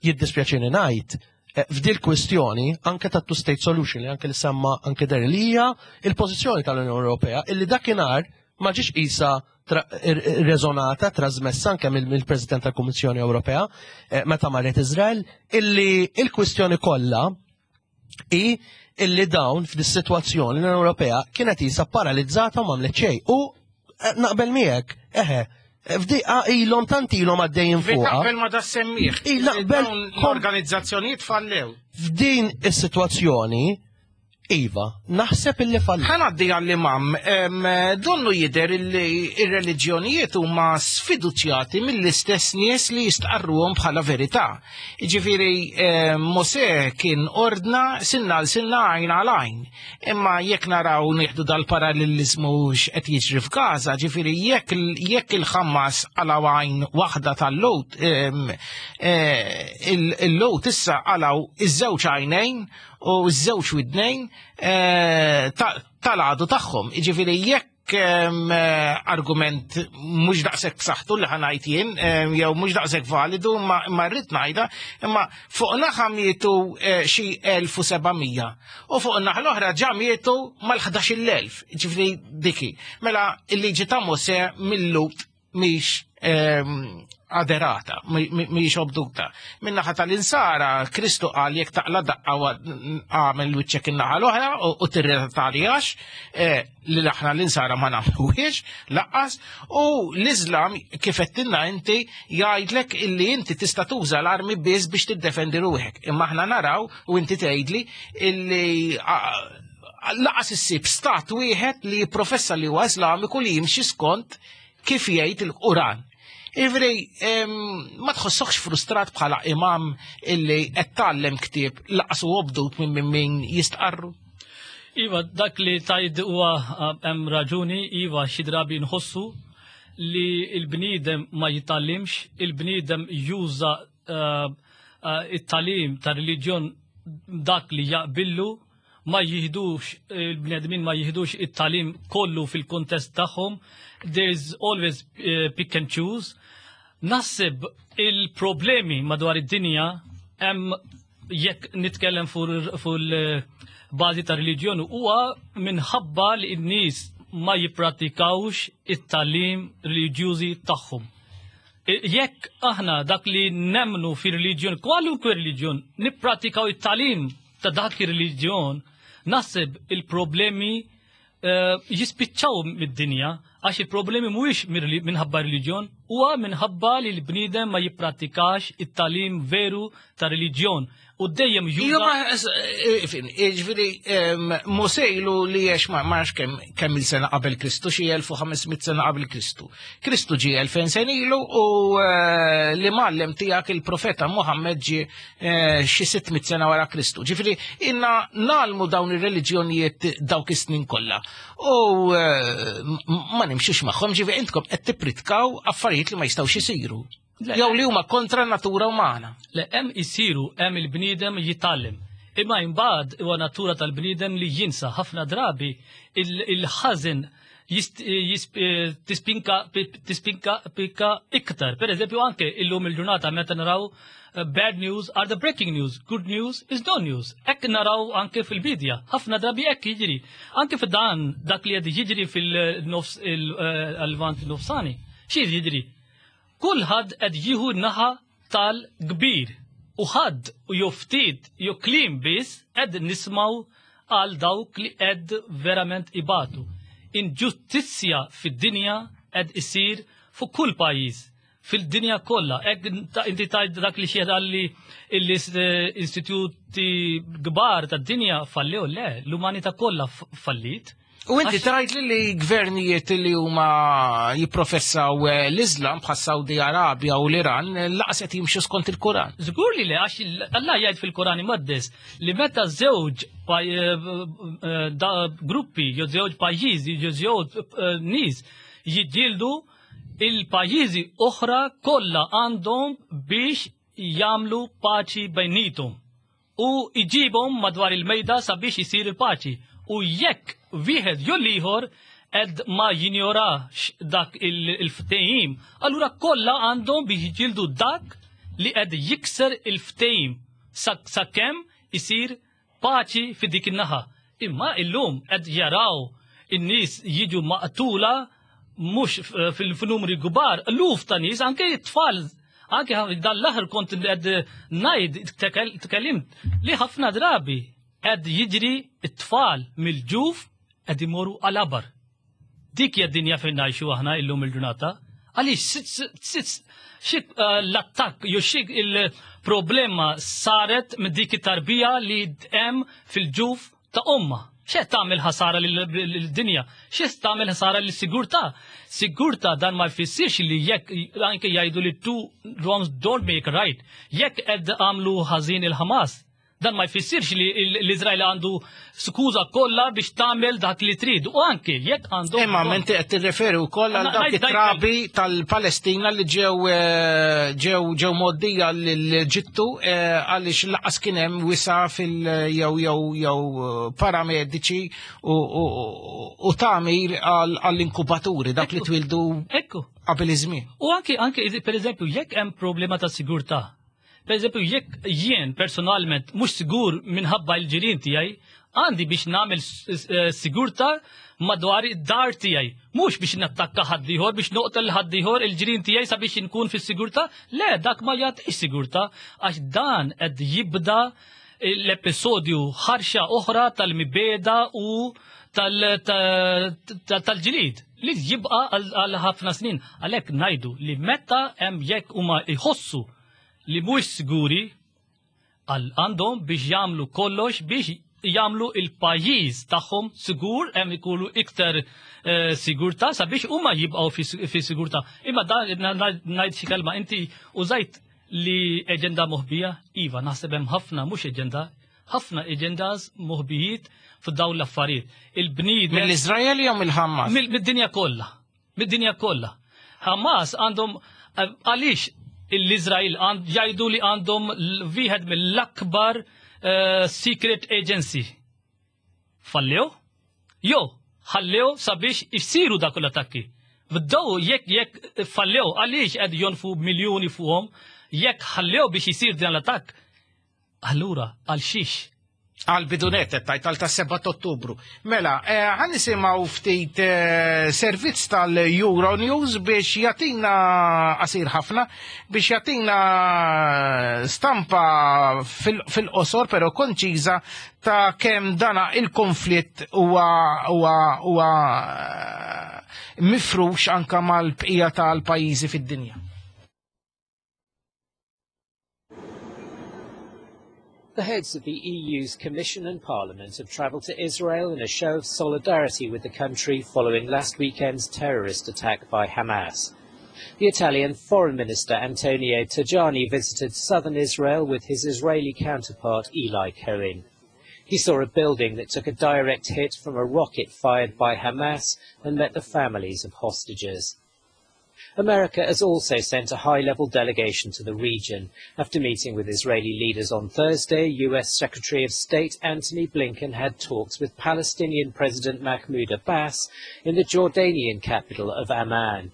jiddispjaċini ngħid eh, f'dil kwistjoni anke ta' two-state solution li anke li semma anke der li hija il-pożizzjoni tal-Unjoni Ewropea illi dakinhar ma ġiex qisha rezonata, trasmessa anke mill-President tal-Kummissjoni Ewropea eh, meta marret Izrael, illi il-kwistjoni kollha i illi dawn f'dis-sitwazzjoni l-Unjoni Ewropea kienet isa paralizzata u m'għamlet xejn. U eh, naqbel miegħek, eħe, f'diqa ilhom tant ilhom għaddejjin fuqha. Naqbel ma da semmieħ. Naqbel l-organizzazzjonijiet fallew. F'din is-sitwazzjoni Iva, naħseb illi falli. Ħa ngħaddi għall-imam, donnu jidher illi ir-reliġjonijiet huma sfiduċjati mill-istess nies li jistqarruhom bħala verità. Jiġifieri Mosè kien ordna sinna għal sinna għajn għal għajn. Imma jekk naraw nieħdu dal-paralleliżmu x'qed jiġri f'Gaza, ġifieri jekk il-Ħamas qalgħu għajn waħda tal-Lut, eh, il-Lut issa qalgħu iż-żewġ għajnejn u ż-żewġ widnejn eh, tal-għadu tagħhom. Jiġifieri jekk eh, argument mhux daqshekk b'saħħtu li ħanajt jien, eh, jew mhux daqshekk validu, ma rrid ngħidha, imma fuq naħa mietu xi 1700 u fuq naħa l-oħra ġa mietu mal-11,000, ġifieri diki. Mela il-liġi ta' Mosè mill-Lut mhix ehm, aderata, mhix obduta. Min-naħa tal-insara, Kristu qal jekk taqla daqqa għamel wiċċek in-naħa l-oħra u tirretaljax eh, li aħna l-insara ma nagħmluhiex laqqas u l-Iżlam kif qed inti jgħidlek illi inti tista' tuża l-armi biss biex tiddefendi ruħek. Imma aħna naraw u inti tgħidli illi laqas issib stat wieħed li jipprofessa li huwa Islamiku li jimxi skont kif jgħid il-Quran. Ivri, ma tħossokx frustrat bħala imam illi qed tgħallem ktieb laqas u obdut minn min jistqarru? Iva, dak li tajd huwa eh, hemm raġuni, iva xi drabi nħossu li l-bniedem ma jitgħallimx, il-bniedem juża eh, eh, it-talim ta' reliġjon dak li jaqbillu ma jihdux, il-bnedmin ma jihdux it-talim kollu fil-kontest tagħhom. There is always eh, pick and choose. Naħseb il Il-problemi madwar id-dinja hemm jekk nitkellem fuq il-bażi ta' reliġjon huwa minħabba li n-nies ma jipprattikawx it-tagħlim reliġjużi tagħhom. Jekk aħna dak li nemmnu fi reliġjon, kwalunkwe reliġjon, nippratikaw it-tagħlim ta' dak ir-reliġjon, naħseb il-problemi eh, jispiċċaw mid-dinja għax il-problemi mhuwiex minħabba reliġjon, huwa minħabba li l-bniedem ma jippratikax it-tagħlim veru ta' reliġjon u dejjem juża. Eh, eh, ġifieri Mosejlu li għex ma nafx kemm il-sena qabel Kristu, xi 1500 sena qabel Kristu. Kristu ġie 2000 sena ilu u li mgħallem tiegħek il-profeta Muhammad ġie xi 600 sena wara Kristu. Ġifieri inna nalmu dawn ir-reliġjonijiet dawk is-snin kollha. U ma nimxux magħhom, ġifieri intkom qed tippritkaw affarijiet li ma jistgħux isiru. Jew li huma kontra natura umana. Le hemm isiru hemm il-bniedem jitgħallem. Imma imbagħad huwa natura tal-bniedem li jinsa ħafna drabi il-ħażen tispinka tispinka pika iktar. Per eżempju anke illum il-ġurnata meta naraw eh, bad news are the breaking news, good news is no news. Hekk naraw anke fil-bidja, ħafna drabi hekk jiġri. Anke f'dan dak li qed jiġri fil-nofs il-vant eh, nofsani. Xi jiġri? Kulħadd qed jieħu n-naħa tal-kbir u ħadd u jew ftit jew kliem biss qed nismgħu għal dawk li qed verament ibatu. Inġustizzja fid-dinja qed isir fuq kull pajjiż fil-dinja kollha. Hekk inti tgħid dak li xi li l-istituti kbar tad-dinja fallew le, l-umanità kollha fallit. U inti tajt li li gvernijiet li huma jipprofessaw eh, l-Islam bħas Saudi Arabja u l-Iran eh, laqas qed jimxu skont il-Kuran. Żgur li le għax Allah jgħid fil-Kuran imqaddes li meta żewġ eh, gruppi jew żewġ pajjiżi jew żewġ nies jiġġieldu il-pajjiżi oħra kollha għandhom biex jagħmlu paċi bejnietom. u jġibhom madwar il-mejda sabiex isir il-paċi u jekk wieħed jew l-ieħor qed ma jinjorax dak il-ftehim, allura kollha għandhom biex jiġġieldu dak li qed jikser il-ftehim sakemm isir paċi fi dik in-naħa. Imma illum qed jaraw in-nies jiġu maqtula mhux fil-numri kbar, luf ta' nies, anke t-tfal, anke dan l-aħħar kont qed ngħid tkellimt li ħafna drabi qed jiġri t-tfal mill-ġuf qed imorru għal abar. Dik hija d-dinja fejn ngħixu aħna illum il-ġurnata. Għaliex xi eh, l-attakk jew xi il-problema saret minn dik it-tarbija li hemm fil-ġuf ta' omma. X'qed tagħmel ħasara lid-dinja? X'qed tagħmel ħasara lis-sigurtà? Sigurtà dan ma jfissirx li jekk anke jgħidu li two wrongs don't make right. Jekk qed għamlu ħażin il-Ħamas, dan ma jfissirx li l-Iżrael għandu skuża kollha biex tagħmel dak li trid. U anke jekk għandu. Imma inti qed tirreferi wkoll għal dawk it-trabi tal-Palestina li ġew eh, ġew ġew moddija l-Ġittu eh, għaliex laqas kien hemm wisa fil jew jew jew eh, paramediċi u tagħmir għall-inkubaturi dawk li twildu qabel iż-żmien. U anke anke pereżempju jekk hemm problema ta' sigurtà Per eżempju, jekk jien personalment mhux sigur minħabba l-ġirien tiegħi, għandi biex nagħmel eh, sigurta madwar id-dar tiegħi. Mhux biex nattakka ħaddieħor, biex noqtel ħaddieħor il-ġirien tiegħi sabiex inkun fis-sigurtà. Le, dak ma jagħtix sigurtà għax dan qed jibda l-episodju ħarxa oħra tal-mibeda u tal-ġlid li jibqa' għal ħafna snin. Għalhekk ngħidu li meta hemm jekk huma jħossu li mhux siguri għal għandhom biex jagħmlu kollox biex jagħmlu il-pajjiż tagħhom sigur hemm ikunu iktar eh, sigurtà sabiex huma jibqgħu fi sigurtà. Imma dan ngħid xi kelma inti użajt li eġenda moħbija, iva naħseb hemm ħafna mhux eġenda, ħafna eġendas moħbijiet f'dawn l-affarijiet. Il-bniedem. Mill-Iżrael jew mill-Ħamas? Mid-dinja kollha. Mid-dinja kollha. Hamas għandhom għaliex l-Iżrael jgħidu li għandhom wieħed mill-akbar eh, secret agency. Fallew? Jo, ħallew sabiex isiru dak l-attakki. Bdew jekk jekk fallew għaliex qed jonfu miljuni fuqhom. Jekk ħallew biex isir dan l-attakk, allura għal xiex? Għal bidunet qed tgħid għal tas-7 Ottubru. Mela, eh, ħan nisimgħu ftit eh, servizz tal-Euronews biex jagħtina qasir ħafna biex jagħtina stampa fil-qosor però konċiża ta' kemm dana il-konflitt huwa huwa huwa eh, mifrux anka mal-bqija tal-pajjiżi fid-dinja. The heads of the EU's Commission and Parliament have travelled to Israel in a show of solidarity with the country following last weekend's terrorist attack by Hamas. The Italian Foreign Minister Antonio Tajani visited southern Israel with his Israeli counterpart Eli Cohen. He saw a building that took a direct hit from a rocket fired by Hamas and met the families of hostages. America has also sent a high-level delegation to the region. After meeting with Israeli leaders on Thursday, US Secretary of State Antony Blinken had talks with Palestinian President Mahmoud Abbas in the Jordanian capital of Amman.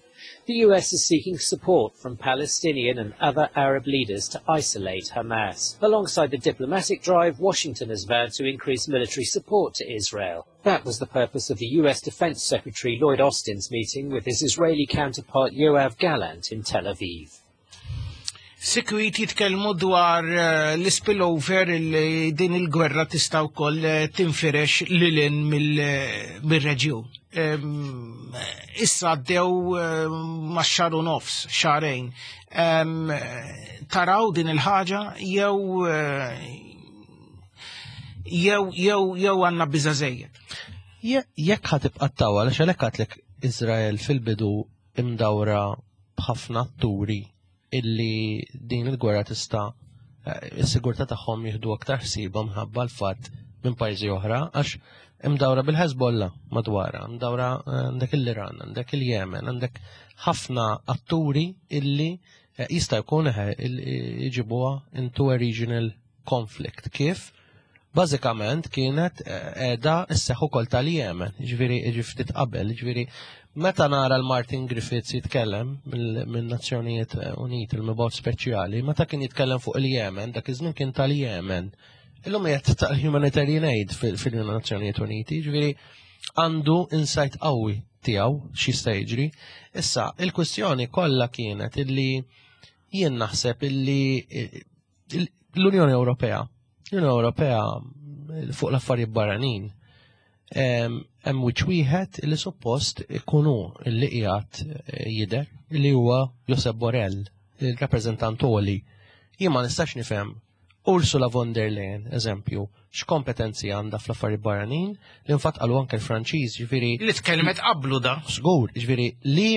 The US is seeking support from Palestinian and other Arab leaders to isolate Hamas. Alongside the diplomatic drive, Washington has vowed to increase military support to Israel. That was the purpose of the US Defense Secretary Lloyd Austin's meeting with his Israeli counterpart Yoav Gallant in Tel Aviv. Sikwit jitkellmu dwar eh, l-spillover li din il-gwerra tista' wkoll eh, tinfirex lilin eh, mill-reġjun. Ehm, issa għaddew ma' xahar u nofs, xahrejn. Ehm, taraw din il-ħaġa jew jew jew jew għandna biża' żejjed. Jekk ħa tibqa' tawwal għax għalhekk għadlek Iżrael fil-bidu imdawra b'ħafna atturi illi din il-gwerra tista' eh, is-sigurtà tagħhom jieħdu aktar ħsiebha minħabba l-fatt minn pajjiżi oħra għax imdawra bil-Hezbollah madwarha, imdawra eh, għandek l-Iran, għandek il-Jemen, għandek ħafna atturi illi eh, jista' jkun jġibuha into a regional conflict. Kif? Bażikament kienet qiegħda sseħħ ukoll tal-Jemen, jiġifieri jiġi ftit qabel, jiġifieri meta nara l-Martin Griffiths jitkellem minn-Nazzjonijiet Uniti il-mibgħut speċjali, meta kien jitkellem fuq il-Jemen, dak iż-żmien kien tal-Jemen. Illum qiegħed tal-Humanitarian Aid fil-Nazzjonijiet Uniti, jiġifieri għandu insight qawwi tiegħu x'jista' jiġri. Issa, il-kwistjoni kollha kienet illi jien naħseb illi l-Unjoni Ewropea, l-Unjoni Ewropea fuq l-affarijiet barranin, hemm wiċċ wieħed li suppost ikunu li qiegħed eh, jidher li huwa Josep Borrell, il-rappreżentant oli. Jien ma nistax nifhem Ursula von der Leyen, eżempju, x'kompetenzi għandha fl-affarijiet barranin, li nfatt qalu anke l-Franċiż, ġifieri. Li tkellmet qablu da. Żgur, ġifieri li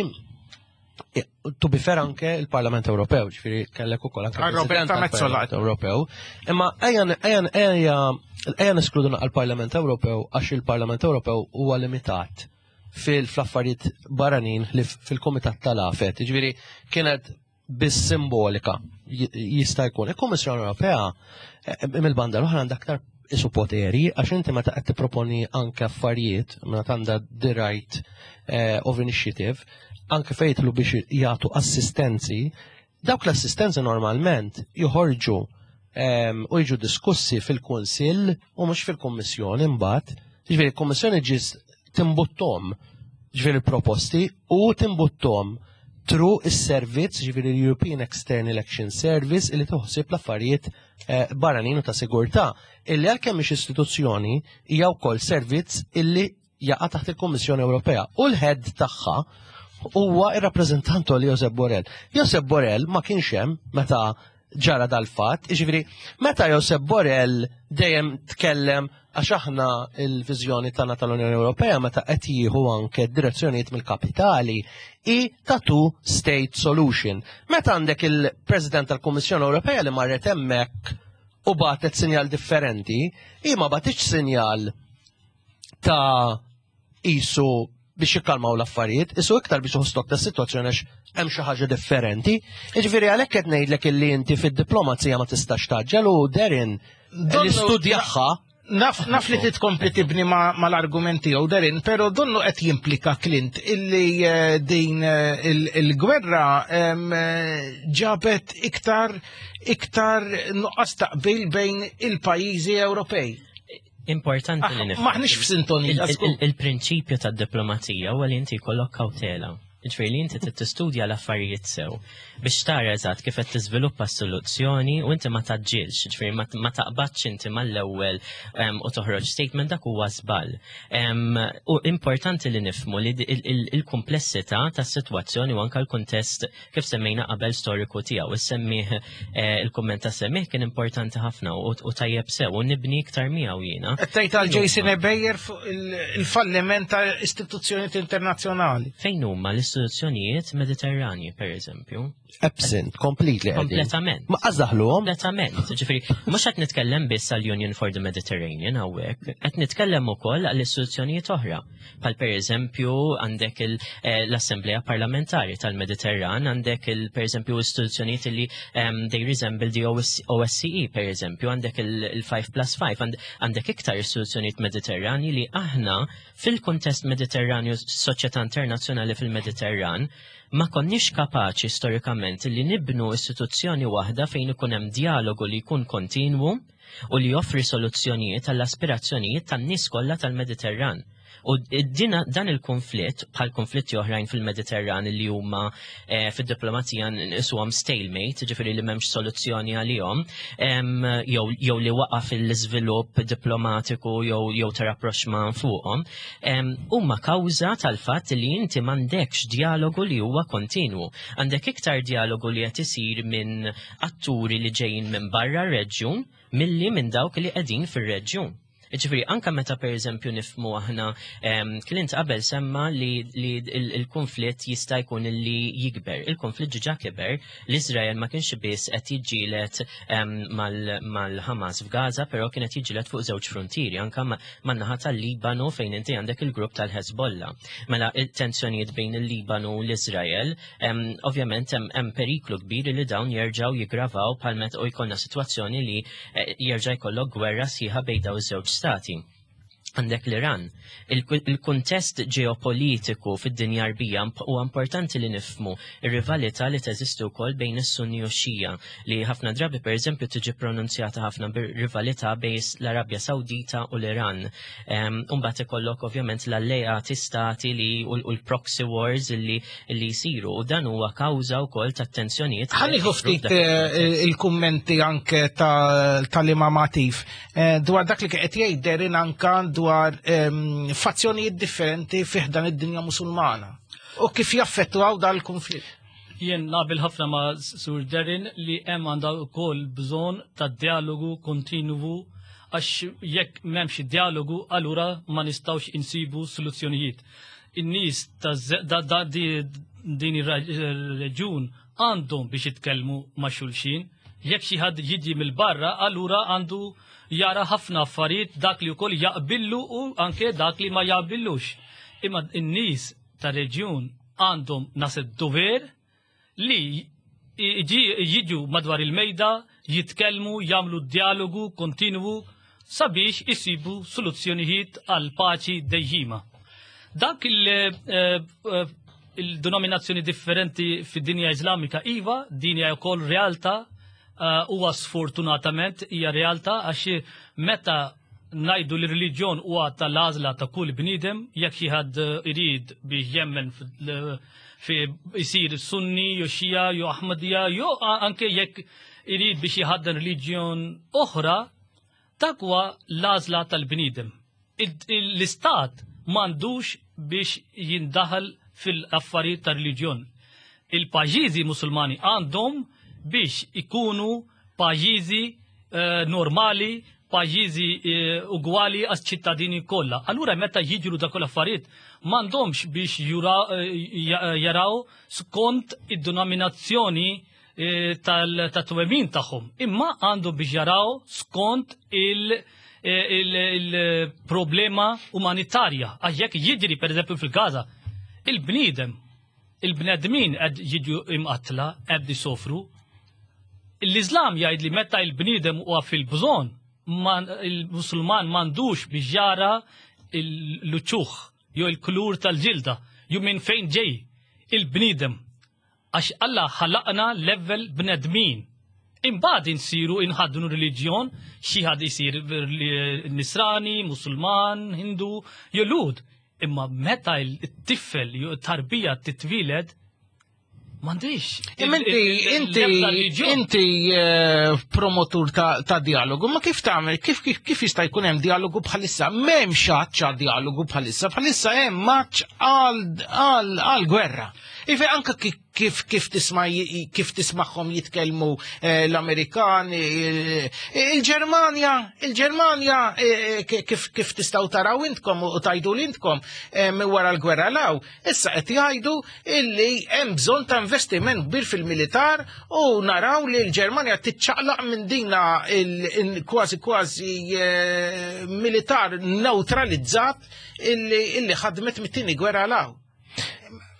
To be fair anke il-Parlament Ewropew, ġifieri kellek ukoll anke Roberta Metsola Ewropew. Imma ejja ejja ejja ejja neskludu għall-Parlament Ewropew għax il-Parlament Ewropew huwa limitat fil-affarijiet barranin li fil-Kumitat tal-Afet. Ġifieri kienet biss simbolika jista' jkun. Il-Kummissjoni Ewropea eh, mill-banda l-oħra għandha aktar isu poteri għax inti meta qed tipproponi anke affarijiet meta għandha the right eh, of initiative anke fejtlu biex jagħtu assistenzi, dawk l-assistenzi normalment joħorġu ehm, u jiġu diskussi fil-Kunsill u mhux fil-Kummissjoni mbagħad. Ġifieri l-Kummissjoni ġis timbuttom ġifieri proposti u timbuttom tru is-servizz ġifieri l-European External Action Service illi toħsib l-affarijiet eh, barranin u ta' sigurtà illi għalkemm mhix istituzzjoni hija wkoll servizz illi jaqa' taħt il-Kummissjoni Ewropea u l-head tagħha huwa ir-rappreżentant li Josep Borrell. Josep Borrell ma kienx hemm meta ġara dal-fatt, jiġifieri meta Josep Borrell dejjem tkellem għax aħna il-viżjoni tagħna tal-Unjoni Ewropea meta qed jieħu anke direzzjonijiet mill-kapitali i ta' two state solution. Meta għandek il-President tal-Kummissjoni Ewropea li marret hemmhekk u bagħtet sinjal differenti, hi ma bagħtitx sinjal ta' isu biex jikkalmaw l-affarijiet, isu iktar biex uħstok ta' situazzjoni għax hemm xi ħaġa differenti. Jiġifieri għalhekk qed ngħidlek illi inti fid-diplomazija ma tistax taġġel u Derin li studjaħħa. Naf, naf li titkompli tibni mal-argument tiegħu Darin, però donnu qed jimplika Clint illi eh, din eh, il-gwerra eh, ġabet iktar iktar nuqqas taqbil bejn il-pajjiżi Ewropej. Importanti li ah, nifhem. Maħniex f'sintonija. Il-prinċipju tad-diplomazija huwa li inti jkollok kawtela. Ġifieri li inti trid tistudja l-affarijiet sew biex tara eżatt kif qed tiżviluppa s-soluzzjoni u inti ma taġġilx, ġifieri ma taqbadx inti mal-ewwel u toħroġ statement dak huwa żball. U importanti li nifhmu li il-kumplessità tas-sitwazzjoni u anke l-kuntest kif semmejna qabel storiku tiegħu. Is-semmih eh, il-kumment ta' semmih kien importanti ħafna u tajjeb sew u nibni iktar miegħu jiena. Qed tgħid għal Jason Ebejer fuq il-falliment ta' istituzzjonijiet internazzjonali. Fejn huma l-istituzzjonijiet Mediterranji, pereżempju? Absent, completely. Kompletament. Ma qażaħluhom? Kompletament. Ġifieri, mhux qed nitkellem biss għal Union for the Mediterranean hawnhekk, qed nitkellem ukoll għall istituzzjonijiet oħra. Pal per eżempju għandek eh, l-Assemblea Parlamentari tal-Mediterran, għandek il per eżempju istituzzjonijiet li ehm, they resemble the OSCE per eżempju, għandek il-5 plus 5, għandek iktar istituzzjonijiet Mediterrani li aħna fil-kuntest Mediterranju, soċjetà internazzjonali fil-Mediterran, ma konniex kapaċi storikament li nibnu istituzzjoni waħda fejn ikun hemm dialogu li jkun kontinwu u li joffri soluzzjonijiet għall-aspirazzjonijiet tan-nies kollha tal-Mediterran. U dan il-konflitt, bħal konflitti oħrajn fil-Mediterran li huma eh, fid-diplomazija nqisuhom stalemate, ġifieri li m'hemmx soluzzjoni għalihom, jew li waqa' fil-iżvilupp diplomatiku jew ta' rapproxman fuqhom, huma kawża tal-fatt li inti m'għandekx dialogu li huwa kontinwu. Għandek iktar dialogu li qed isir minn atturi li ġejjin minn barra r-reġjun milli minn dawk li qegħdin fir-reġjun. Ġifieri anka meta pereżempju nifmu aħna Clint qabel semma li, li il-konflitt jista' jkun li jikber. Il-konflitt ġiġa kiber, l-Iżrael ma kienx biss qed jiġġieled mal-Hamas f'Gaza, però kien qed jiġġieled fuq żewġ frontieri, anka man-naħa tal-Libanu fejn inti għandek il-grupp tal-Hezbollah. Mela il-tensjonijiet bejn il-Libanu u l-Iżrael Ovvjament hemm periklu kbir li dawn jerġgħu jiggravaw bħal meta u jkollna sitwazzjoni li eh, jerġa' jkollok gwerra sħiħa bejn dawn iż-żewġ stati għandek l-Iran. Il-kuntest ġeopolitiku fid-dinja arbija huwa importanti li nifmu ir-rivalità li teżisti wkoll bejn is-Sunni u x-Xija li ħafna drabi pereżempju tiġi pronunzjata ħafna bir-rivalità bejn l-Arabja Sawdita u l-Iran. Umbagħad ikollok ovvjament l-alleati stati li u l-proxy wars li li jsiru u dan huwa kawża wkoll ta' tensjonijiet. Ħalliħu ftit eh, il-kummenti anke tal-Imam Atif eh, dwar dak li qed jgħid Derin anka dwar ehm, fazzjonijiet differenti fih dan id-dinja Musulmana u kif jaffettwaw dal-konflitt. Jien naqbel ħafna ma' Sur Derin li hemm għandha wkoll bżonn ta' dialogu kontinwu għax jekk m'hemmx dialogu allura ma nistgħux insibu soluzzjonijiet. In-nies ta' din ir-reġjun għandhom biex jitkellmu ma' xulxin. Jekk xi ħadd jiġi mill-barra allura għandu jara ħafna affarijiet dak li wkoll jaqbillu u anke dak li ma jaqbillux. Imma n-nies tar-reġjun għandhom naħseb dover li jiġu madwar il-mejda, jitkellmu, jagħmlu dialogu kontinwu sabiex isibu soluzzjonijiet għal paċi dejjima. Dak eh, eh, il-denominazzjoni differenti fid-dinja Iżlamika iva, din hija wkoll realtà eh, huwa sfortunatament hija realtà għax meta ngħidu li reliġjon huwa tal-għażla ta' kull bniedem jekk xi ħadd irid biex jemmen fi jsir Sunni jew Xija jew Aħmadija jew anke jekk irid biex jħaddan reliġjon oħra, dak huwa l-għażla tal-bniedem. L-istat m'għandux biex jindaħal fil-affarijiet ta' reliġjon. Il-pajjiżi Musulmani għandhom biex ikunu pajjiżi eh, normali, pajjiżi eh, ugwali għas ċittadini kollha. Allura meta jiġru dak l-affarijiet m'għandhomx biex eh, jaraw skont id-denominazzjoni tal-twemmin tagħhom, imma għandhom biex jaraw skont il-problema umanitarja. Għax jekk jiġri pereżempju fil-Gaza, il-bniedem Il-bnedmin qed jiġu imqattla, qed isofru. L-Iżlam jgħid li meta l-bniedem huwa fil-bżonn, Il-Musulman m'għandux biex jara l-uċuħ jew il-kulur tal-ġilda jew minn fejn ġej il-bniedem. Għax Alla ħalaqna level bnedmin. Imbagħad insiru inħaddnu reliġjon, xi ħadd isir Nisrani, Musulman, Hindu, jew Lhud. Imma meta t-tifel jew tarbija titwieled m'għandix. Imma inti inti inti eh, promotur ta' dialogu, ma kif tagħmel, kif kif kif jista' jkun hemm dialogu bħalissa? M'hemmx għatx dialogu bħalissa, bħalissa hemm maċ għal gwerra. Ife anka kif kif tisma' kif tismagħhom jitkellmu eh, l-Amerikani, eh, il-Ġermanja, il-Ġermanja eh, kif kif tistgħu taraw intkom u tajdu l intkom minn wara l-gwerra law, issa qed jgħidu illi hemm bżonn ta' investiment kbir fil-militar u naraw li l-Ġermanja tiċċaqlaq minn dina kważi kważi militar neutralizzat illi ħadmet mit-tieni gwerra law.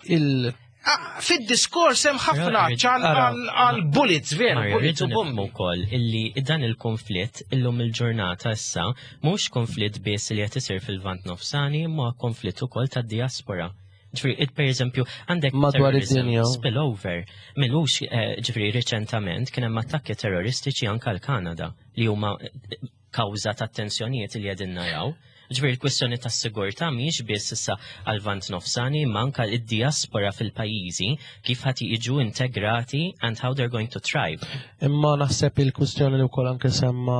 Il Ah, fid-diskors hemm ħafna ċal għal bullets veru, bullets u bombi. Wkoll illi dan il-konflitt illum il-ġurnata issa mhux konflitt biss li qed isir fil-Lvant Nofsani imma konflitt ukoll tad-diaspora. Ġifieri, per eżempju, għandek madwar id-dinja spillover. Milux eh, ġifieri riċentament kien hemm attakki terroristiċi anke l-Kanada li huma eh, kawża tat-tensjonijiet li qegħdin naraw. Ġifieri l-kwistjoni tas-sigurtà mhijiex biss issa għal-Lvant Nofsani imma anke id-diaspora fil-pajjiżi kif ħadd jiġu integrati and how they're going to thrive. Imma naħseb il-kwistjoni li wkoll anke semma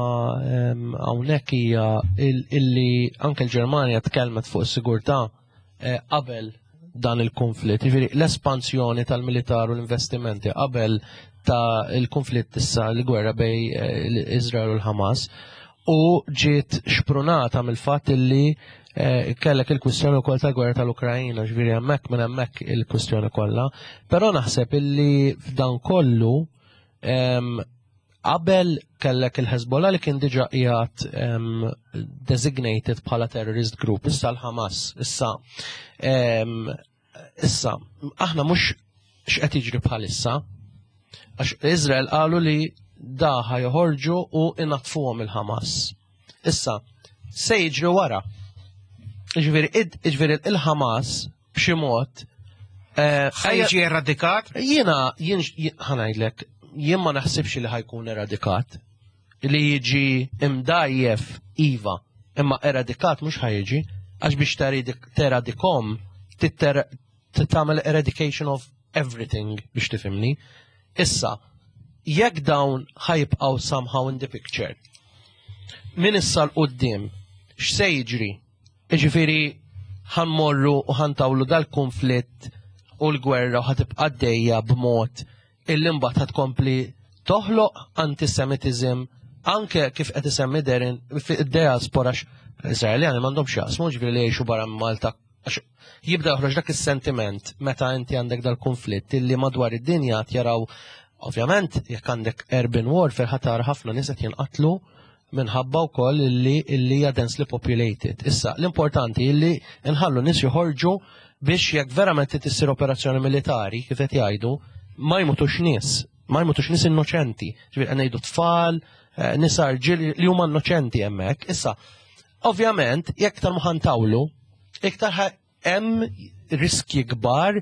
hawnhekk hija illi anke l-Ġermanja tkellmet fuq is-sigurtà eh, qabel dan il-konflitt. Jiġifieri l-espansjoni tal-militar u l-investimenti qabel ta' il-konflitt issa l-gwerra bej eh, Izrael u l-Hamas u ġiet xprunata mill-fatt illi eh, kellek il-kwistjoni wkoll tal-gwerra tal-Ukrajina, ġifieri hemmhekk minn hemmhekk il-kwistjoni kollha. Però naħseb illi f'dan kollu Qabel kellek il-Hezbollah li kien diġa qiegħed designated bħala terrorist group, issa l-Hamas, issa issa aħna mhux x'qed jiġri bħalissa, għax Izrael qalu li daħa joħorġu u inatfuhom il-Hamas. Issa, se jiġri wara. Ġifieri il-Hamas b'xi mod. Eh, ħajġi eradikat? Jiena jien ħanajdlek, jien ma naħsibx li ħajkun eradikat. Li jiġi imdajjef iva, imma eradikat mhux ħajġi, għax biex teradikom tagħmel eradication of everything biex tifhimni. Issa, jekk dawn ħajbqgħu somehow in the picture, min issa l-qoddim, x'se jiġri? Jiġifieri ħa nmorru u ħa ntawlu dal-kunflitt u l-gwerra u ħa tibqa' għaddejja b'mod illi mbagħad ħa tkompli toħloq antisemitiżm anke kif qed isemmi Darren fid-diaspora Iżraeljani m'għandhomx jaqsmu ġifieri li jgħixu barra minn Malta għax jibda joħroġ dak is-sentiment meta inti għandek dal-konflitt illi madwar id-dinja jaraw ovvjament jekk għandek urban warfare ħatar ħafna nies qed jinqatlu minħabba wkoll illi illi hija densely populated. Issa, l-importanti illi nħallu nies joħorġu biex jekk verament trid issir operazzjoni militari, kif qed jgħidu, ma jmutux nies, ma jmutux nies innoċenti. Ġifieri qed ngħidu tfal, eh, nisa rġiel li huma innoċenti hemmhekk. Issa, ovvjament, jekk iktar ma ħantawlu, iktar hemm riskji kbar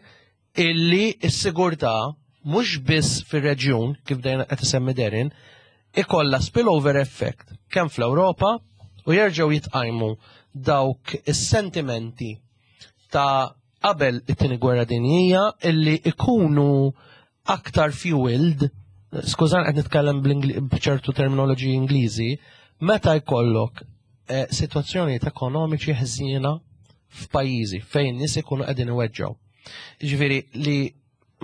illi s-sigurtà mhux biss fir-reġjun, kif dejjem qed isemmi Darren, ikollha spillover effect kemm fl-Ewropa u jerġgħu jitqajmu dawk is-sentimenti ta' qabel it-tieni gwerra dinjija illi ikunu aktar fueled, skużan qed nitkellem b'ċertu terminoloġiji Ingliżi, meta jkollok eh, sitwazzjonijiet ekonomiċi ħżiena f'pajjiżi fejn nies ikunu qegħdin iweġġgħu. Ġifieri li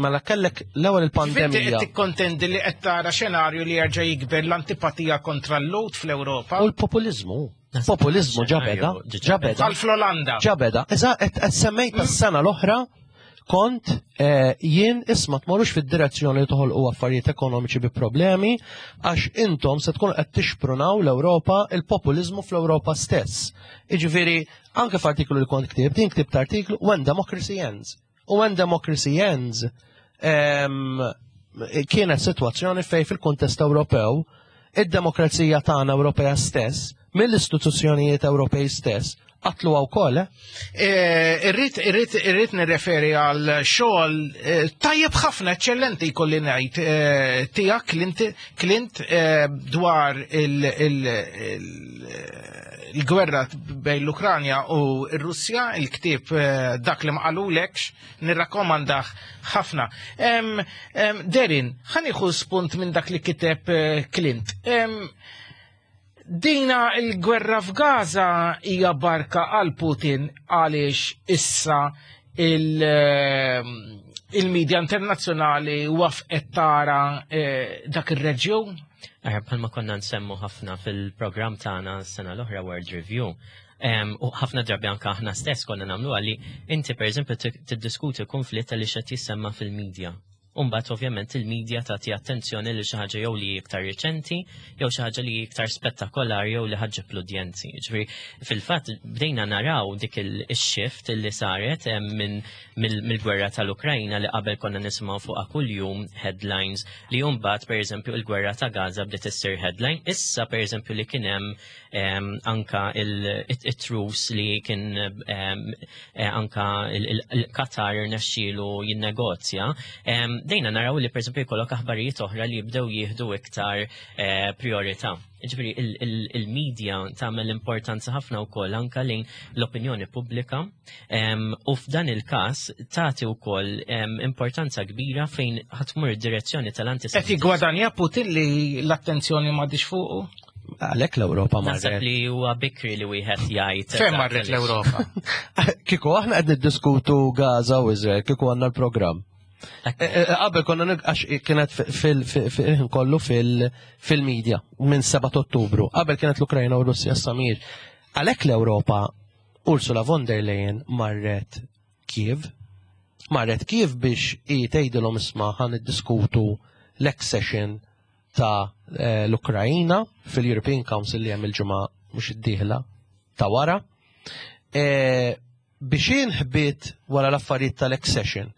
mela kellek l-ewwel il-pandemija. Qed tikkontendi li qed tara xenarju li jerġa' jikber l-antipatija kontra l-Lhud fl-Ewropa. U l-populiżmu. Populizmu ġabeda, ġabeda. Bħal fl-Olanda. Ġabeda. Iżda qed semmejt tas-sena l-oħra kont eh, jien isma tmorrux fid-direzzjoni li toħolqu affarijiet ekonomiċi bi problemi għax intom se tkunu qed tixprunaw l-Ewropa il-populiżmu fl-Ewropa stess. Jiġifieri anke f'artiklu li kont ktibt, jien ktibt artiklu When Democracy Ends. U When Democracy Ends kienet sitwazzjoni fej fil-kuntest Ewropew Id-demokrazija tagħna Ewropea stess, mill-istituzzjonijiet Ewropej stess, qatluha wkoll, eh? eh irrid irrid irrid nirreferi għal xogħol eh, tajjeb ħafna eċċellenti jkolli ngħid eh, tiegħek Clint, Clint dwar il-gwerra bejn l-Ukranja u r-Russja, il-ktieb dak li ma qalulekx, nirrakkomandah ħafna. Derin, ħa nieħu spunt minn dak li kiteb Clint. Dina il-gwerra f'Gaza hija barka għal Putin għaliex issa il-medja internazzjonali wafqet tara eh, dak ir-reġjun? Eh, bħalma konna nsemmu ħafna fil-programm tagħna s-sena l-oħra World Review, U ħafna drabi anka aħna stess konna nagħmlu għalli inti pereżempju tiddiskuti konflitt għaliex qed jissemma fil-medja. Umbat ovvjament il-medja tagħti attenzjoni lil xi ħaġa jew li iktar riċenti jew xi ħaġa li iktar spettakolari jew li ħaġġeb l-udjenzi. Ġifieri fil-fatt bdejna naraw dik il-shift li saret minn mill-gwerra tal-Ukrajna li qabel konna nisimgħu fuqha kuljum headlines li mbagħad pereżempju il-gwerra ta' Gaza bdiet issir headline. Issa pereżempju li kien hemm anka il-trus li kien eh, anka il-Qatar irnexxielu jinnegozja, dejna naraw li pereżempju jkollok aħbarijiet oħra li jibdew jieħdu iktar eh, priorità. Ġifieri il-media tagħmel importanza ħafna wkoll anka lejn l-opinjoni pubblika u f'dan il-każ tagħti wkoll importanza kbira fejn ħatmur id-direzzjoni tal-antisemitiżmu. Qed jiggwadanja Putin li l-attenzjoni m'għadix fuqu? Għalhekk l-Ewropa marret. Naħseb li huwa bikri li wieħed jgħid. Fejn marret l-Ewropa? Kieku aħna qed niddiskutu Gaza u Izrael, kieku għandna l-programm. E, e, e, qabel konna għax kienet fil-ħin kollu fil-medja minn 7 Ottubru. Qabel kienet l-Ukrajna u Russja samir. Għalhekk l-Ewropa Ursula von der Leyen marret Kiev. Marret Kiev biex i tgħidilhom isma' ħan niddiskutu l-accession ta' eh, l-Ukrajina fil-European Council li hemm il-ġimgħa mhux id-dieħla ta' wara. Eh, biex inħbit wara l-affarijiet tal-accession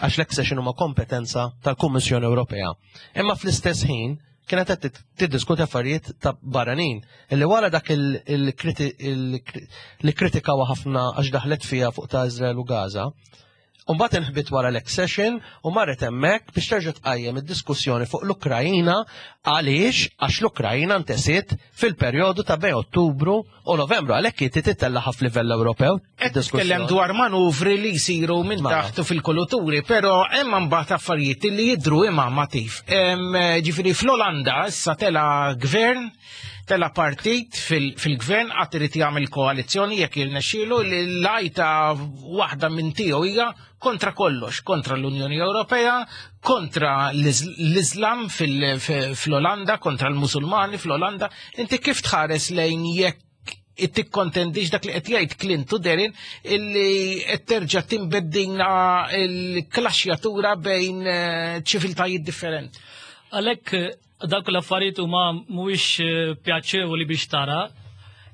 għax l-accession huma kompetenza tal-Kummissjoni Ewropea. Imma fl-istess ħin kienet qed tiddiskuti affarijiet ta' barranin illi wara dak li kritikaw ħafna għax daħlet fiha fuq ta' Izrael u Gaza, Umbagħad inħbit wara l-accession u marret hemmhekk biex terġa' tqajjem id-diskussjoni fuq l-Ukrajina għaliex għax l-Ukrajina ntesiet fil-perjodu ta' bejn Ottubru u Novembru għalhekk hi tittellaħa f'livell Ewropew. Qed titkellem dwar manuvri li jsiru minn mela. taħt u fil-kuluturi, però hemm imbagħad affarijiet li jidhru imma matif. Ġifieri fl-Olanda issa tela gvern tela partit fil-gvern għad irid jagħmel koalizzjoni jekk jirnexxielu li l-għajta waħda minn tiegħu hija kontra kollox, kontra l-Unjoni Ewropea, kontra l-Islam fl-Olanda, kontra l-Musulmani fl-Olanda. Inti kif tħares lejn jekk tikkontendix dak li qed jgħid Clint u Derin illi qed terġa' timbeddina l-klaxjatura bejn eh, ċiviltajiet differenti. Għalhekk Dawk l-affarijiet huma mhuwiex eh, pjaċevoli biex tara.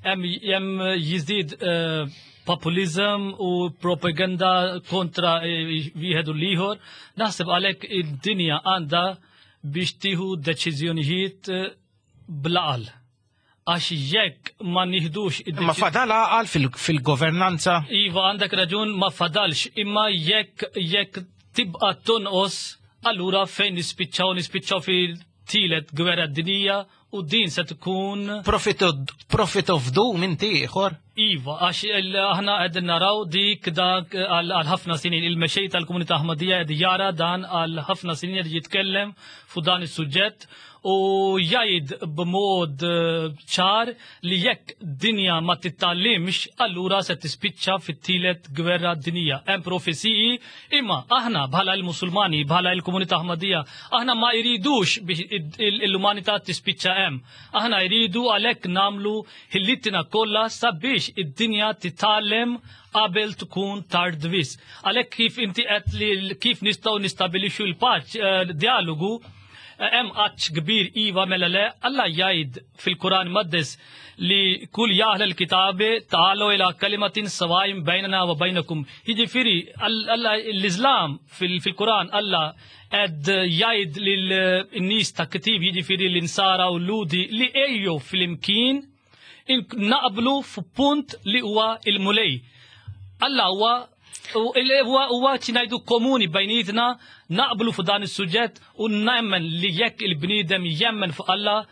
Hemm jiżdied eh, populizm u propaganda kontra eh, wieħed u l-ieħor. Naħseb għalhekk id-dinja għandha biex tieħu deċiżjonijiet blaqal. Għax jekk ma nieħdux Ma fadal għaqal fil-governanza? Iva, għandek raġun ma fadalx, imma jekk jekk tibqa' tonqos, allura fejn nispiċċaw nispiċċaw fil-tielet gwerra dinija u din se tkun Profit profit of doom inti ieħor? Iva, għax aħna qegħdin naraw dik dak għal ħafna snin il-mexej tal-komunità Ahmadija qed jara dan għal ħafna snin qed jitkellem fuq dan is-suġġett u jgħid b'mod eh, ċar li jekk dinja ma titgħallimx allura se tispiċċa fit-tielet gwerra dinija. Hemm profeziji imma aħna bħala l-Musulmani, bħala l-komunità Ahmadija, aħna ma jridux biex l-umanità tispiċċa hemm. Aħna jridu għalhekk nagħmlu ħillitina kollha sabiex id-dinja titgħallem qabel tkun tard wisq. Għalhekk kif inti qed li kif nistgħu nistabilixxu l-paċ eh, dialogu. Hemm għatx kbir iva mela le, Alla jgħid fil-Kuran Maqdes li kull ja ahlal kitabi ta'alu ila kalimatin sawa'in bejnana wa bejnakum. Jiġifieri Alla l-Iżlam fil-Kuran Alla qed jgħid lil nies ta' kitib jiġifieri l-Insara u l-Lhudi li ejjew flimkien naqblu f'punt li huwa il-Mulej. Alla huwa huwa ngħidu komuni bejnietna naqblu fuq dan is-suġġett u nemmen li jekk il-bniedem jemmen fuq Alla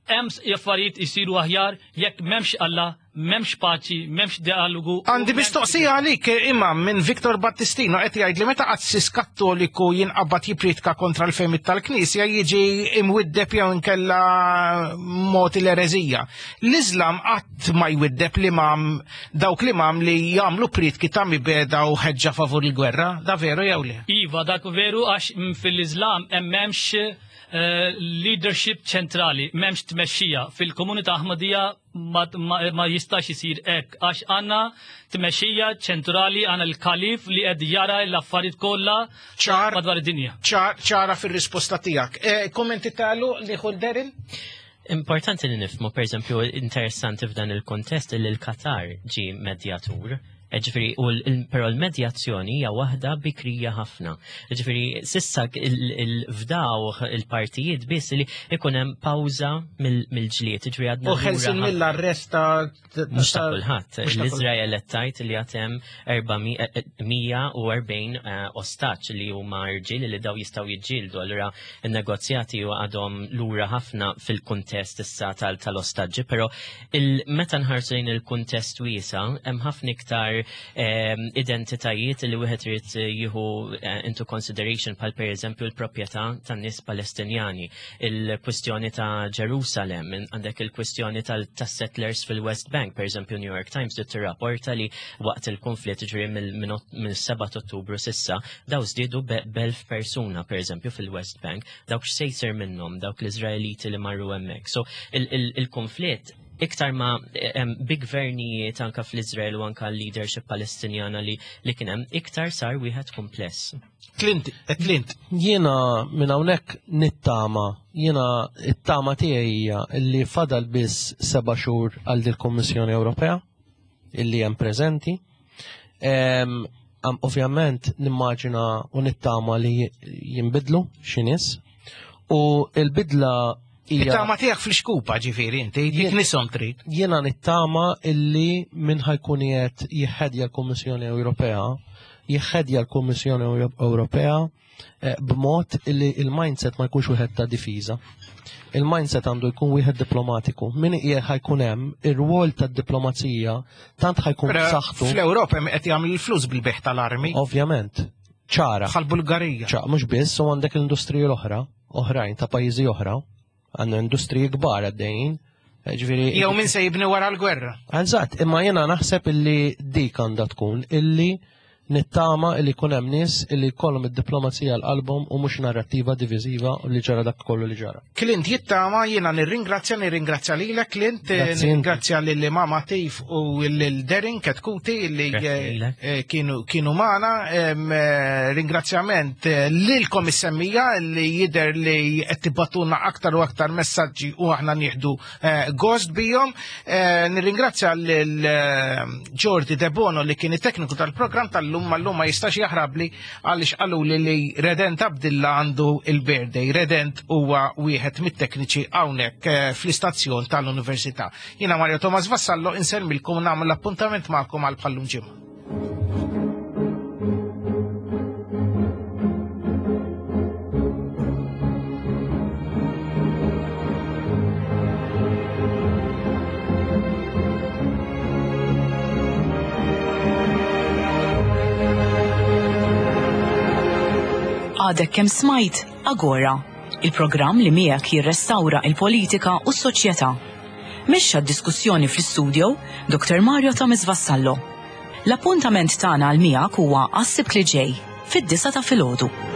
hemm affarijiet isiru aħjar jekk m'hemmx Alla, m'hemmx paċi, m'hemmx dialogu. Għandi mistoqsija għalik imam minn Victor Battistino qed jgħid li meta qassis Kattoliku jinqabad jippriedka kontra l-fehmiet tal-Knisja jiġi imwiddeb jew inkella mogħti l-ereżija. L-Iżlam qatt ma jwiddeb l-imam dawk l-imam li jagħmlu prietki ta' mibegħda u ħeġġa favur il-gwerra, da veru jew le? Iva, dak veru għax fil-Iżlam hemm m'hemmx eh, leadership ċentrali, m'hemmx tmexxija. Fil-komunità Aħmadija ma, ma, ma jistax isir hekk għax għandna tmexxija ċentrali għandna l-kalif li qed jara l-affarijiet kollha ċar madwar id-dinja. Ċar, ċara fir-risposta tiegħek. Eh, kommenti tagħlu li Derin? Importanti li nifhmu, per eżempju, interessanti f'dan il-kontest li l-Qatar ġi medjatur. E, ġifieri, u però l-medjazzjoni hija waħda bikrija ħafna. Ġifieri, sissa il-fdaw il-partijiet biss li ikun hemm pawża mill-ġlied. Ġifieri għadna. U ħelsin mill-arrest ta' Mhux ta' kulħadd. L-Iżrael qed tgħid li għad hemm 440 eh, ostaġġ li huma rġiel li daw jistgħu jiġġieldu. Allura n-negozjati għadhom lura ħafna fil-kuntest issa tal-ostaġġi, però meta nħarsu lejn il-kuntest wiesa' hemm ħafna iktar ehm, identitajiet li wieħed irid jieħu eh, into consideration bħal pereżempju l-proprjetà tan-nies Palestinjani, il-kwistjoni ta' Ġerusalem, għandek il-kwistjoni tas-settlers fil-West Bank, pereżempju New York Times dit tirrapporta li waqt il-konflitt ġri mill-7 Ottubru sissa daw żdiedu b'elf persuna pereżempju fil-West Bank, dawk x'se jsir minnhom dawk l-Iżraeliti li marru hemmhekk. So il-konflitt iktar ma bi gvernijiet anka fl-Iżrael u anka l-leadership Palestinjana li li kien hemm iktar sar wieħed kumpless. Clint, eh, Clint. Jiena minn hawnhekk nittama, jiena it-tama tiegħi hija li fadal biss seba' xhur għal dil-Kummissjoni Ewropea illi hemm preżenti. Ovvjament nimmaġina u nittama li jinbidlu xi nies u l-bidla hija. It-tama tiegħek fl-xkupa ġifieri inti, dik nisom trid. Jiena nittama illi min ħajkun qiegħed jihħedja l-Kummissjoni Ewropea, jihħedja l-Kummissjoni Ewropea Eh, b'mod li il-mindset ma jkunx wieħed ta' difiża. Il-mindset għandu jkun wieħed diplomatiku. Min ħajkun hemm ir-rwol tad-diplomazija tant ħajkun b'saħħtu. Fl-Ewropa hemm qed jagħmel il-flus bil-beħ tal-armi. Ovvjament. Ċara. Bħal-Bulgarija. ċara, mhux biss, u għandek l-industriji l-oħra, oħrajn ta' pajjiżi oħra, għandna industriji kbar għaddejjin. Eh, ġifieri Jew min se jibni wara l-gwerra. Eżatt, imma jiena naħseb illi dik għandha tkun illi Nittama li jkun hemm nies li jkollhom id-diplomazija għal qalbhom u mhux narrattiva diviżiva li ġara dak kollu li ġara. Clint jittama jiena nirringrazzja nirringrazzja lilek Clint, nirringrazzja lil Imam Atif u lil Derin Ketkuti li eh, eh, kienu kienu magħna. Eh, ringrazzjament lilkom is-semmija li jidher li qed tibatuna aktar u aktar messaġġi u aħna nieħdu gost bihom. Eh, nirringrazzja lil eh, Jordi Debono li kien it-tekniku tal-programm tal-lum mal-lum ma jistax jaħrabli għaliex qalu li li Redent Abdilla għandu il-birthday. Redent huwa wieħed mit-tekniċi hawnhekk eh, fl-istazzjon tal-Università. Jiena Mario Thomas Vassallo insellmilkom nagħmel l-appuntament magħkom għal bħallum ġimgħa. Għadek kemm smajt Agora, il-programm li miegħek jirrestawra il-politika u s-soċjetà. Mexxa d-diskussjoni fl-istudio Dr. Mario Thomas Vassallo. L-appuntament tagħna għal miegħek huwa għas-Sibt li ġej, fid-disgħa ta' filgħodu.